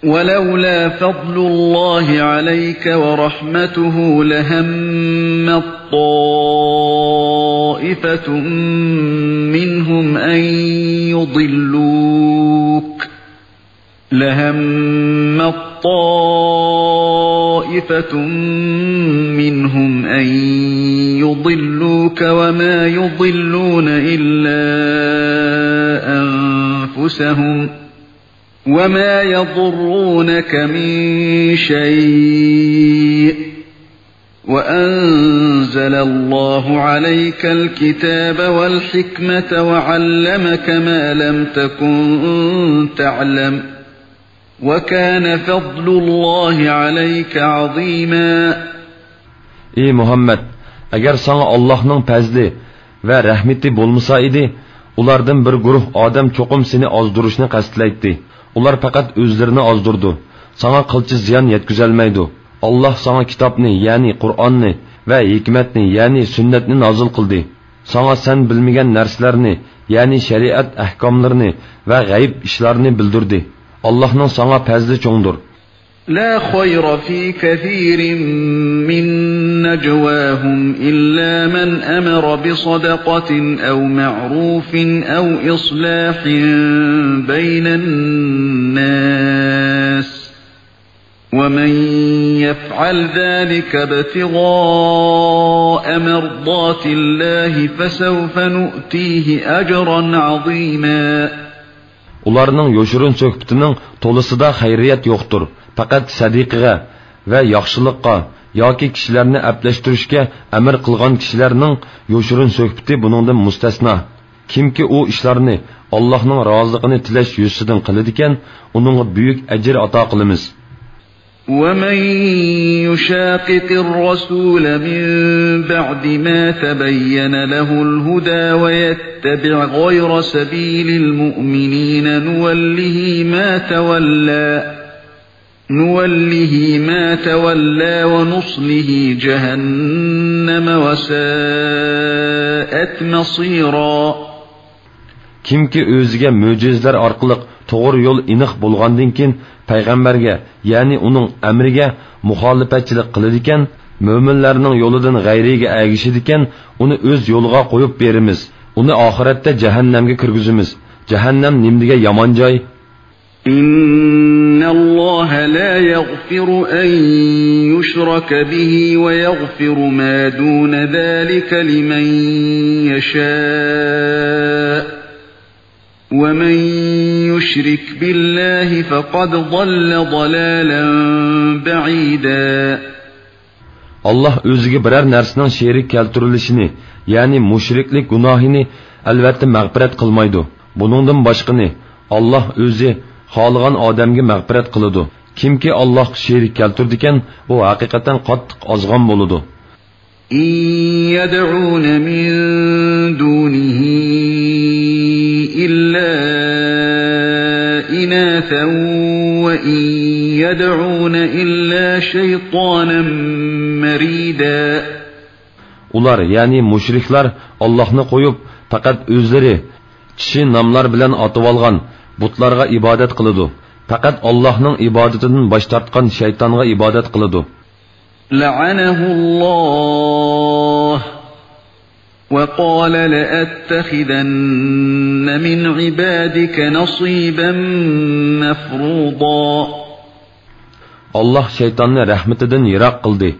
ولولا فضل الله عليك ورحمته لهمت طائفة منهم أن يضلوك، لهمت طائفة طائفة منهم أن يضلوك وما يضلون إلا أنفسهم وما يضرونك من شيء وأنزل الله عليك الكتاب والحكمة وعلمك ما لم تكن تعلم وكان فضل الله عليك عظيما. ئى مۇھەممەد، ئەگەر ساڭا ئاللاھنىڭ پەزلى ۋە رەھمىتى بولمىسا ئىدى، ئۇلاردىن بىر گۇرۇھ ئادەم چوقۇم سېنى ئازدۇرۇشنى قەستلەيتتى. ئۇلار پەقەت ئۆزلىرىنى ئازدۇرىدۇ. ساڭا قىلچە زىيان يەتكۈزەلمەيدۇ. ئاللاھ ساڭا كىتابنى، يەنى قۇرئاننى ۋە ھېكمەتنى، يەنى سۈننەتنى نازىل قىلدى. ساڭا سەن بىلمىگەن نەرسىلەرنى، يەنى شەرىئەت ئەھكاملىرىنى ۋە غەيىب ئىشلارنى بىلدۈردى. ئاللاھنىڭ ساڭا پەزلى چوڭدۇر. لا خير في كثير من نجواهم إلا من أمر بصدقة أو معروف أو إصلاح بين الناس ومن يفعل ذلك ابتغاء مرضات الله فسوف نؤتيه أجرا عظيما. ئۇلارنىڭ يوشۇرۇن سۆھبىتىنىڭ تولىسىدا خەيرىيەت يوقتۇر. پەقەت سەدىقىگە ۋە ياخشىلىققا ياكى كىشىلەرنى ئەپلەشتۈرۈشكە ئەمر قىلغان كىشىلەرنىڭ يوشۇرۇن سۆھبىتى بۇنىڭدىن مۇستەسنا. كىمكى ئۇ ئىشلارنى ئاللاھنىڭ رازىلىقىنى تىلەش يۈزىسىدىن قىلىدىكەن، ئۇنىڭغا بۈيۈك ئەجىر ئاتا قىلىمىز. ومن يشاقق الرسول من بعد ما تبين له الهدى ويتبع غير سبيل المؤمنين نوله ما تولى نوله ما تولى ونصله جهنم وساءت مصيرا. كىمكى ئۆزىگە مۆجىزىلەر ئارقىلىق توغرا يول ئېنىق بولغاندىن كېيىن پەيغەمبەرگە، يەنى ئۇنىڭ ئەمرىگە مۇخالىپەتچىلىك قىلىدىكەن، مۆمىنلەرنىڭ يولىدىن غەيرىيگە ئەگىشىدىكەن، ئۇنى ئۆز يولىغا قويۇپ بېرىمىز. ئۇنى ئاخىرەتتە جەھەننەمگە كىرگۈزىمىز. جەھەننەم نېمىدېگەن يامان جاي! إن الله لا يغفر أن يشرك به ويغفر ما دون ذلك لمن يشاء ومن يشرك بالله فقد ضل ضلالا بعيدا. ئاللاھ ئۆزىگە بىرەر نەرسىنىڭ شېرىك كەلتۈرۈلۈشىنى، يەنى مۇشرىكلىك گۇناھىنى ئەلۋەتتە مەغپىرەت قىلمايدۇ. بۇنىڭدىن باشقىنى ئاللاھ ئۆزى خالىغان ئادەمگە مەغپىرەت قىلىدۇ. كىمكى ئاللاھقا شېرىك كەلتۈرىدىكەن، ئۇ ھەقىقەتەن قاتتىق ئازغان بولىدۇ. إن يدعون من دونه إلا إناثا وإن يدعون إلا شيطانا مريدا. ئۇلار، يەنى مۇشرىكلار، ئاللاھنى قويۇپ، پەقەت ئۆزلىرى چىشى ناملار بىلەن ئاتىۋالغان بۇتلارغا ئىبادەت قىلىدۇ. پەقەت ئاللاھنىڭ ئىبادىتىدىن باش تارتقان شەيتانغا ئىبادەت قىلىدۇ. لعنه الله وقال لأتخذن من عبادك نصيبا مفروضا. ئاللاھ شەيتاننى رەھمىتىدىن يىراق قىلدى.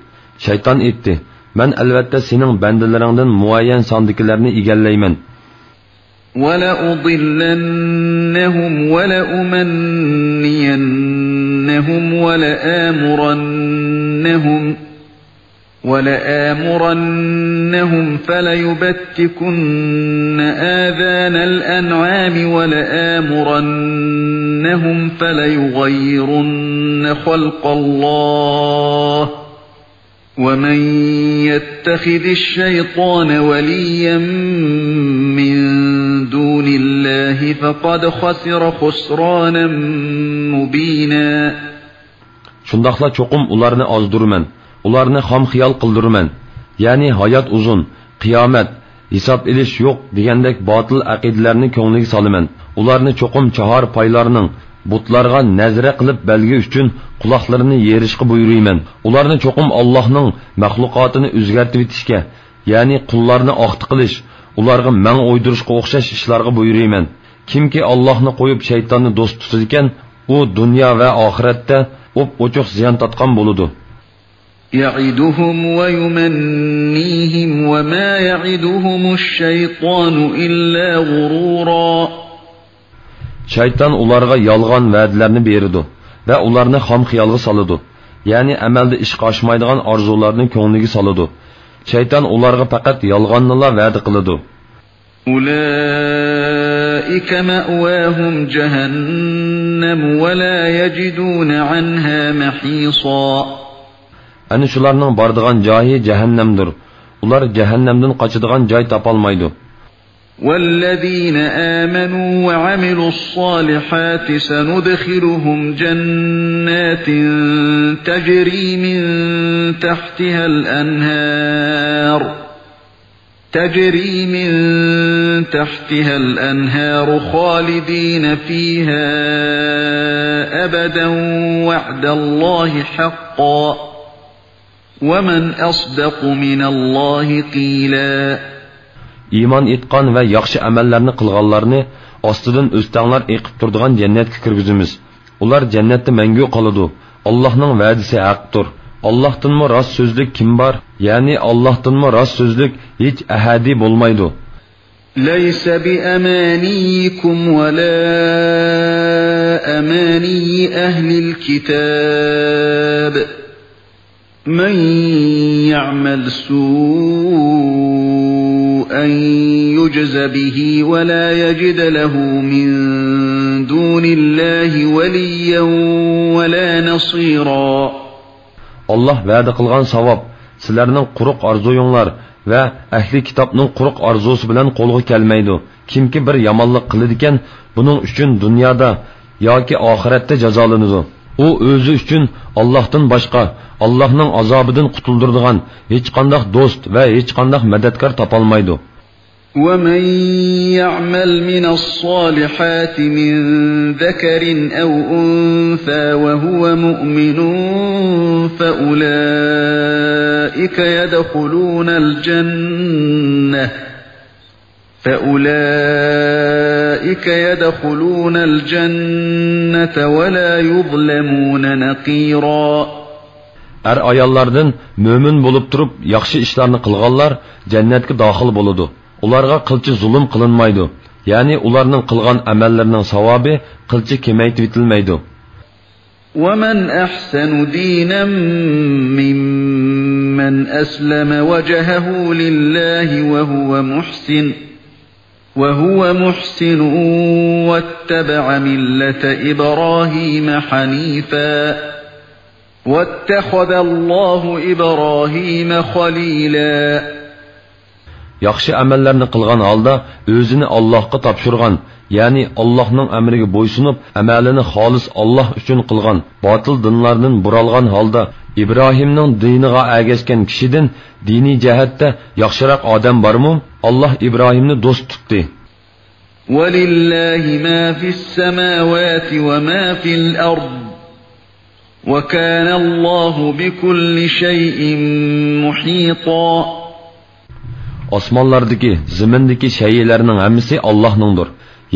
شەيتان ئېيتتى: مەن ئەلۋەتتە سېنىڭ بەندىلىرىڭدىن مۇئەييەن ساندىكىلەرنى ئىگىلەيمەن. ولأضلنهم ولأمنينهم ولآمرنهم ولآمرنهم فليبتكن آذان الأنعام ولآمرنهم فليغيرن خلق الله ومن يتخذ الشيطان وليا من دون الله فقد خسر خسرانا مبينا. شۇنداقلا چوقۇم ئۇلارنى ئازدۇرىمەن، ئۇلارنى خام خىيال قىلدۇرىمەن، يەنى ھايات ئۇزۇن، قىيامەت، ھېساب ئېلىش يوق دېگەندەك باتىل ئەقىدىلەرنى كۆڭلىگە سالىمەن. ئۇلارنى چوقۇم چاھار پايلارنىڭ، بۇتلارغا نەزرە قىلىپ بەلگە ئۈچۈن قۇلاقلىرىنى يېرىشقا بۇيرۇيمەن. ئۇلارنى چوقۇم ئاللاھنىڭ مەخلۇقاتىنى ئۆزگەرتىۋېتىشكە، يەنى قۇللارنى ئاختا قىلىش، ئۇلارغا مەڭ ئويدۇرۇشقا ئوخشاش ئىشلارغا بۇيرۇيمەن. كىمكى ئاللاھنى قويۇپ شەيتاننى دوست تۇتىدىكەن، ئۇ دۇنيا ۋە ئاخىرەتتە ئوپئوچۇق زىيان تارتقان بولىدۇ. يعدهم ويمنيهم وما يعدهم الشيطان إلا غرورا. شەيتان ئۇلارغا يالغان ۋەدىلەرنى بېرىدۇ ۋە ئۇلارنى خام خىيالغا سالىدۇ، يەنى ئەمەلدە ئىشقا ئاشمايدىغان ئارزۇلارنى كۆڭلىگە سالىدۇ. شەيتان ئۇلارغا پەقەت يالغاننىلا ۋەدە قىلىدۇ. أولئك مأواهم جهنم ولا يجدون عنها محيصا. ئەنە شۇلارنىڭ بارىدىغان جايى جەھەننەمدۇر. ئۇلار جەھەننەمدىن قاچىدىغان جاي تاپالمايدۇ. والذين آمنوا وعملوا الصالحات سندخلهم جنات تجري من تحتها الأنهار تجري من تحتها الأنهار خالدين فيها أبدا وعد الله حقا ومن أصدق من الله قيلا. ئىمان ئېيتقان ۋە ياخشى ئەمەللەرنى قىلغانلارنى ئاستىدىن ئۆستەڭلار ئېقىپ تۇرىدىغان جەننەتكە كىرگۈزىمىز. ئۇلار جەننەتتە مەڭگۈ قالىدۇ. ئاللاھنىڭ ۋەدىسى ھەقتۇر. ئاللاھتىنمۇ راست سۆزلۈك كىم بار؟ يەنى ئاللاھتىنمۇ راست سۆزلۈك ھېچ ئەھەدى بولمايدۇ. ليس بأمانيكم ولا أماني أهل الكتاب. من يعمل سوءا يجز به ولا يجد له من دون الله وليا ولا نصيرا. ئاللاھ ۋەدە قىلغان ساۋاب سىلەرنىڭ قۇرۇق ئارزۇيۇڭلار ۋە ئەھلى كىتابنىڭ قۇرۇق ئارزۇسى بىلەن قولغا كەلمەيدۇ. كىمكى بىر يامانلىق قىلىدىكەن، بۇنىڭ ئۈچۈن دۇنيادا ياكى ئاخىرەتتە جازالىنىدۇ. ئۇ ئۆزى ئۈچۈن ئاللاھتىن باشقا، ئاللاھنىڭ ئازابىدىن قۇتۇلدۇرىدىغان ھېچقانداق دوست ۋە ھېچقانداق مەدەتكار تاپالمايدۇ. ومن يعمل من الصالحات من ذكر أو أنثى وهو مؤمن فأولئك يدخلون الجنة فأولئك يدخلون الجنة ولا يظلمون نقيرا. ئەر-ئاياللاردىن مۆمىن بولۇپ تۇرۇپ ياخشى ئىشلارنى قىلغانلار جەننەتكە داخىل بولىدۇ. ئۇلارغا قىلچە زۇلۇم قىلىنمايدۇ. يەنى ئۇلارنىڭ قىلغان ئەمەللىرىنىڭ ساۋابى قىلچە كېمەيتىۋېتىلمەيدۇ. ومن أحسن دينا ممن أسلم وجهه لله وهو محسن وهو محسن واتبع ملة إبراهيم حنيفا واتخذ الله إبراهيم خليلا. ياخشى ئەمەللەرنى قىلغان ھالدا ئۆزىنى ئاللاھقا تاپشۇرغان، يەنى ئاللاھنىڭ ئەمرىگە بويسۇنۇپ، ئەمەلىنى خالىس ئاللاھ ئۈچۈن قىلغان، باتىل دىنلاردىن بۇرالغان ھالدا ئىبراھىمنىڭ دىنىغا ئەگەشكەن كىشىدىن دىنىي جەھەتتە ياخشىراق ئادەم بارمۇ؟ ئاللاھ ئىبراھىمنى دوست تۇتتى. ولله ما في السماوات وما في الأرض وكان الله بكل شيء محيطا. ئاسمانلاردىكى، زېمىندىكى شەيئىلەرنىڭ ھەممىسى ئاللاھنىڭدۇر،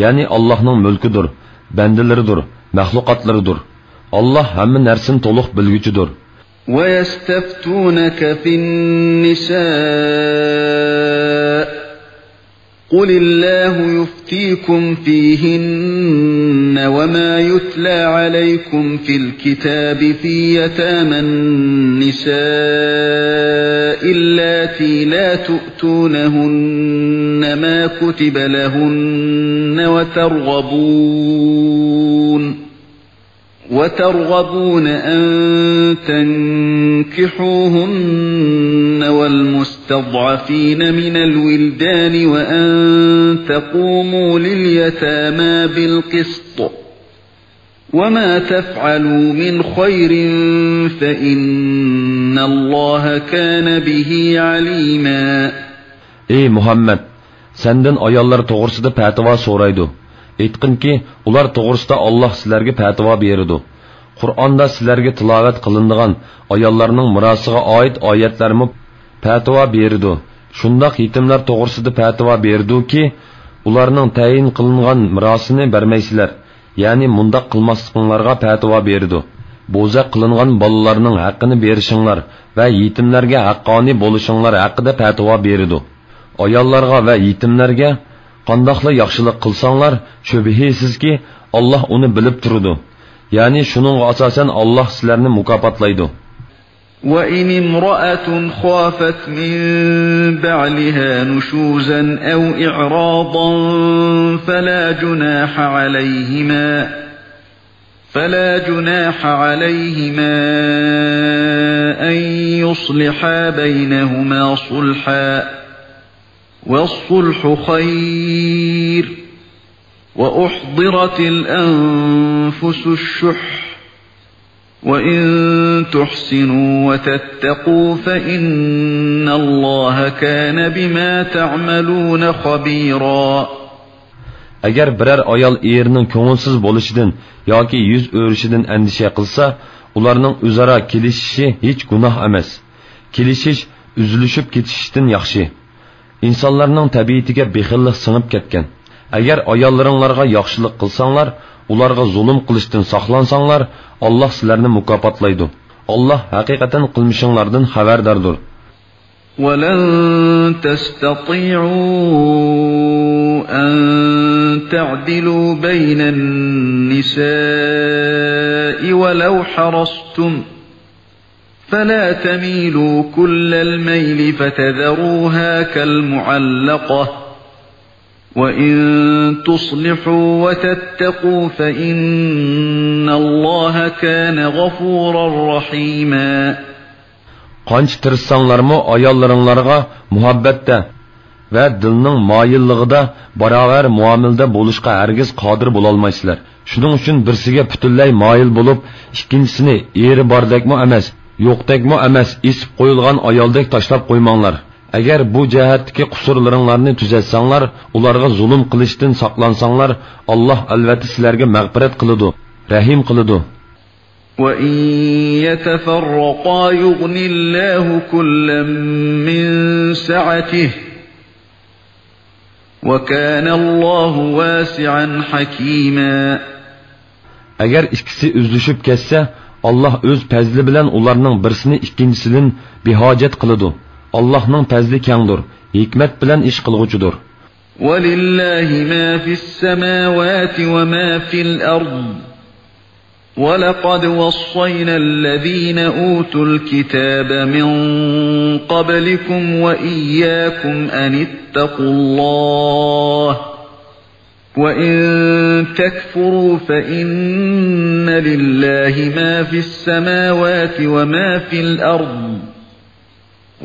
يەنى ئاللاھنىڭ مۈلكىدۇر، بەندىلىرىدۇر، مەخلۇقاتلىرىدۇر. ئاللاھ ھەممە نەرسىنى تولۇق بىلگۈچىدۇر. ويستفتونك في النساء قل الله يفتيكم فيهن وما يتلى عليكم في الكتاب في يتامى النساء اللاتي لا تؤتونهن ما كتب لهن وترغبون وترغبون أن تنكحوهن والمستضعفين من الولدان وأن تقوموا لليتامى بالقسط وما تفعلوا من خير فإن الله كان به عليما. ئەي مۇھەممەد، سەندىن ئاياللار توغرىسىدا پەتىۋا سورايدۇ. ئېيتقىنكى، ئۇلار توغرىسىدا ئاللاھ سىلەرگە پەتىۋا بېرىدۇ. قۇرئاندا سىلەرگە تىلاۋەت قىلىنىدىغان ئاياللارنىڭ مىراسىغا ئائىت ئايەتلەرمۇ پەتىۋا بېرىدۇ. شۇنداق يېتىملەر توغرىسىدا پەتىۋا بېرىدۇكى، ئۇلارنىڭ تەيىن قىلىنغان مىراسىنى بەرمەيسىلەر، يەنى مۇنداق قىلماسلىقىڭلارغا پەتىۋا بېرىدۇ. بوزەك قىلىنغان بالىلارنىڭ ھەققىنى بېرىشىڭلار ۋە يېتىملەرگە ھەققانىي بولۇشۇڭلار ھەققىدە پەتىۋا بېرىدۇ. ئاياللارغا ۋە يېتىملەرگە قانداقلا ياخشىلىق قىلساڭلار، شۈبھىسىزكى، ئاللاھ ئۇنى بىلىپ تۇرىدۇ. يەنى شۇنىڭغا ئاساسەن ئاللاھ سىلەرنى مۇكاپاتلايدۇ. وإن امرأة خافت من بعلها نشوزا أو إعراضا فلا جناح عليهما، فلا جناح عليهما أن يصلحا بينهما صلحا، والصلح خير، وأحضرت الأنفس الشح، وإن تحسنوا وتتقوا فإن الله كان بما تعملون خبيرا. ئەگەر بىرەر ئايال ئېرىنىڭ كۆڭۈلسىز بولۇشىدىن ياكى يۈز ئۆرۈشىدىن ئەندىشە قىلسا، ئۇلارنىڭ ئۆزئارا كېلىشىشى ھېچ گۇناھ ئەمەس. كېلىشىش ئۈزۈلۈشۈپ كېتىشتىن ياخشى. ئىنسانلارنىڭ تەبىئىتىگە بېخىللىق سىڭىپ كەتكەن. ئەگەر ئاياللىرىڭلارغا ياخشىلىق قىلساڭلار، ئۇلارغا زۇلۇم قىلىشتىن ساقلانساڭلار، ئاللاھ سىلەرنى مۇكاپاتلايدۇ. ئاللاھ ھەقىقەتەن قىلمىشىڭلاردىن خەۋەرداردۇر. ولن تستطيعوا أن تعدلوا بين النساء ولو حرصتم، فلا تميلوا كل الميل فتذروها كالمعلقة، وإن تصلحوا وتتقوا فإن الله كان غفورا رحيما. قانچە تىرىشساڭلارمۇ ئاياللىرىڭلارغا مۇھەببەتتە ۋە دىلنىڭ مايىللىقىدا باراۋەر مۇئامىلىدە بولۇشقا ھەرگىز قادىر بولالمايسىلەر. شۇنىڭ ئۈچۈن بىرسىگە پۈتۈنلەي مايىل بولۇپ، ئىككىنچىسىنى ئېرى باردەكمۇ ئەمەس، يوقتەكمۇ ئەمەس، ئېسىپ قويۇلغان ئايالدەك تاشلاپ قويماڭلار. ئەگەر بۇ جەھەتتىكى قۇسۇرلىرىڭلارنى تۈزەتسەڭلار، ئۇلارغا زۇلۇم قىلىشتىن ساقلانساڭلار، ئاللاھ ئەلۋەتتە سىلەرگە مەغپىرەت قىلىدۇ، رەھىم قىلىدۇ. وإن يتفرقا يغن الله كلا من سعته، وكان الله واسعا حكيما. ئەگەر ئىككىسى ئۈزۈلۈشۈپ كەتسە، ئاللاھ ئۆز پەزلى بىلەن ئۇلارنىڭ بىرسىنى ئىككىنچىسىدىن بىھاجەت قىلىدۇ. ئاللاھنىڭ پەزلى كەڭدۇر، ھېكمەت بىلەن ئىش قىلغۇچىدۇر. ولله ما في السماوات وما في الأرض، ولقد وصينا الذين أوتوا الكتاب من قبلكم وإياكم أن اتقوا الله، وإن تكفروا فإن لله ما في السماوات وما في الأرض،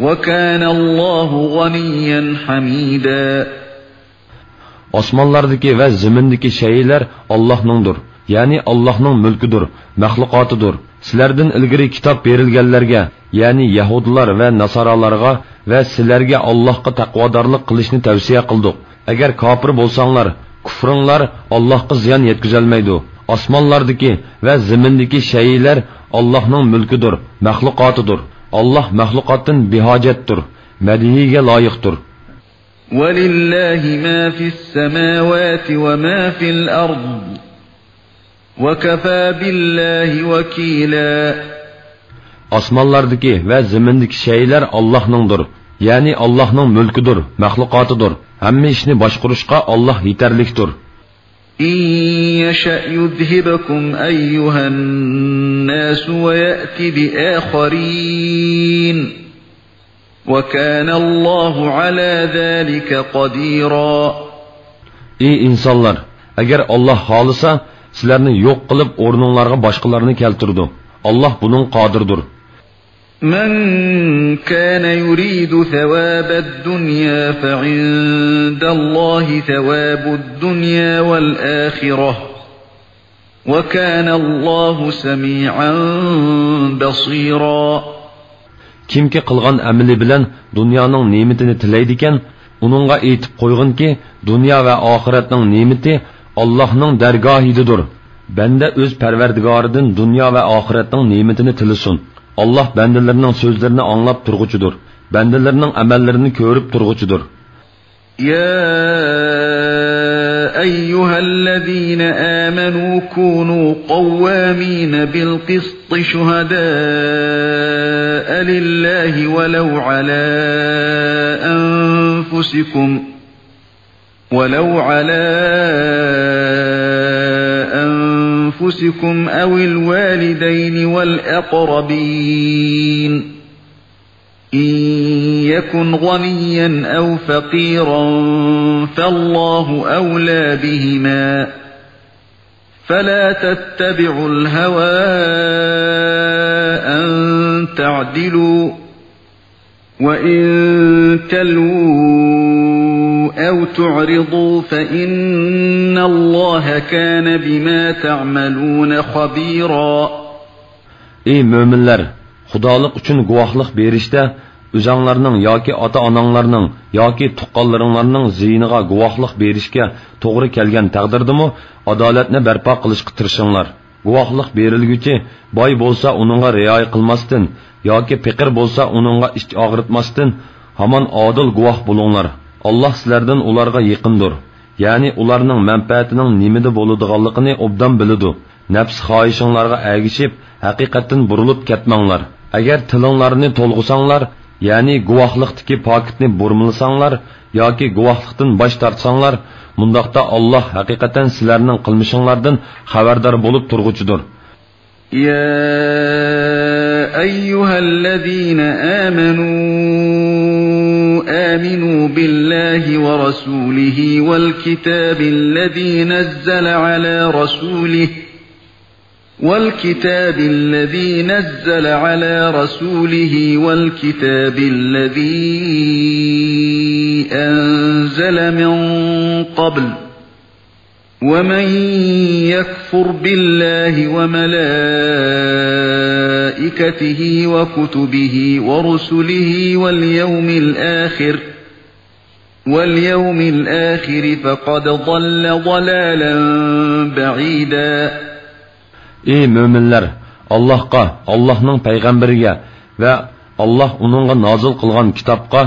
وكان الله غنيا حميدا. ئاسمانلاردىكى ۋە زېمىندىكى شەيئىلەر ئاللاھنىڭدۇر، يەنى ئاللاھنىڭ مۈلكىدۇر، مەخلۇقاتىدۇر. سىلەردىن ئىلگىرى كىتاب بېرىلگەنلەرگە، يەنى يەھۇدىيلار ۋە ناسارالارغا ۋە سىلەرگە ئاللاھقا تەقۋادارلىق قىلىشنى تەۋسىيە قىلدۇق. ئەگەر كاپىر بولساڭلار، كۇفرۇڭلار ئاللاھقا زىيان يەتكۈزەلمەيدۇ. ئاسمانلاردىكى ۋە زېمىندىكى شەيئىلەر ئاللاھنىڭ مۈلكىدۇر، مەخلۇقاتىدۇر. ئاللاھ مەخلۇقاتتىن بىھاجەتتۇر، مەدھىيگە لايىقتۇر. ولله ما في السماوات وما في الأرض، وكفى بالله وكيلا. ئاسمانلاردىكى ۋە زېمىندىكى شەيئىلەر ئاللاھنىڭدۇر، يەنى ئاللاھنىڭ مۈلكىدۇر، مەخلۇقاتىدۇر. ھەممە ئىشنى باشقۇرۇشقا ئاللاھ يېتەرلىكتۇر. إن يشأ يذهبكم أيها الناس ويأت بآخرين، وكان الله على ذلك قديرا. ئى ئىنسانلار، ئەگەر ئاللاھ خالىسا، سىلەرنى يوق قىلىپ، ئورنۇڭلارغا باشقىلارنى كەلتۈرىدۇ. ئاللاھ بۇنىڭغا قادىردۇر. من كان يريد ثواب الدنيا فعند الله ثواب الدنيا والآخرة، وكان الله سميعا بصيرا. كىمكى قىلغان ئەمىلى بىلەن دۇنيانىڭ نېمىتىنى تىلەيدىكەن، ئۇنىڭغا ئېيتىپ قويغىنكى، دۇنيا ۋە ئاخىرەتنىڭ نېمىتى ئاللاھنىڭ دەرگاھىدىدۇر. بەندە ئۆز پەرۋەردىگارىدىن دۇنيا ۋە ئاخىرەتنىڭ نېمىتىنى تىلىسۇن. ئاللاھ بەندىلىرىنىڭ سۆزلىرىنى ئاڭلاپ تۇرغۇچىدۇر، بەندىلىرىنىڭ ئەمەللىرىنى كۆرۈپ تۇرغۇچىدۇر. يا أيها الذين آمنوا كونوا قوامين بالقسط شهداء لله ولو على أنفسكم، ولو على أنفسكم أو الوالدين والأقربين، إن يكن غنيا أو فقيرا فالله أولى بهما، فلا تتبعوا الهوى أن تعدلوا، وإن تلووا أو تعرضوا فإن الله كان بما تعملون خبيرا. ئەي مۆمىنلەر! خۇدالىق ئۈچۈن گۇۋاھلىق بېرىشتە ئۆزەڭلارنىڭ ياكى ئاتا-ئاناڭلارنىڭ ياكى تۇغقانلىرىڭلارنىڭ زىيىنىغا گۇۋاھلىق بېرىشكە توغرا كەلگەن تەقدىردىمۇ ئادالەتنى بەرپا قىلىشقا تىرىشىڭلار. گۇۋاھلىق بېرىلگۈچى باي بولسا ئۇنىڭغا رىئايە قىلماستىن ياكى پېقىر بولسا ئۇنىڭغا ئىچ ئاغرىتماستىن ھامان ئادىل گۇۋاھ بولۇڭلار. ئاللاھ سىلەردىن ئۇلارغا يېقىندۇر. يەنى ئۇلارنىڭ مەنپەئەتىنىڭ نېمىدە بولىدىغانلىقىنى ئوبدان بىلىدۇ. نەپس خاھىشىڭلارغا ئەگىشىپ، ھەقىقەتتىن بۇرۇلۇپ كەتمەڭلار. ئەگەر تىلىڭلارنى تولغىساڭلار، يەنى گۇۋاھلىقتىكى پاكىتنى بۇرمىلىساڭلار ياكى گۇۋاھلىقتىن باش تارتساڭلار، مۇنداقتا ئاللاھ ھەقىقەتەن سىلەرنىڭ قىلمىشىڭلاردىن خەۋەردار بولۇپ تۇرغۇچىدۇر. يا أيها الذين آمنوا آمنوا بالله ورسوله والكتاب الذي نزل على رسوله، والكتاب الذي نزل على رسوله والكتاب الذي أنزل من قبل، ومن يكفر بالله وملائكته وكتبه ورسله واليوم الآخر، واليوم الآخر فقد ضل ضلالا بعيدا. ئى مۆمىنلەر! ئاللاھقا، ئاللاھنىڭ پەيغەمبىرىگە ۋە ئاللاھ ئۇنىڭغا نازىل قىلغان كىتابقا،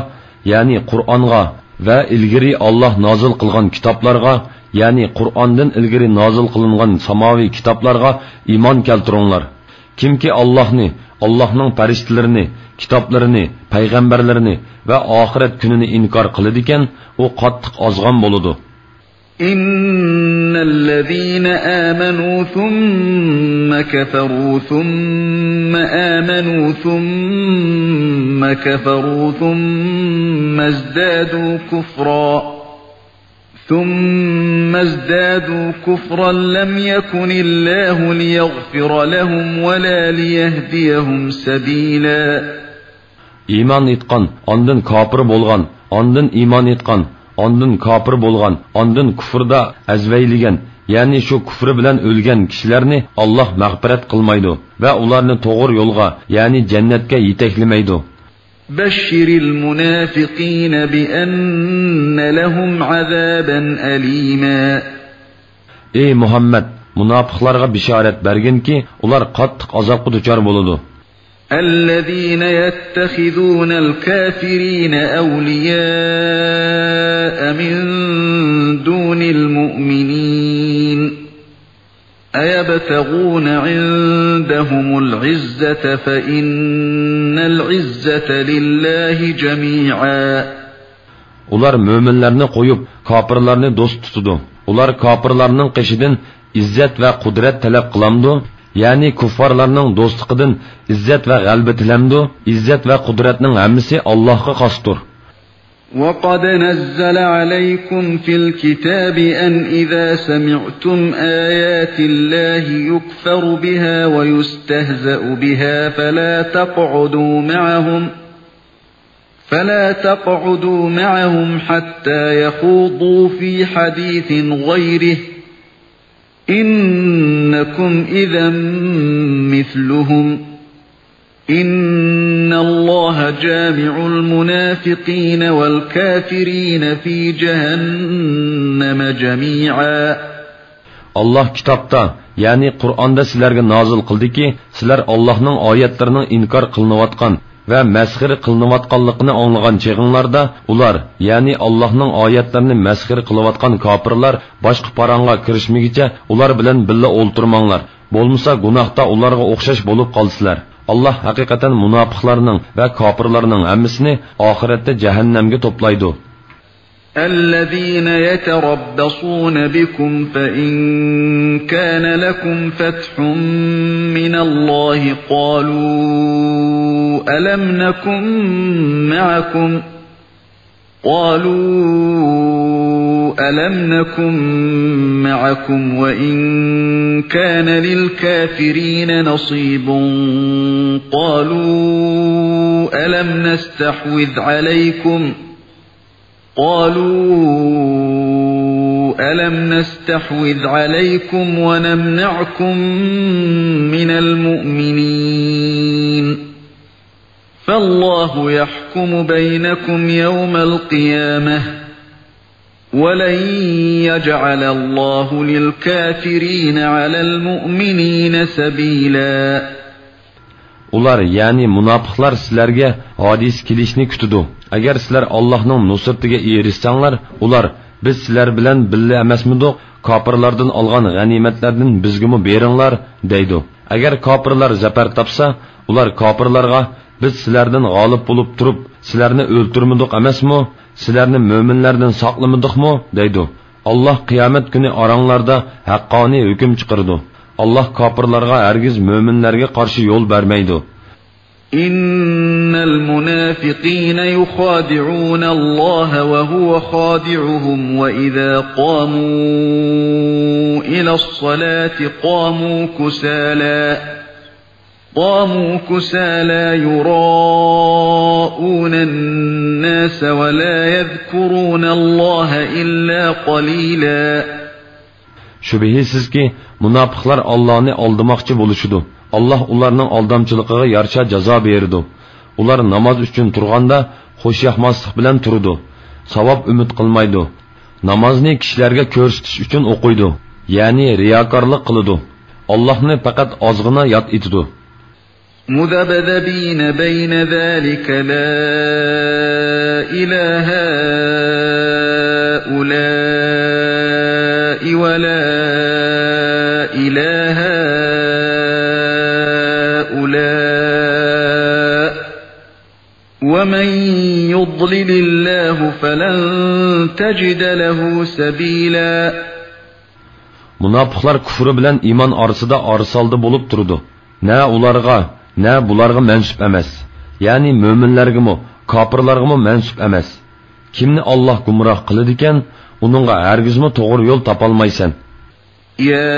يەنى قۇرئانغا ۋە ئىلگىرى ئاللاھ نازىل قىلغان كىتابلارغا، يەنى قۇرئاندىن ئىلگىرى نازىل قىلىنغان ساماۋىي كىتابلارغا ئىمان كەلتۈرۈڭلار. كىمكى ئاللاھنى، ئاللاھنىڭ پەرىشتىلىرىنى، كىتابلىرىنى، پەيغەمبەرلىرىنى ۋە ئاخىرەت كۈنىنى ئىنكار قىلىدىكەن، ئۇ قاتتىق ئازغان بولىدۇ. إن الذين آمنوا ثم كفروا ثم آمنوا ثم كفروا ثم ازدادوا كفرا، ثم ازدادوا كفرا لم يكن الله ليغفر لهم ولا ليهديهم سبيلا. ئىمان ئېيتقان، ئاندىن كاپىر بولغان، ئاندىن ئىمان ئېيتقان، ئاندىن كاپىر بولغان، ئاندىن كۇفردا ئەزۋەيلىگەن، يەنى شۇ كۇفرى بىلەن ئۆلگەن كىشىلەرنى ئاللاھ مەغپىرەت قىلمايدۇ ۋە ئۇلارنى توغرا يولغا، يەنى جەننەتكە يېتەكلىمەيدۇ. بشر المنافقين بأن لهم عذابا أليما. ئەي مۇھەممەد، مۇناپىقلارغا بېشارەت بەرگىنكى، ئۇلار قاتتىق ئازابقا دۇچار بولىدۇ. الذين يتخذون الكافرين أولياء من دون المؤمنين أيبتغون عندهم العزة فإن العزة لله جميعا. ئۇلار مۆمىنلەرنى قويۇپ، كاپىرلارنى دوست تۇتىدۇ. ئۇلار كاپىرلارنىڭ قېشىدىن ئىززەت ۋە قۇدرەت تەلەپ قىلامدۇ؟ يەنى كۇففارلارنىڭ دوستلۇقىدىن ئىززەت ۋە غەلىبە تىلەمدۇ؟ ئىززەت ۋە قۇدرەتنىڭ ھەممىسى ئاللاھقا خاستۇر. وقد نزل عليكم في الكتاب أن إذا سمعتم آيات الله يكفر بها ويستهزأ بها فلا تقعدوا معهم، فلا تقعدوا معهم حتى يخوضوا في حديث غيره، إنكم إذا مثلهم، إن الله جامع المنافقين والكافرين في جهنم جميعا. ئاللاھ كىتابتا، يەنى قۇرئاندا سىلەرگە نازىل قىلدىكى، سىلەر ئاللاھنىڭ ئايەتلىرىنىڭ ئىنكار قىلىنىۋاتقان، ۋە مەسخىرە قىلىنىۋاتقانلىقىنى ئاڭلىغان چېغىڭلاردا، ئۇلار، يەنى ئاللاھنىڭ ئايەتلىرىنى مەسخىرە قىلىۋاتقان كاپىرلار باشقا پاراڭغا كىرىشمىگىچە ئۇلار بىلەن بىللە ئولتۇرماڭلار. بولمىسا گۇناھتا ئۇلارغا ئوخشاش بولۇپ قالىسىلەر. ئاللاھ ھەقىقەتەن مۇناپىقلارنىڭ ۋە كاپىرلارنىڭ ھەممىسىنى ئاخىرەتتە جەھەننەمگە توپلايدۇ. الذين يتربصون بكم فإن كان لكم فتح من الله قالوا ألم نكن معكم، قالوا ألم نكن معكم وإن كان للكافرين نصيب، قالوا ألم نستحوذ عليكم، قالوا ألم نستحوذ عليكم ونمنعكم من المؤمنين، فالله يحكم بينكم يوم القيامة، ولن يجعل الله للكافرين على المؤمنين سبيلا. ئۇلار، يەنى مۇناپىقلار سىلەرگە ھادىسە كېلىشىنى كۈتىدۇ. ئەگەر سىلەر ئاللاھنىڭ نۇسرىتىگە ئېرىشسەڭلار، ئۇلار، بىز سىلەر بىلەن بىللە ئەمەسمىدۇق؟ كاپىرلاردىن ئالغان غەنىيمەتلەردىن بىزگىمۇ بېرىڭلار، دەيدۇ. ئەگەر كاپىرلار زەپەر تاپسا، ئۇلار كاپىرلارغا، بىز سىلەردىن غالىب بولۇپ تۇرۇپ، سىلەرنى ئۆلتۈرمىدۇق ئەمەسمۇ؟ سىلەرنى مۆمىنلەردىن ساقلىمىدۇقمۇ؟ دەيدۇ. ئاللاھ قىيامەت كۈنى ئاراڭلاردا ھەققانىي ھۆكۈم چىقىرىدۇ. ئاللاھ كاپىرلارغا ھەرگىز مۆمىنلەرگە قارشى يول بەرمەيدۇ. إن المنافقين يخادعون الله وهو خادعهم وإذا قاموا إلى الصلاة قاموا كسالى، قاموا كسالى يراءون الناس ولا يذكرون الله إلا قليلا. شۈبھىسىزكى، مۇناپىقلار ئاللانى ئالدىماقچى بولۇشىدۇ. ئاللا ئۇلارنىڭ ئالدامچىلىقىغا يارىشا جازا بېرىدۇ. ئۇلار ناماز ئۈچۈن تۇرغاندا خۇشياقماسلىق بىلەن تۇرىدۇ. ساۋاب ئۈمىد قىلمايدۇ. نامازنى كىشىلەرگە كۆرسىتىش ئۈچۈن ئوقۇيدۇ، يەنى رىياكارلىق قىلىدۇ. ئاللاھنى پەقەت ئازغىنا ياد ئېتىدۇ. مذبذبين بين ذلك لا إلى هؤلاء ولا إلى هؤلاء، ومن يضلل الله فلن تجد له سبيلا. مۇناپىقلار كۇفرى بىلەن ئىمان ئارىسىدا ئارىسالدى بولۇپ تۇرىدۇ. نە ئۇلارغا، نە بۇلارغا مەنسۇپ ئەمەس. يەنى مۆمىنلەرگىمۇ، كاپىرلارغىمۇ مەنسۇپ ئەمەس. كىمنى ئاللاھ گۇمراھ قىلىدىكەن، ئۇنىڭغا ھەرگىزمۇ توغرا يول تاپالمايسەن. يا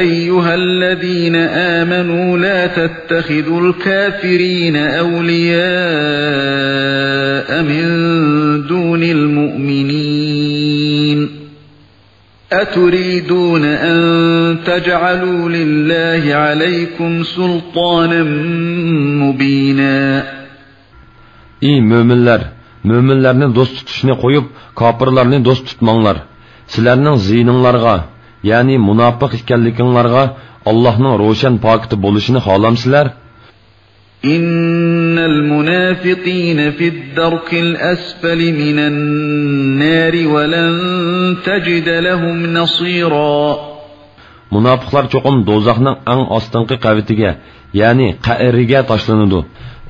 أيها الذين آمنوا لا تتخذوا الكافرين أولياء من دون المؤمنين، أتريدون أن تجعلوا لله عليكم سلطانا مبينا. ئى مۆمىنلەر! مۆمىنلەرنى دوست تۇتۇشنى قويۇپ، كاپىرلارنى دوست تۇتماڭلار. سىلەرنىڭ زىيىنىڭلارغا، يەنى مۇناپىق ئىكەنلىكىڭلارغا ئاللاھنىڭ روشەن پاكىتى بولۇشىنى خالامسىلەر؟ إن المنافقين في الدرك الأسفل من النار ولن تجد لهم نصيرا. مۇناپىقلار چوقۇم دوزاخنىڭ ئەڭ ئاستىنقى قەۋىتىگە، يەنى قەئىرىگە تاشلىنىدۇ.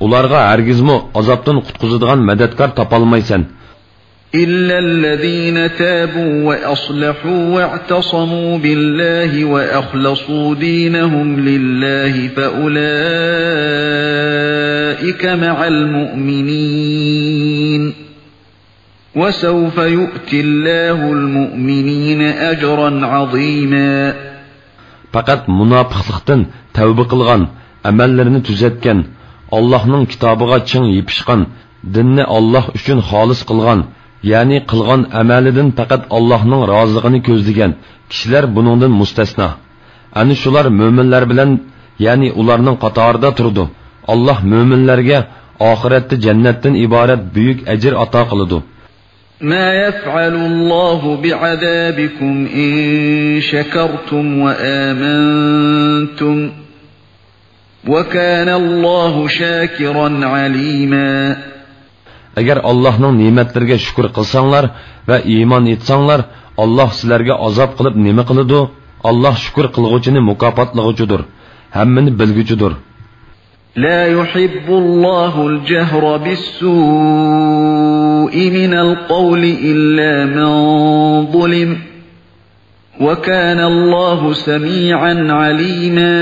ئۇلارغا ھەرگىزمۇ ئازابتىن قۇتقۇزىدىغان مەدەتكار تاپالمايسەن. إلا الذين تابوا وأصلحوا واعتصموا بالله وأخلصوا دينهم لله فأولئك مع المؤمنين، وسوف يؤتي الله المؤمنين أجرا عظيما. پەقەت مۇناپىقلىقتىن تەۋبە قىلغان، ئەمەللىرىنى تۈزەتكەن، ئاللاھنىڭ كىتابىغا چىڭ يېپىشقان، دىننى ئاللاھ ئۈچۈن خالىس قىلغان، يەنى قىلغان ئەمەلىدىن پەقەت ئاللاھنىڭ رازىلىقىنى كۆزلىگەن كىشىلەر بۇنىڭدىن مۇستەسنا. ئەنە شۇلار مۆمىنلەر بىلەن، يەنى ئۇلارنىڭ قاتارىدا تۇرىدۇ. ئاللاھ مۆمىنلەرگە ئاخىرەتتە جەننەتتىن ئىبارەت بۈيۈك ئەجىر ئاتا قىلىدۇ. ما يفعل الله بعذابكم إن شكرتم وآمنتم، وَكَانَ اللَّهُ شَاكِرًا عَلِيمًا. ئەگەر ئاللاھنىڭ نېمەتلىرىگە شۈكۈر قىلساڭلار ۋە ئىمان ئېيتساڭلار، ئاللاھ سىلەرگە ئازاب قىلىپ نېمە قىلىدۇ؟ ئاللاھ شۈكۈر قىلغۇچىنى مۇكاپاتلىغۇچىدۇر، ھەممىنى بىلگۈچىدۇر. لَا يُحِبُّ اللَّهُ الْجَهْرَ بِالسُّوءِ مِنَ الْقَوْلِ إِلَّا مَنْ ظُلِمَ، وَكَانَ اللَّهُ سَمِيعًا عَلِيمًا.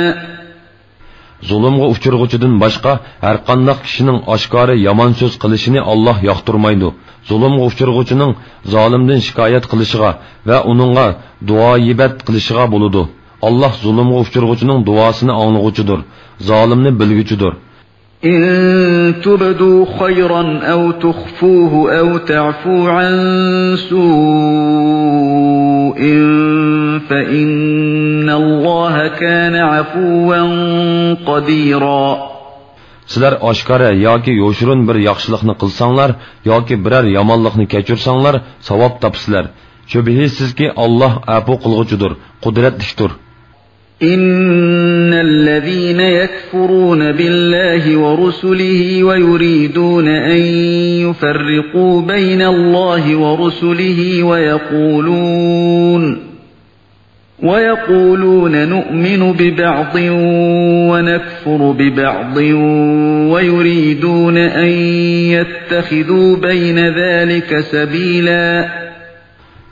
زۇلۇمغا ئۇچرىغۇچىدىن باشقا ھەرقانداق كىشىنىڭ ئاشكارا يامان سۆز قىلىشىنى ئاللاھ ياقتۇرمايدۇ. زۇلۇمغا ئۇچرىغۇچىنىڭ زالىمدىن شىكايەت قىلىشىغا ۋە ئۇنىڭغا دۇئا-يىبەت قىلىشىغا بولىدۇ. ئاللاھ زۇلۇمغا ئۇچرىغۇچىنىڭ دۇئاسىنى ئاڭلىغۇچىدۇر، زالىمنى بىلگۈچىدۇر. إِن تُبْدُوا خَيْرًا أَوْ تُخْفُوهُ أَوْ تَعْفُوا عَنْ سُوءٍ فَإِنَّ اللَّهَ كَانَ عَفُوًّا قَدِيرًا. سىلەر ئاشكارا ياكى يوشۇرۇن بىر ياخشىلىقنى قىلساڭلار ياكى بىرەر يامانلىقنى كەچۈرسەڭلار، ساۋاب تاپىسىلەر. شۈبھىسىزكى، ئاللاھ ئەپۇ قىلغۇچىدۇر، قۇدرەتلىكتۇر. إِنَّ الَّذِينَ يَكْفُرُونَ بِاللَّهِ وَرُسُلِهِ وَيُرِيدُونَ أَن يُفَرِّقُوا بَيْنَ اللَّهِ وَرُسُلِهِ وَيَقُولُونَ، وَيَقُولُونَ نُؤْمِنُ بِبَعْضٍ وَنَكْفُرُ بِبَعْضٍ وَيُرِيدُونَ أَن يَتَّخِذُوا بَيْنَ ذَلِكَ سَبِيلًا.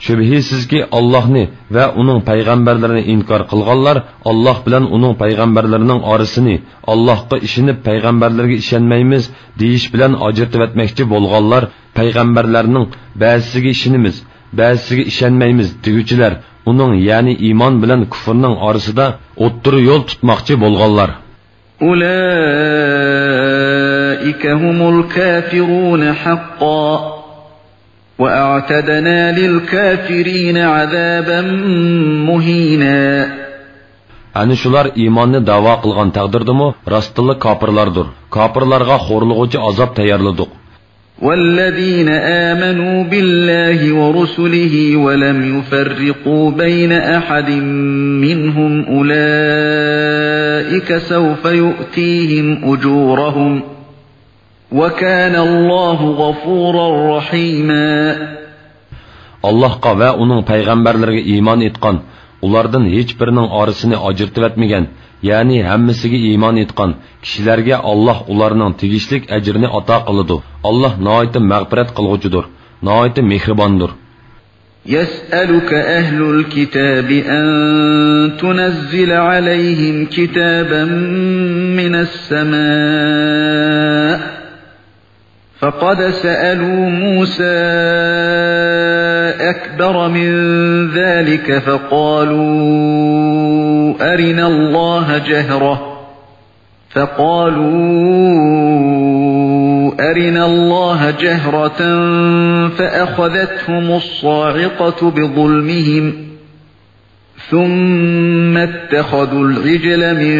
شۈبھىسىزكى، ئاللاھنى ۋە ئۇنىڭ پەيغەمبەرلىرىنى ئىنكار قىلغانلار، ئاللاھ بىلەن ئۇنىڭ پەيغەمبەرلىرىنىڭ ئارىسىنى، ئاللاھقا ئىشىنىپ پەيغەمبەرلىرىگە ئىشەنمەيمىز دېيىش بىلەن ئاجرىتىۋەتمەكچى بولغانلار، پەيغەمبەرلەرنىڭ بەزىسىگە ئىشىنىمىز، بەزىسىگە ئىشەنمەيمىز دېگۈچىلەر، ئۇنىڭ، يەنى ئىمان بىلەن كۇفرنىڭ ئارىسىدا ئوتتۇرا يول تۇتماقچى بولغانلار. أُولَٰئِكَ هُمُ الْكَافِرُونَ حَقًّا، وَأَعْتَدْنَا لِلْكَافِرِينَ عَذَابًا مُهِينًا. ئەنە شۇلار ئىماننى دەۋا قىلغان تەقدىردىمۇ راستتىنلا كاپىرلاردۇر. كاپىرلارغا خورلىغۇچى ئازاب تەييارلىدۇق. وَالَّذِينَ آمَنُوا بِاللَّهِ وَرُسُلِهِ وَلَمْ يُفَرِّقُوا بَيْنَ أَحَدٍ مِّنْهُمْ أُولَٰئِكَ سَوْفَ يُؤْتِيهِمْ أُجُورَهُمْ، وَكَانَ اللَّهُ غَفُورًا رَّحِيمًا. ئاللاھقا ۋە ئۇنىڭ پەيغەمبەرلىرىگە ئىمان ئېيتقان، ئۇلاردىن ھېچبىرىنىڭ ئارىسىنى ئاجرىتىۋەتمىگەن، يەنى ھەممىسىگە ئىمان ئېيتقان كىشىلەرگە ئاللاھ ئۇلارنىڭ تېگىشلىك ئەجرىنى ئاتا قىلىدۇ. ئاللاھ ناھايىتى مەغپىرەت قىلغۇچىدۇر، ناھايىتى مېھرىباندۇر. يَسْأَلُكَ أَهْلُ الْكِتَابِ أَن تُنَزِّلَ عَلَيْهِمْ كِتَابًا مِّنَ السَّمَاءِ، فَقَدْ سَأَلُوا مُوسَىٰ أَكْبَرَ مِن ذَٰلِكَ فَقَالُوا أَرِنَا اللَّهَ جَهْرَةً، فَقَالُوا أَرِنَا اللَّهَ جَهْرَةً فَأَخَذَتْهُمُ الصَّاعِقَةُ بِظُلْمِهِمْ، ثُمَّ اتَّخَذُوا الْعِجْلَ مِن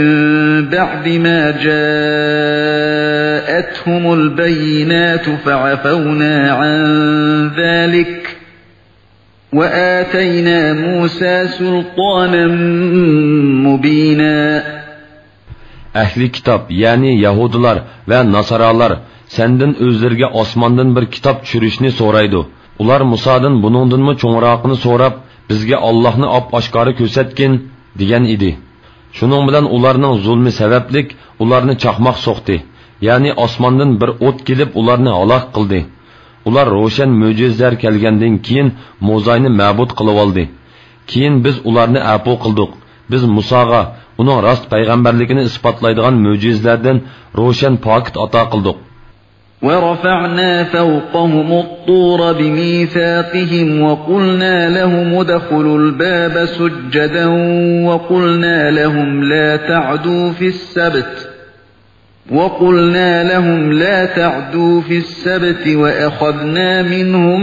بَعْدِ مَا جَاءَتْهُمُ الْبَيِّنَاتُ فَعَفَوْنَا عَن ذَٰلِكَ، وَآتَيْنَا مُوسَىٰ سُلْطَانًا مُّبِينًا. ئەھلى كىتاب، يەنى يەھۇدىيلار ۋە ناسارالار سەندىن ئۆزلىرىگە ئاسماندىن بىر كىتاب چۈشۈرۈشنى سورايدۇ. ئۇلار مۇسادىن بۇنىڭدىنمۇ چوڭراقىنى سوراپ، بىزگە ئاللاھنى ئاپئاشكارا كۆرسەتكىن، دېگەن ئىدى. شۇنىڭ بىلەن ئۇلارنىڭ زۇلمى سەۋەبلىك ئۇلارنى چاقماق سوقتى، يەنى ئاسماندىن بىر ئوت كېلىپ ئۇلارنى ھالاك قىلدى. ئۇلار روشەن مۆجىزىلەر كەلگەندىن كېيىن موزاينى مەبۇد قىلىۋالدى. كېيىن بىز ئۇلارنى ئەپۇ قىلدۇق. بىز مۇساغا ئۇنىڭ راست پەيغەمبەرلىكىنى ئىسپاتلايدىغان مۆجىزىلەردىن روشەن پاكىت ئاتا قىلدۇق. وَرَفَعْنَا فَوْقَهُمُ الطُّورَ بِمِيثَاقِهِمْ وَقُلْنَا لَهُمُ ادْخُلُوا الْبَابَ سُجَّدًا وَقُلْنَا لَهُمْ لَا تَعْدُوا فِي السَّبْتِ، وَقُلْنَا لَهُمْ لَا تَعْدُوا فِي السَّبْتِ وَأَخَذْنَا مِنْهُمْ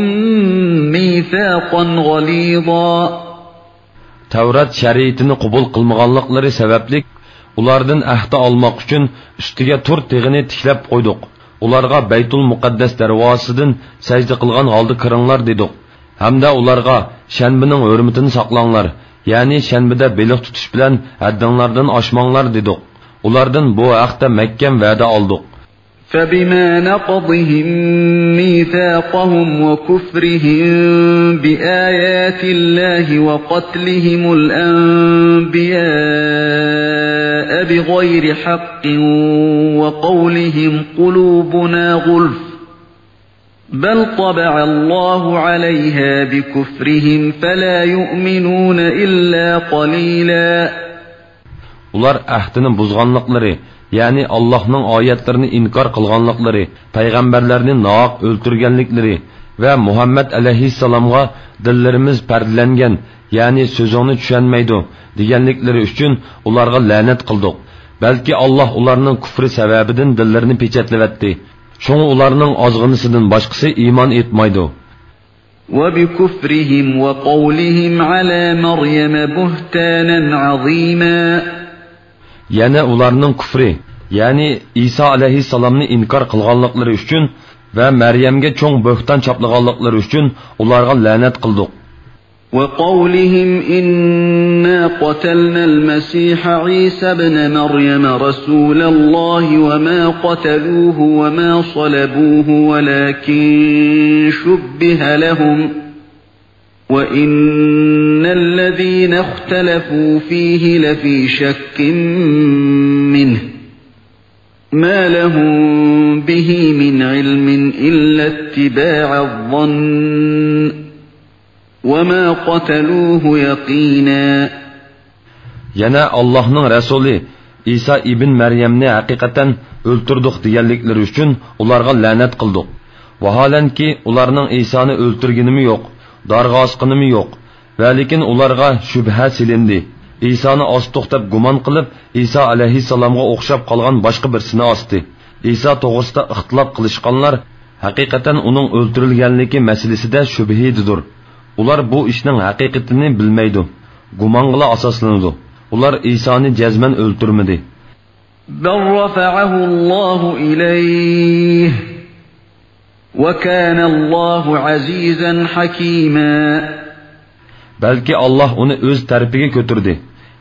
مِيثَاقًا غَلِيظًا. تەۋرات شەرىئىتىنى قوبۇل قىلمىغانلىقلىرى سەۋەبلىك، ئۇلاردىن ئەھدى ئالماق ئۈچۈن ئۈستىگە تۇر تېغىنى تىكلەپ قويدۇق. ئۇلارغا بەيتۇل مۇقەددەس دەرۋازىسىدىن سەجدە قىلغان ھالدا كىرىڭلار دېدۇق. ھەمدە ئۇلارغا شەنبىنىڭ ھۆرمىتىنى ساقلاڭلار، يەنى شەنبىدە بېلىق تۇتۇش بىلەن ھەددىڭلاردىن ئاشماڭلار دېدۇق. ئۇلاردىن بۇ ھەقتە مەھكەم ۋەدە ئالدۇق. فبما نقضهم ميثاقهم وكفرهم بآيات الله وقتلهم الأنبياء بغير حق وقولهم قلوبنا غلف بل طبع الله عليها بكفرهم فلا يؤمنون إلا قليلا. ئۇلار ئەھدىنى بۇزغانلىقلىرى، يەنى ئاللاھنىڭ ئايەتلىرىنى ئىنكار قىلغانلىقلىرى، پەيغەمبەرلەرنى ناھەق ئۆلتۈرگەنلىكلىرى ۋە مۇھەممەد ئەلەيھىسسالامغا دىللىرىمىز پەردىلەنگەن، يەنى سۆزۈڭنى چۈشەنمەيدۇ، دېگەنلىكلىرى ئۈچۈن ئۇلارغا لەنەت قىلدۇق. بەلكى ئاللاھ ئۇلارنىڭ كۇفرى سەۋەبىدىن دىللىرىنى پېچەتلىۋەتتى. شۇڭا ئۇلارنىڭ ئازغىنىسىدىن باشقىسى ئىمان ئېيتمايدۇ. وبكفرهم وقولهم على مريم بهتانا عظيما. يەنە ئۇلارنىڭ كۇفرى، يەنى ئىسا ئەلەيھىسسالامنى ئىنكار قىلغانلىقلىرى ئۈچۈن ۋە مەريەمگە چوڭ بۆھتان چاپلىغانلىقلىرى ئۈچۈن ئۇلارغا لەنەت قىلدۇق. وقولهم إنا قتلنا المسيح عيسى ابن مريم رسول الله وما قتلوه وما صلبوه ولكن شبه لهم وإن الذين اختلفوا فيه لفي شك منه ما لهم به من علم إلا اتباع الظن وما قتلوه يقينا. يەنە ئاللاھنىڭ رەسۇلى ئىسا ئىبن مەريەمنى ھەقىقەتەن ئۆلتۈردۇق دېگەنلىكلىرى ئۈچۈن ئۇلارغا لەنەت قىلدۇق. ۋاھالەنكى، ئۇلارنىڭ ئىسانى ئۆلتۈرگىنىمۇ يوق، دارغا ئاسقىنىمۇ يوق. ۋەلىكىن ئۇلارغا شۈبھە سېلىندى. ئىسانى ئاستۇق دەپ گۇمان قىلىپ، ئىسا ئەلەيھىسسالامغا ئوخشاپ قالغان باشقا بىرسىنى ئاستى. ئىسا توغرىسىدا ئىختىلاپ قىلىشقانلار ھەقىقەتەن ئۇنىڭ ئۆلتۈرۈلگەنلىكى مەسىلىسىدە شۈبھىدىدۇر. ئۇلار بۇ ئىشنىڭ ھەقىقىتىنى بىلمەيدۇ. گۇمانغىلا ئاساسلىنىدۇ. ئۇلار ئىسانى جەزمەن ئۆلتۈرمىدى. بل رفعه الله إليه وكان الله عزيزا حكيما. بەلكى ئاللاھ ئۇنى ئۆز تەرىپىگە كۆتۈردى.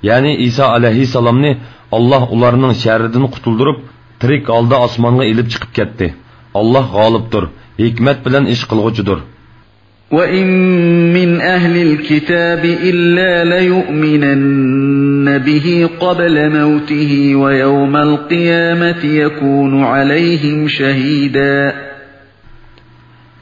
يەنى ئىسا ئەلەيھىسسالامنى ئاللاھ ئۇلارنىڭ شەررىدىن قۇتۇلدۇرۇپ، تىرىك ھالدا ئاسمانغا ئېلىپ چىقىپ كەتتى. ئاللاھ غالىبتۇر، ھېكمەت بىلەن ئىش قىلغۇچىدۇر. وإن من أهل الكتاب إلا ليؤمنن به قبل موته ويوم القيامة يكون عليهم شهيدا.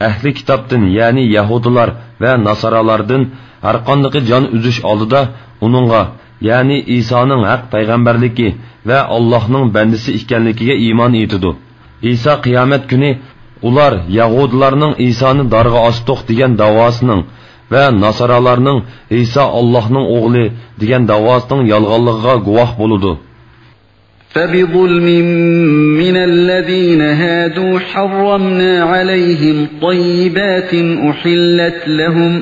ئەھلى كىتابتىن، يەنى يەھۇدىيلار ۋە ناسارالاردىن ھەرقاندىقى جان ئۈزۈش ئالدىدا ئۇنىڭغا، يەنى ئىسانىڭ ھەق پەيغەمبەرلىكى ۋە ئاللاھنىڭ بەندىسى ئىكەنلىكىگە ئىمان ئېيتىدۇ. ئىسا قىيامەت كۈنى ئۇلار يەھۇدىيلارنىڭ ئىسانى دارغا ئاستۇق دېگەن داۋاسىنىڭ ۋە ناسارالارنىڭ ئىسا ئاللاھنىڭ ئوغلى دېگەن داۋاسىنىڭ يالغانلىقىغا گۇۋاھ بولىدۇ. فبظلم من الذين هادوا حرمنا عليهم طيبات أحلت لهم،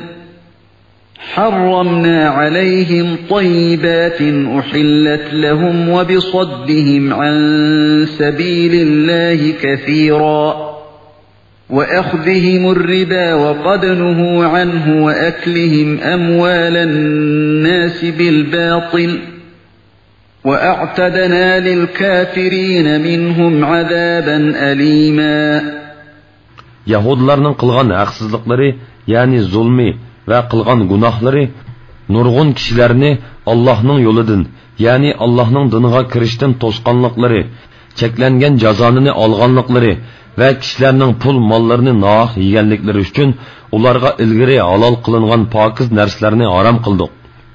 حرمنا عليهم طيبات أحلت لهم وبصدهم عن سبيل الله كثيرا، وأخذهم الربا وقد نهوا عنه وأكلهم أموال الناس بالباطل، وأعتدنا للكافرين منهم عذابا أليما. يەھۇدىيلارنىڭ قىلغان ھەقسىزلىقلىرى، يەنى زۇلمى ۋە قىلغان گۇناھلىرى نۇرغۇن كىشىلەرنى ئاللاھنىڭ يولىدىن، يەنى ئاللاھنىڭ دىنىغا كىرىشتىن توسقانلىقلىرى، چەكلەنگەن جازانى ئالغانلىقلىرى ۋە كىشىلەرنىڭ پۇل ماللىرىنى ناھەق يېگەنلىكلىرى ئۈچۈن ئۇلارغا ئىلگىرى ھالال قىلىنغان پاكىز نەرسىلەرنى ھارام قىلدۇق.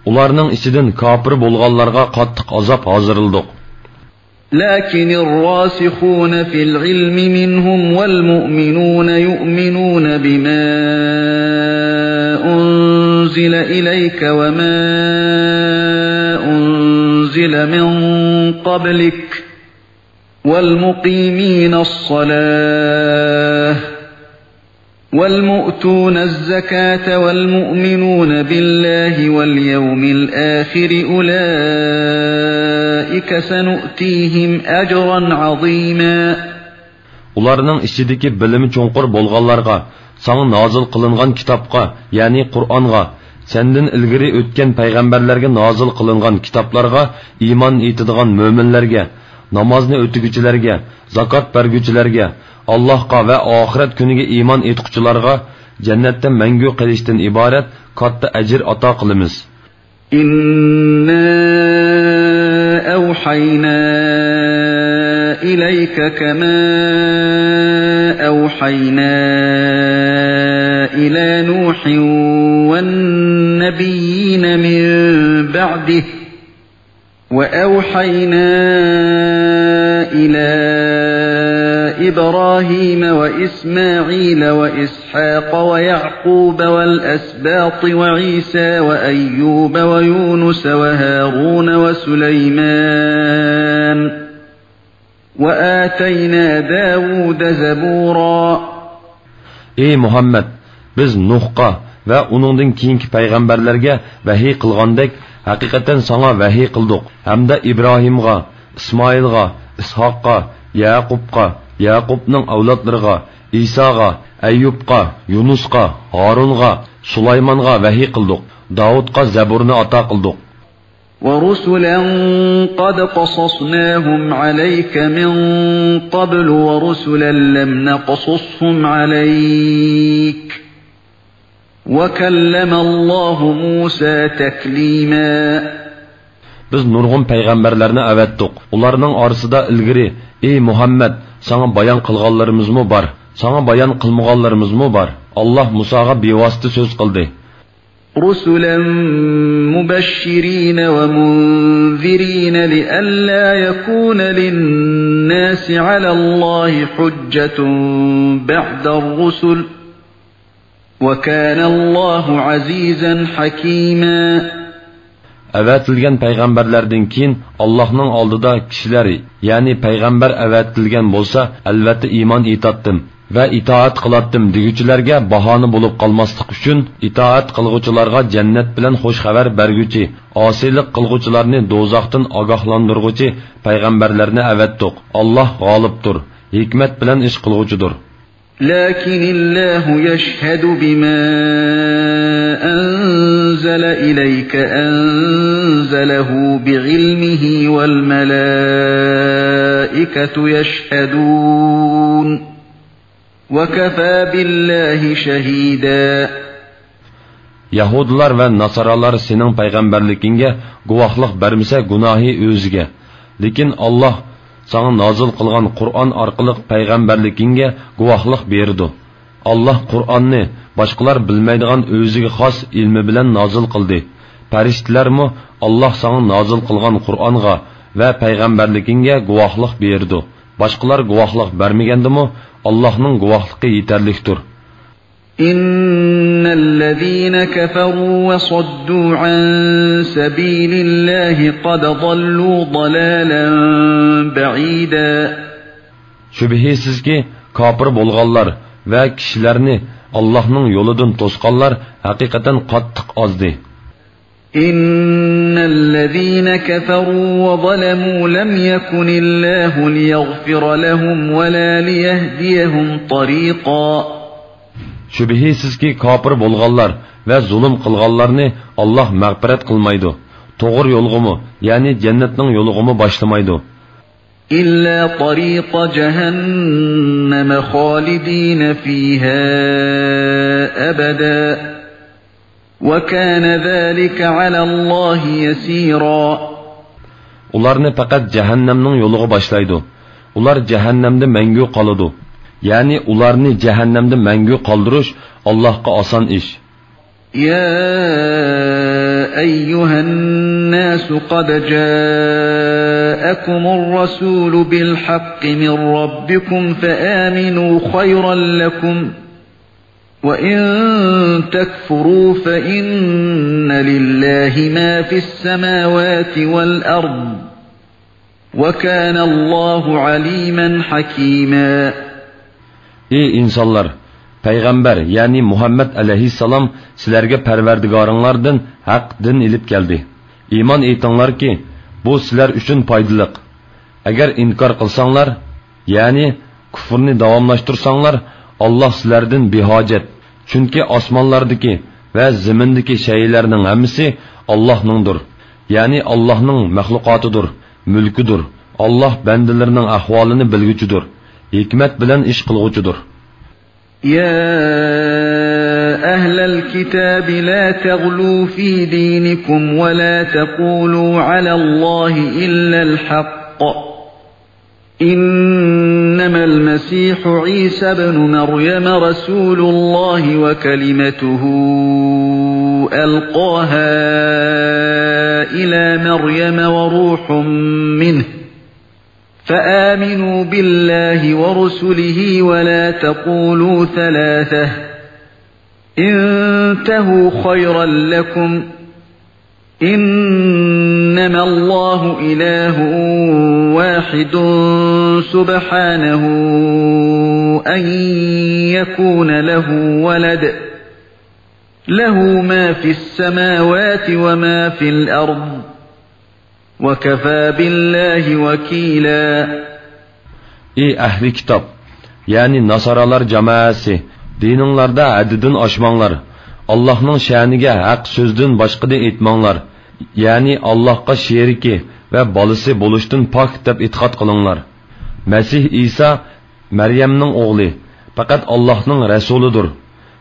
ئۇلارنىڭ ئىچىدىن كاپىر بولغانلارغا قاتتىق ئازاب ھازىرلىدۇق. لكن الراسخون في العلم منهم والمؤمنون يؤمنون بما أنزل إليك وما أنزل من قبلك والمقيمين الصلاة والمؤتون الزكاة والمؤمنون بالله واليوم الآخر أولئك سنؤتيهم أجرا عظيما. ئۇلارنىڭ ئىچىدىكى بىلىمى چوڭقۇر بولغانلارغا، ساڭا نازىل قىلىنغان كىتابقا، يەنى قۇرئانغا، سەندىن ئىلگىرى ئۆتكەن پەيغەمبەرلەرگە نازىل قىلىنغان كىتابلارغا ئىمان ئېيتىدىغان مۆمىنلەرگە، نامازنى ئۆتىگۈچىلەرگە، زاكات بەرگۈچىلەرگە، ئاللاھقا ۋە ئاخىرەت كۈنىگە ئىمان ئېيتقۇچىلارغا جەننەتتە مەڭگۈ قېلىشتىن ئىبارەت كاتتا ئەجىر ئاتا قىلىمىز. إنا أوحينا إليك كما أوحينا إلى نوح والنبيين من بعده وأوحينا إلى إبراهيم وإسماعيل وإسحاق ويعقوب والأسباط وعيسى وأيوب ويونس وهارون وسليمان وآتينا داود زبورا. ئەي مۇھەممەد، بىز نۇھقا ۋە ئۇنىڭدىن كېيىنكى پەيغەمبەرلەرگە ۋەھىي قىلغاندەك، ھەقىقەتەن ساڭا ۋەھىي قىلدۇق ھەمدە ئىبراھىمغا، ئىسمائىلغا، ئىسھاققا، يەقۇبقا، يەقۇبنىڭ ئەۋلادلىرىغا، ئىساغا، ئەييۇبقا، يۇنۇسقا، ھارۇنغا، سۇلايمانغا ۋەھىي قىلدۇق. داۋۇتقا زەبۇرنى ئاتا قىلدۇق. ورسلا قد قصصناهم عليك من قبل ورسلا لم نقصصهم عليك وكلم الله موسى تكليما. بىز نۇرغۇن پەيغەمبەرلەرنى ئەۋەتتۇق. ئۇلارنىڭ ئارىسىدا ئىلگىرى، ئەي مۇھەممەد، ساڭا بايان قىلغانلىرىمىزمۇ بار، ساڭا بايان قىلمىغانلىرىمىزمۇ بار. ئاللاھ مۇساغا بىۋاسىتە سۆز قىلدى. رسلا مبشرين ومنذرين لئلا يكون للناس على الله حجة بعد الرسل وكان الله عزيزا حكيما. ئەۋەتىلگەن پەيغەمبەرلەردىن كېيىن ئاللاھنىڭ ئالدىدا كىشىلەر، يەنى پەيغەمبەر ئەۋەتىلگەن بولسا، ئەلۋەتتە ئىمان ئېيتاتتىم ۋە ئىتائەت قىلاتتىم دېگۈچىلەرگە باھانە بولۇپ قالماسلىق ئۈچۈن، ئىتائەت قىلغۇچىلارغا جەننەت بىلەن خۇش خەۋەر بەرگۈچى، ئاسىيلىق قىلغۇچىلارنى دوزاختىن ئاگاھلاندۇرغۇچى پەيغەمبەرلەرنى ئەۋەتتۇق. ئاللاھ غالىبتۇر، ھېكمەت بىلەن ئىش قىلغۇچىدۇر. لكن الله يشهد بما أنزل إليك أنزله بعلمه والملائكة يشهدون وكفى بالله شهيدا. يەھۇدىيلار ۋە ناسارالار سېنىڭ پەيغەمبەرلىكىڭگە گۇۋاھلىق بەرمىسە، گۇناھى ئۆزىگە. لېكىن ئاللاھ ساڭا نازىل قىلغان قۇرئان ئارقىلىق پەيغەمبەرلىكىڭگە گۇۋاھلىق بېرىدۇ. ئاللاھ قۇرئاننى باشقىلار بىلمەيدىغان ئۆزىگە خاس ئىلمى بىلەن نازىل قىلدى. پەرىشتىلەرمۇ ئاللاھ ساڭا نازىل قىلغان قۇرئانغا ۋە پەيغەمبەرلىكىڭگە گۇۋاھلىق بېرىدۇ. باشقىلار گۇۋاھلىق بەرمىگەندىمۇ، ئاللاھنىڭ گۇۋاھلىقى يېتەرلىكتۇر. إن الذين كفروا وصدوا عن سبيل الله قد ضلوا ضلالا بعيدا. شۈبھىسىزكى، كاپىر بولغانلار ۋە كىشىلەرنى ئاللاھنىڭ يولىدىن توسقانلار ھەقىقەتەن قاتتىق ئازدى. إن الذين كفروا وظلموا لم يكن الله ليغفر لهم ولا ليهديهم طريقا. شۈبھىسىزكى، كاپىر بولغانلار ۋە زۇلۇم قىلغانلارنى ئاللاھ مەغپىرەت قىلمايدۇ. توغرا يولغىمۇ، يەنى جەننەتنىڭ يولىغىمۇ باشلىمايدۇ. إلا طريق جهنم خالدين فيها أبدا وكان ذلك على الله يسيرا. ئۇلارنى پەقەت جەھەننەمنىڭ يولىغا باشلايدۇ. ئۇلار جەھەننەمدە مەڭگۈ قالىدۇ. يەنى ئۇلارنى جەھەننەمدە مەڭگۈ قالدۇرۇش ئاللاھقا ئاسان ئىش. يا أيها الناس قد جاءكم الرسول بالحق من ربكم فآمنوا خيرا لكم وإن تكفروا فإن لله ما في السماوات والأرض وكان الله عليما حكيما. ئى ئىنسانلار! پەيغەمبەر، يەنى مۇھەممەد ئەلەيھىسسالام سىلەرگە پەرۋەردىگارىڭلاردىن ھەق دىن ئېلىپ كەلدى. ئىمان ئېيتىڭلاركى، بۇ سىلەر ئۈچۈن پايدىلىق. ئەگەر ئىنكار قىلساڭلار، يەنى كۇفرنى داۋاملاشتۇرساڭلار، ئاللاھ سىلەردىن بىھاجەت. چۈنكى ئاسمانلاردىكى ۋە زېمىندىكى شەيئىلەرنىڭ ھەممىسى ئاللاھنىڭدۇر. يەنى ئاللاھنىڭ مەخلۇقاتىدۇر، مۈلكىدۇر. ئاللاھ بەندىلىرىنىڭ ئەھۋالىنى بىلگۈچىدۇر، ھېكمەت بىلەن ئىش قىلغۇچىدۇر. يا أهل الكتاب لا تغلوا في دينكم ولا تقولوا على الله إلا الحق، إنما المسيح عيسى ابن مريم رسول الله وكلمته ألقاها إلى مريم وروح منه، فآمنوا بالله ورسله ولا تقولوا ثلاثة، انتهوا خيرا لكم، إنما الله إله واحد، سبحانه أن يكون له ولد، له ما في السماوات وما في الأرض، وكفى بالله وكيلا. ئى ئەھلى كىتاب، يەنى ناسارالار جامائەسى، دىنىڭلاردا ھەددىدىن ئاشماڭلار. ئاللاھنىڭ شەنىگە ھەق سۆزدىن باشقىنى ئېيتماڭلار. يەنى ئاللاھقا شېرىكى ۋە بالىسى بولۇشتىن پاك دەپ ئېتىقاد قىلىڭلار. مەسىھ ئىسا مەريەمنىڭ ئوغلى، پەقەت ئاللاھنىڭ رەسۇلىدۇر.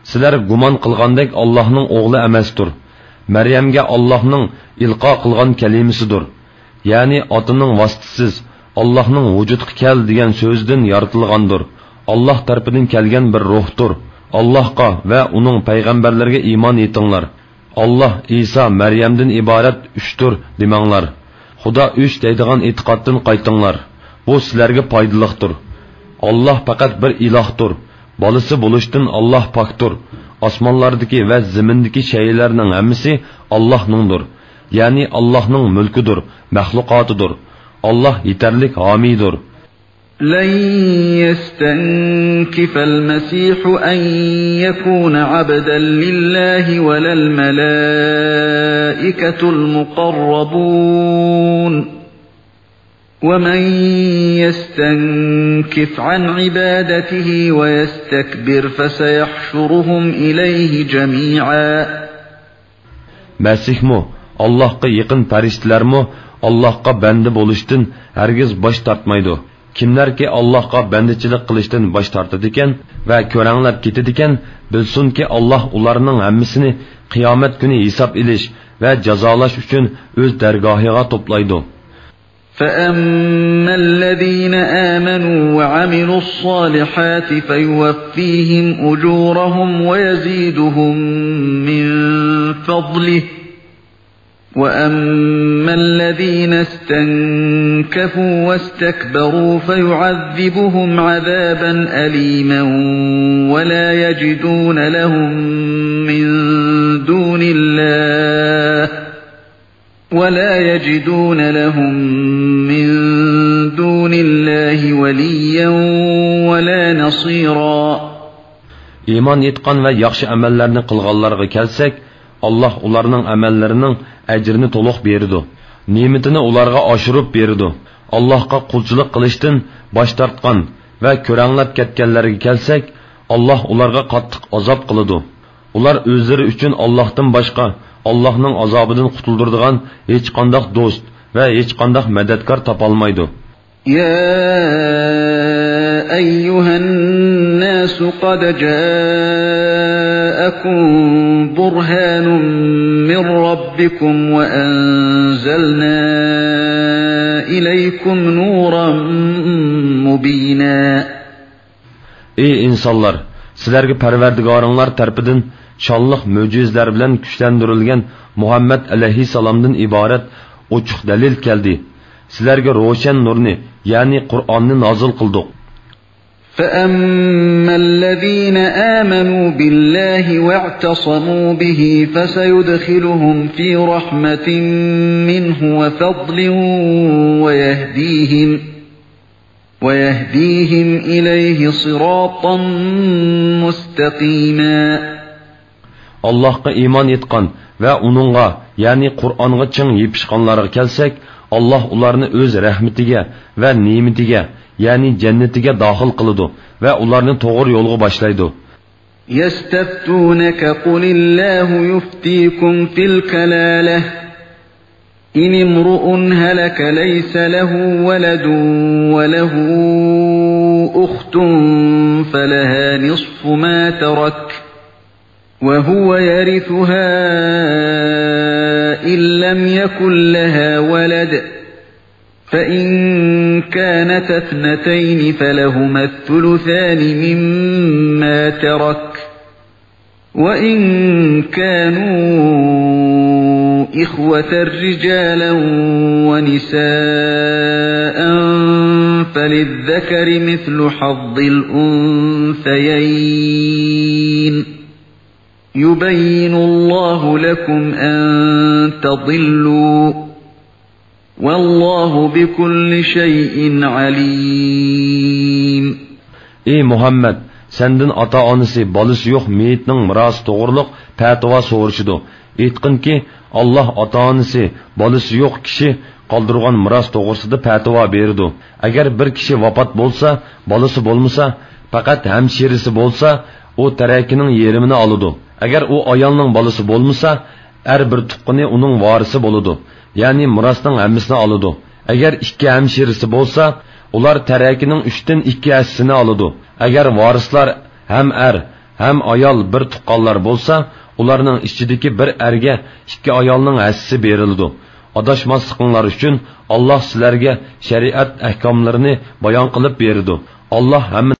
سىلەر گۇمان قىلغاندەك ئاللاھنىڭ ئوغلى ئەمەستۇر. مەريەمگە ئاللاھنىڭ ئىلقا قىلغان كەلىمىسىدۇر. يەنى ئاتىنىڭ ۋاسىتىسىز، ئاللاھنىڭ ۋۇجۇدقا كەل دېگەن سۆزىدىن يارىتىلغاندۇر. ئاللاھ تەرىپىدىن كەلگەن بىر روھتۇر. ئاللاھقا ۋە ئۇنىڭ پەيغەمبەرلىرىگە ئىمان ئېيتىڭلار. ئاللاھ، ئىسا، مەريەمدىن ئىبارەت ئۈچتۇر دېمەڭلار. خۇدا ئۈچ دەيدىغان ئېتىقادتىن قايتىڭلار. بۇ سىلەرگە پايدىلىقتۇر. ئاللاھ پەقەت بىر ئىلاھتۇر. بالىسى بولۇشتىن ئاللاھ پاكتۇر. ئاسمانلاردىكى ۋە زېمىندىكى شەيئىلەرنىڭ ھەممىسى ئاللاھنىڭدۇر. يەنى ئاللاھنىڭ مۈلكىدۇر، مەخلۇقاتىدۇر. ئاللاھ يېتەرلىك ھامىيدۇر. لن يستنكف المسيح أن يكون عبدا لله ولا الملائكة المقربون، ومن يستنكف عن عبادته ويستكبر فسيحشرهم إليه جميعا. مەسىھمۇ، ئاللاھقا يېقىن پەرىشتىلەرمۇ ئاللاھقا بەندە بولۇشتىن ھەرگىز باش تارتمايدۇ. كىملەركى ئاللاھقا بەندىچىلىك قىلىشتىن باش تارتىدىكەن ۋە كۆرەڭلەپ كېتىدىكەن، بىلسۇنكى، ئاللاھ ئۇلارنىڭ ھەممىسىنى قىيامەت كۈنى ھېساب ئېلىش ۋە جازالاش ئۈچۈن ئۆز دەرگاھىغا توپلايدۇ. فأما الذين آمنوا وعملوا الصالحات فيوفيهم أجورهم ويزيدهم من فضله، وأما الذين استنكفوا واستكبروا فيعذبهم عذابا أليما ولا يجدون لهم من دون الله ولا يجدون لهم من دون الله وليا ولا نصيرا. ئىمان ئېيتقان ۋە ياخشى ئەمەللەرنى قىلغانلارغا كەلسەك، ئاللاھ ئۇلارنىڭ ئەمەللىرىنىڭ ئەجرىنى تولۇق بېرىدۇ، نېمىتىنى ئۇلارغا ئاشۇرۇپ بېرىدۇ. ئاللاھقا قۇلچىلىق قىلىشتىن باش تارتقان ۋە كۆرەڭلەپ كەتكەنلەرگە كەلسەك، ئاللاھ ئۇلارغا قاتتىق ئازاب قىلىدۇ. ئۇلار ئۆزلىرى ئۈچۈن ئاللاھتىن باشقا، ئاللاھنىڭ ئازابىدىن قۇتۇلدۇرىدىغان ھېچقانداق دوست ۋە ھېچقانداق مەدەتكار تاپالمايدۇ. يا أيها الناس قد جاءكم برهان من ربكم وأنزلنا إليكم نورا مبينا. ئى ئىنسانلار! سىلەرگە پەرۋەردىگارىڭلار تەرىپىدىن شانلىق مۆجىزىلەر بىلەن كۈچلەندۈرۈلگەن مۇھەممەد ئەلەيھىسسالامدىن ئىبارەت ئوچۇق دەلىل كەلدى. سىلەرگە روشەن نۇرنى، يەنى قۇرئاننى نازىل قىلدۇق. فأما الذين آمنوا بالله واعتصموا به فسيدخلهم في رحمة منه وفضل ويهديهم ويهديهم إليه صراطا مستقيما. ئاللاھقا ئىمان ئېيتقان ۋە ئۇنىڭغا، يەنى قۇرئانغا چىڭ يېپىشقانلارغا كەلسەك، ئاللاھ ئۇلارنى ئۆز رەھمىتىگە ۋە نېمىتىگە، يەنى جەننىتىگە داخىل قىلىدۇ ۋە ئۇلارنى توغرا يولغا باشلايدۇ. يستفتونك قل الله يفتيكم في الكلالة، إن امرؤ هلك ليس له ولد وله أخت فلها نصف ما ترك وهو يرثها إن لم يكن لها ولد، فإن كانتا اثنتين فلهما الثلثان مما ترك، وإن كانوا إخوة رجالا ونساء فللذكر مثل حظ الأنثيين، يبين الله لكم أن تضلوا، والله بكل شيء عليم. ئى مۇھەممەد، سەندىن ئاتا-ئانىسى، بالىسى يوق مېيىتنىڭ مىراسى توغرۇلۇق پەتىۋا سورىشىدۇ. ئېيتقىنكى، ئاللاھ ئاتا-ئانىسى، بالىسى يوق كىشى قالدۇرغان مىراس توغرىسىدا پەتىۋا بېرىدۇ. ئەگەر بىر كىشى ۋاپات بولسا، بالىسى بولمىسا، پەقەت ھەمشىرىسى بولسا، ئۇ تەرىكىنىڭ يېرىمىنى ئالىدۇ. ئەگەر ئۇ ئايالنىڭ بالىسى بولمىسا، ئەر بىر تۇغقىنى ئۇنىڭ ۋارىسى بولىدۇ، يەنى مىراسنىڭ ھەممىسىنى ئالىدۇ. ئەگەر ئىككى ھەمشىرىسى بولسا، ئۇلار تەرىكىنىڭ ئۈچتىن ئىككى ھەسسىسىنى ئالىدۇ. ئەگەر ۋارىسلار ھەم ئەر، ھەم ئايال بىر تۇغقانلار بولسا، ئۇلارنىڭ ئىچىدىكى بىر ئەرگە ئىككى ئايالنىڭ ھەسسىسى بېرىلىدۇ. ئاداشماسلىقىڭلار ئۈچۈن ئاللاھ سىلەرگە شەرىئەت ئەھكاملىرىنى بايان قىلىپ بېرىدۇ. ئاللاھ ھەممە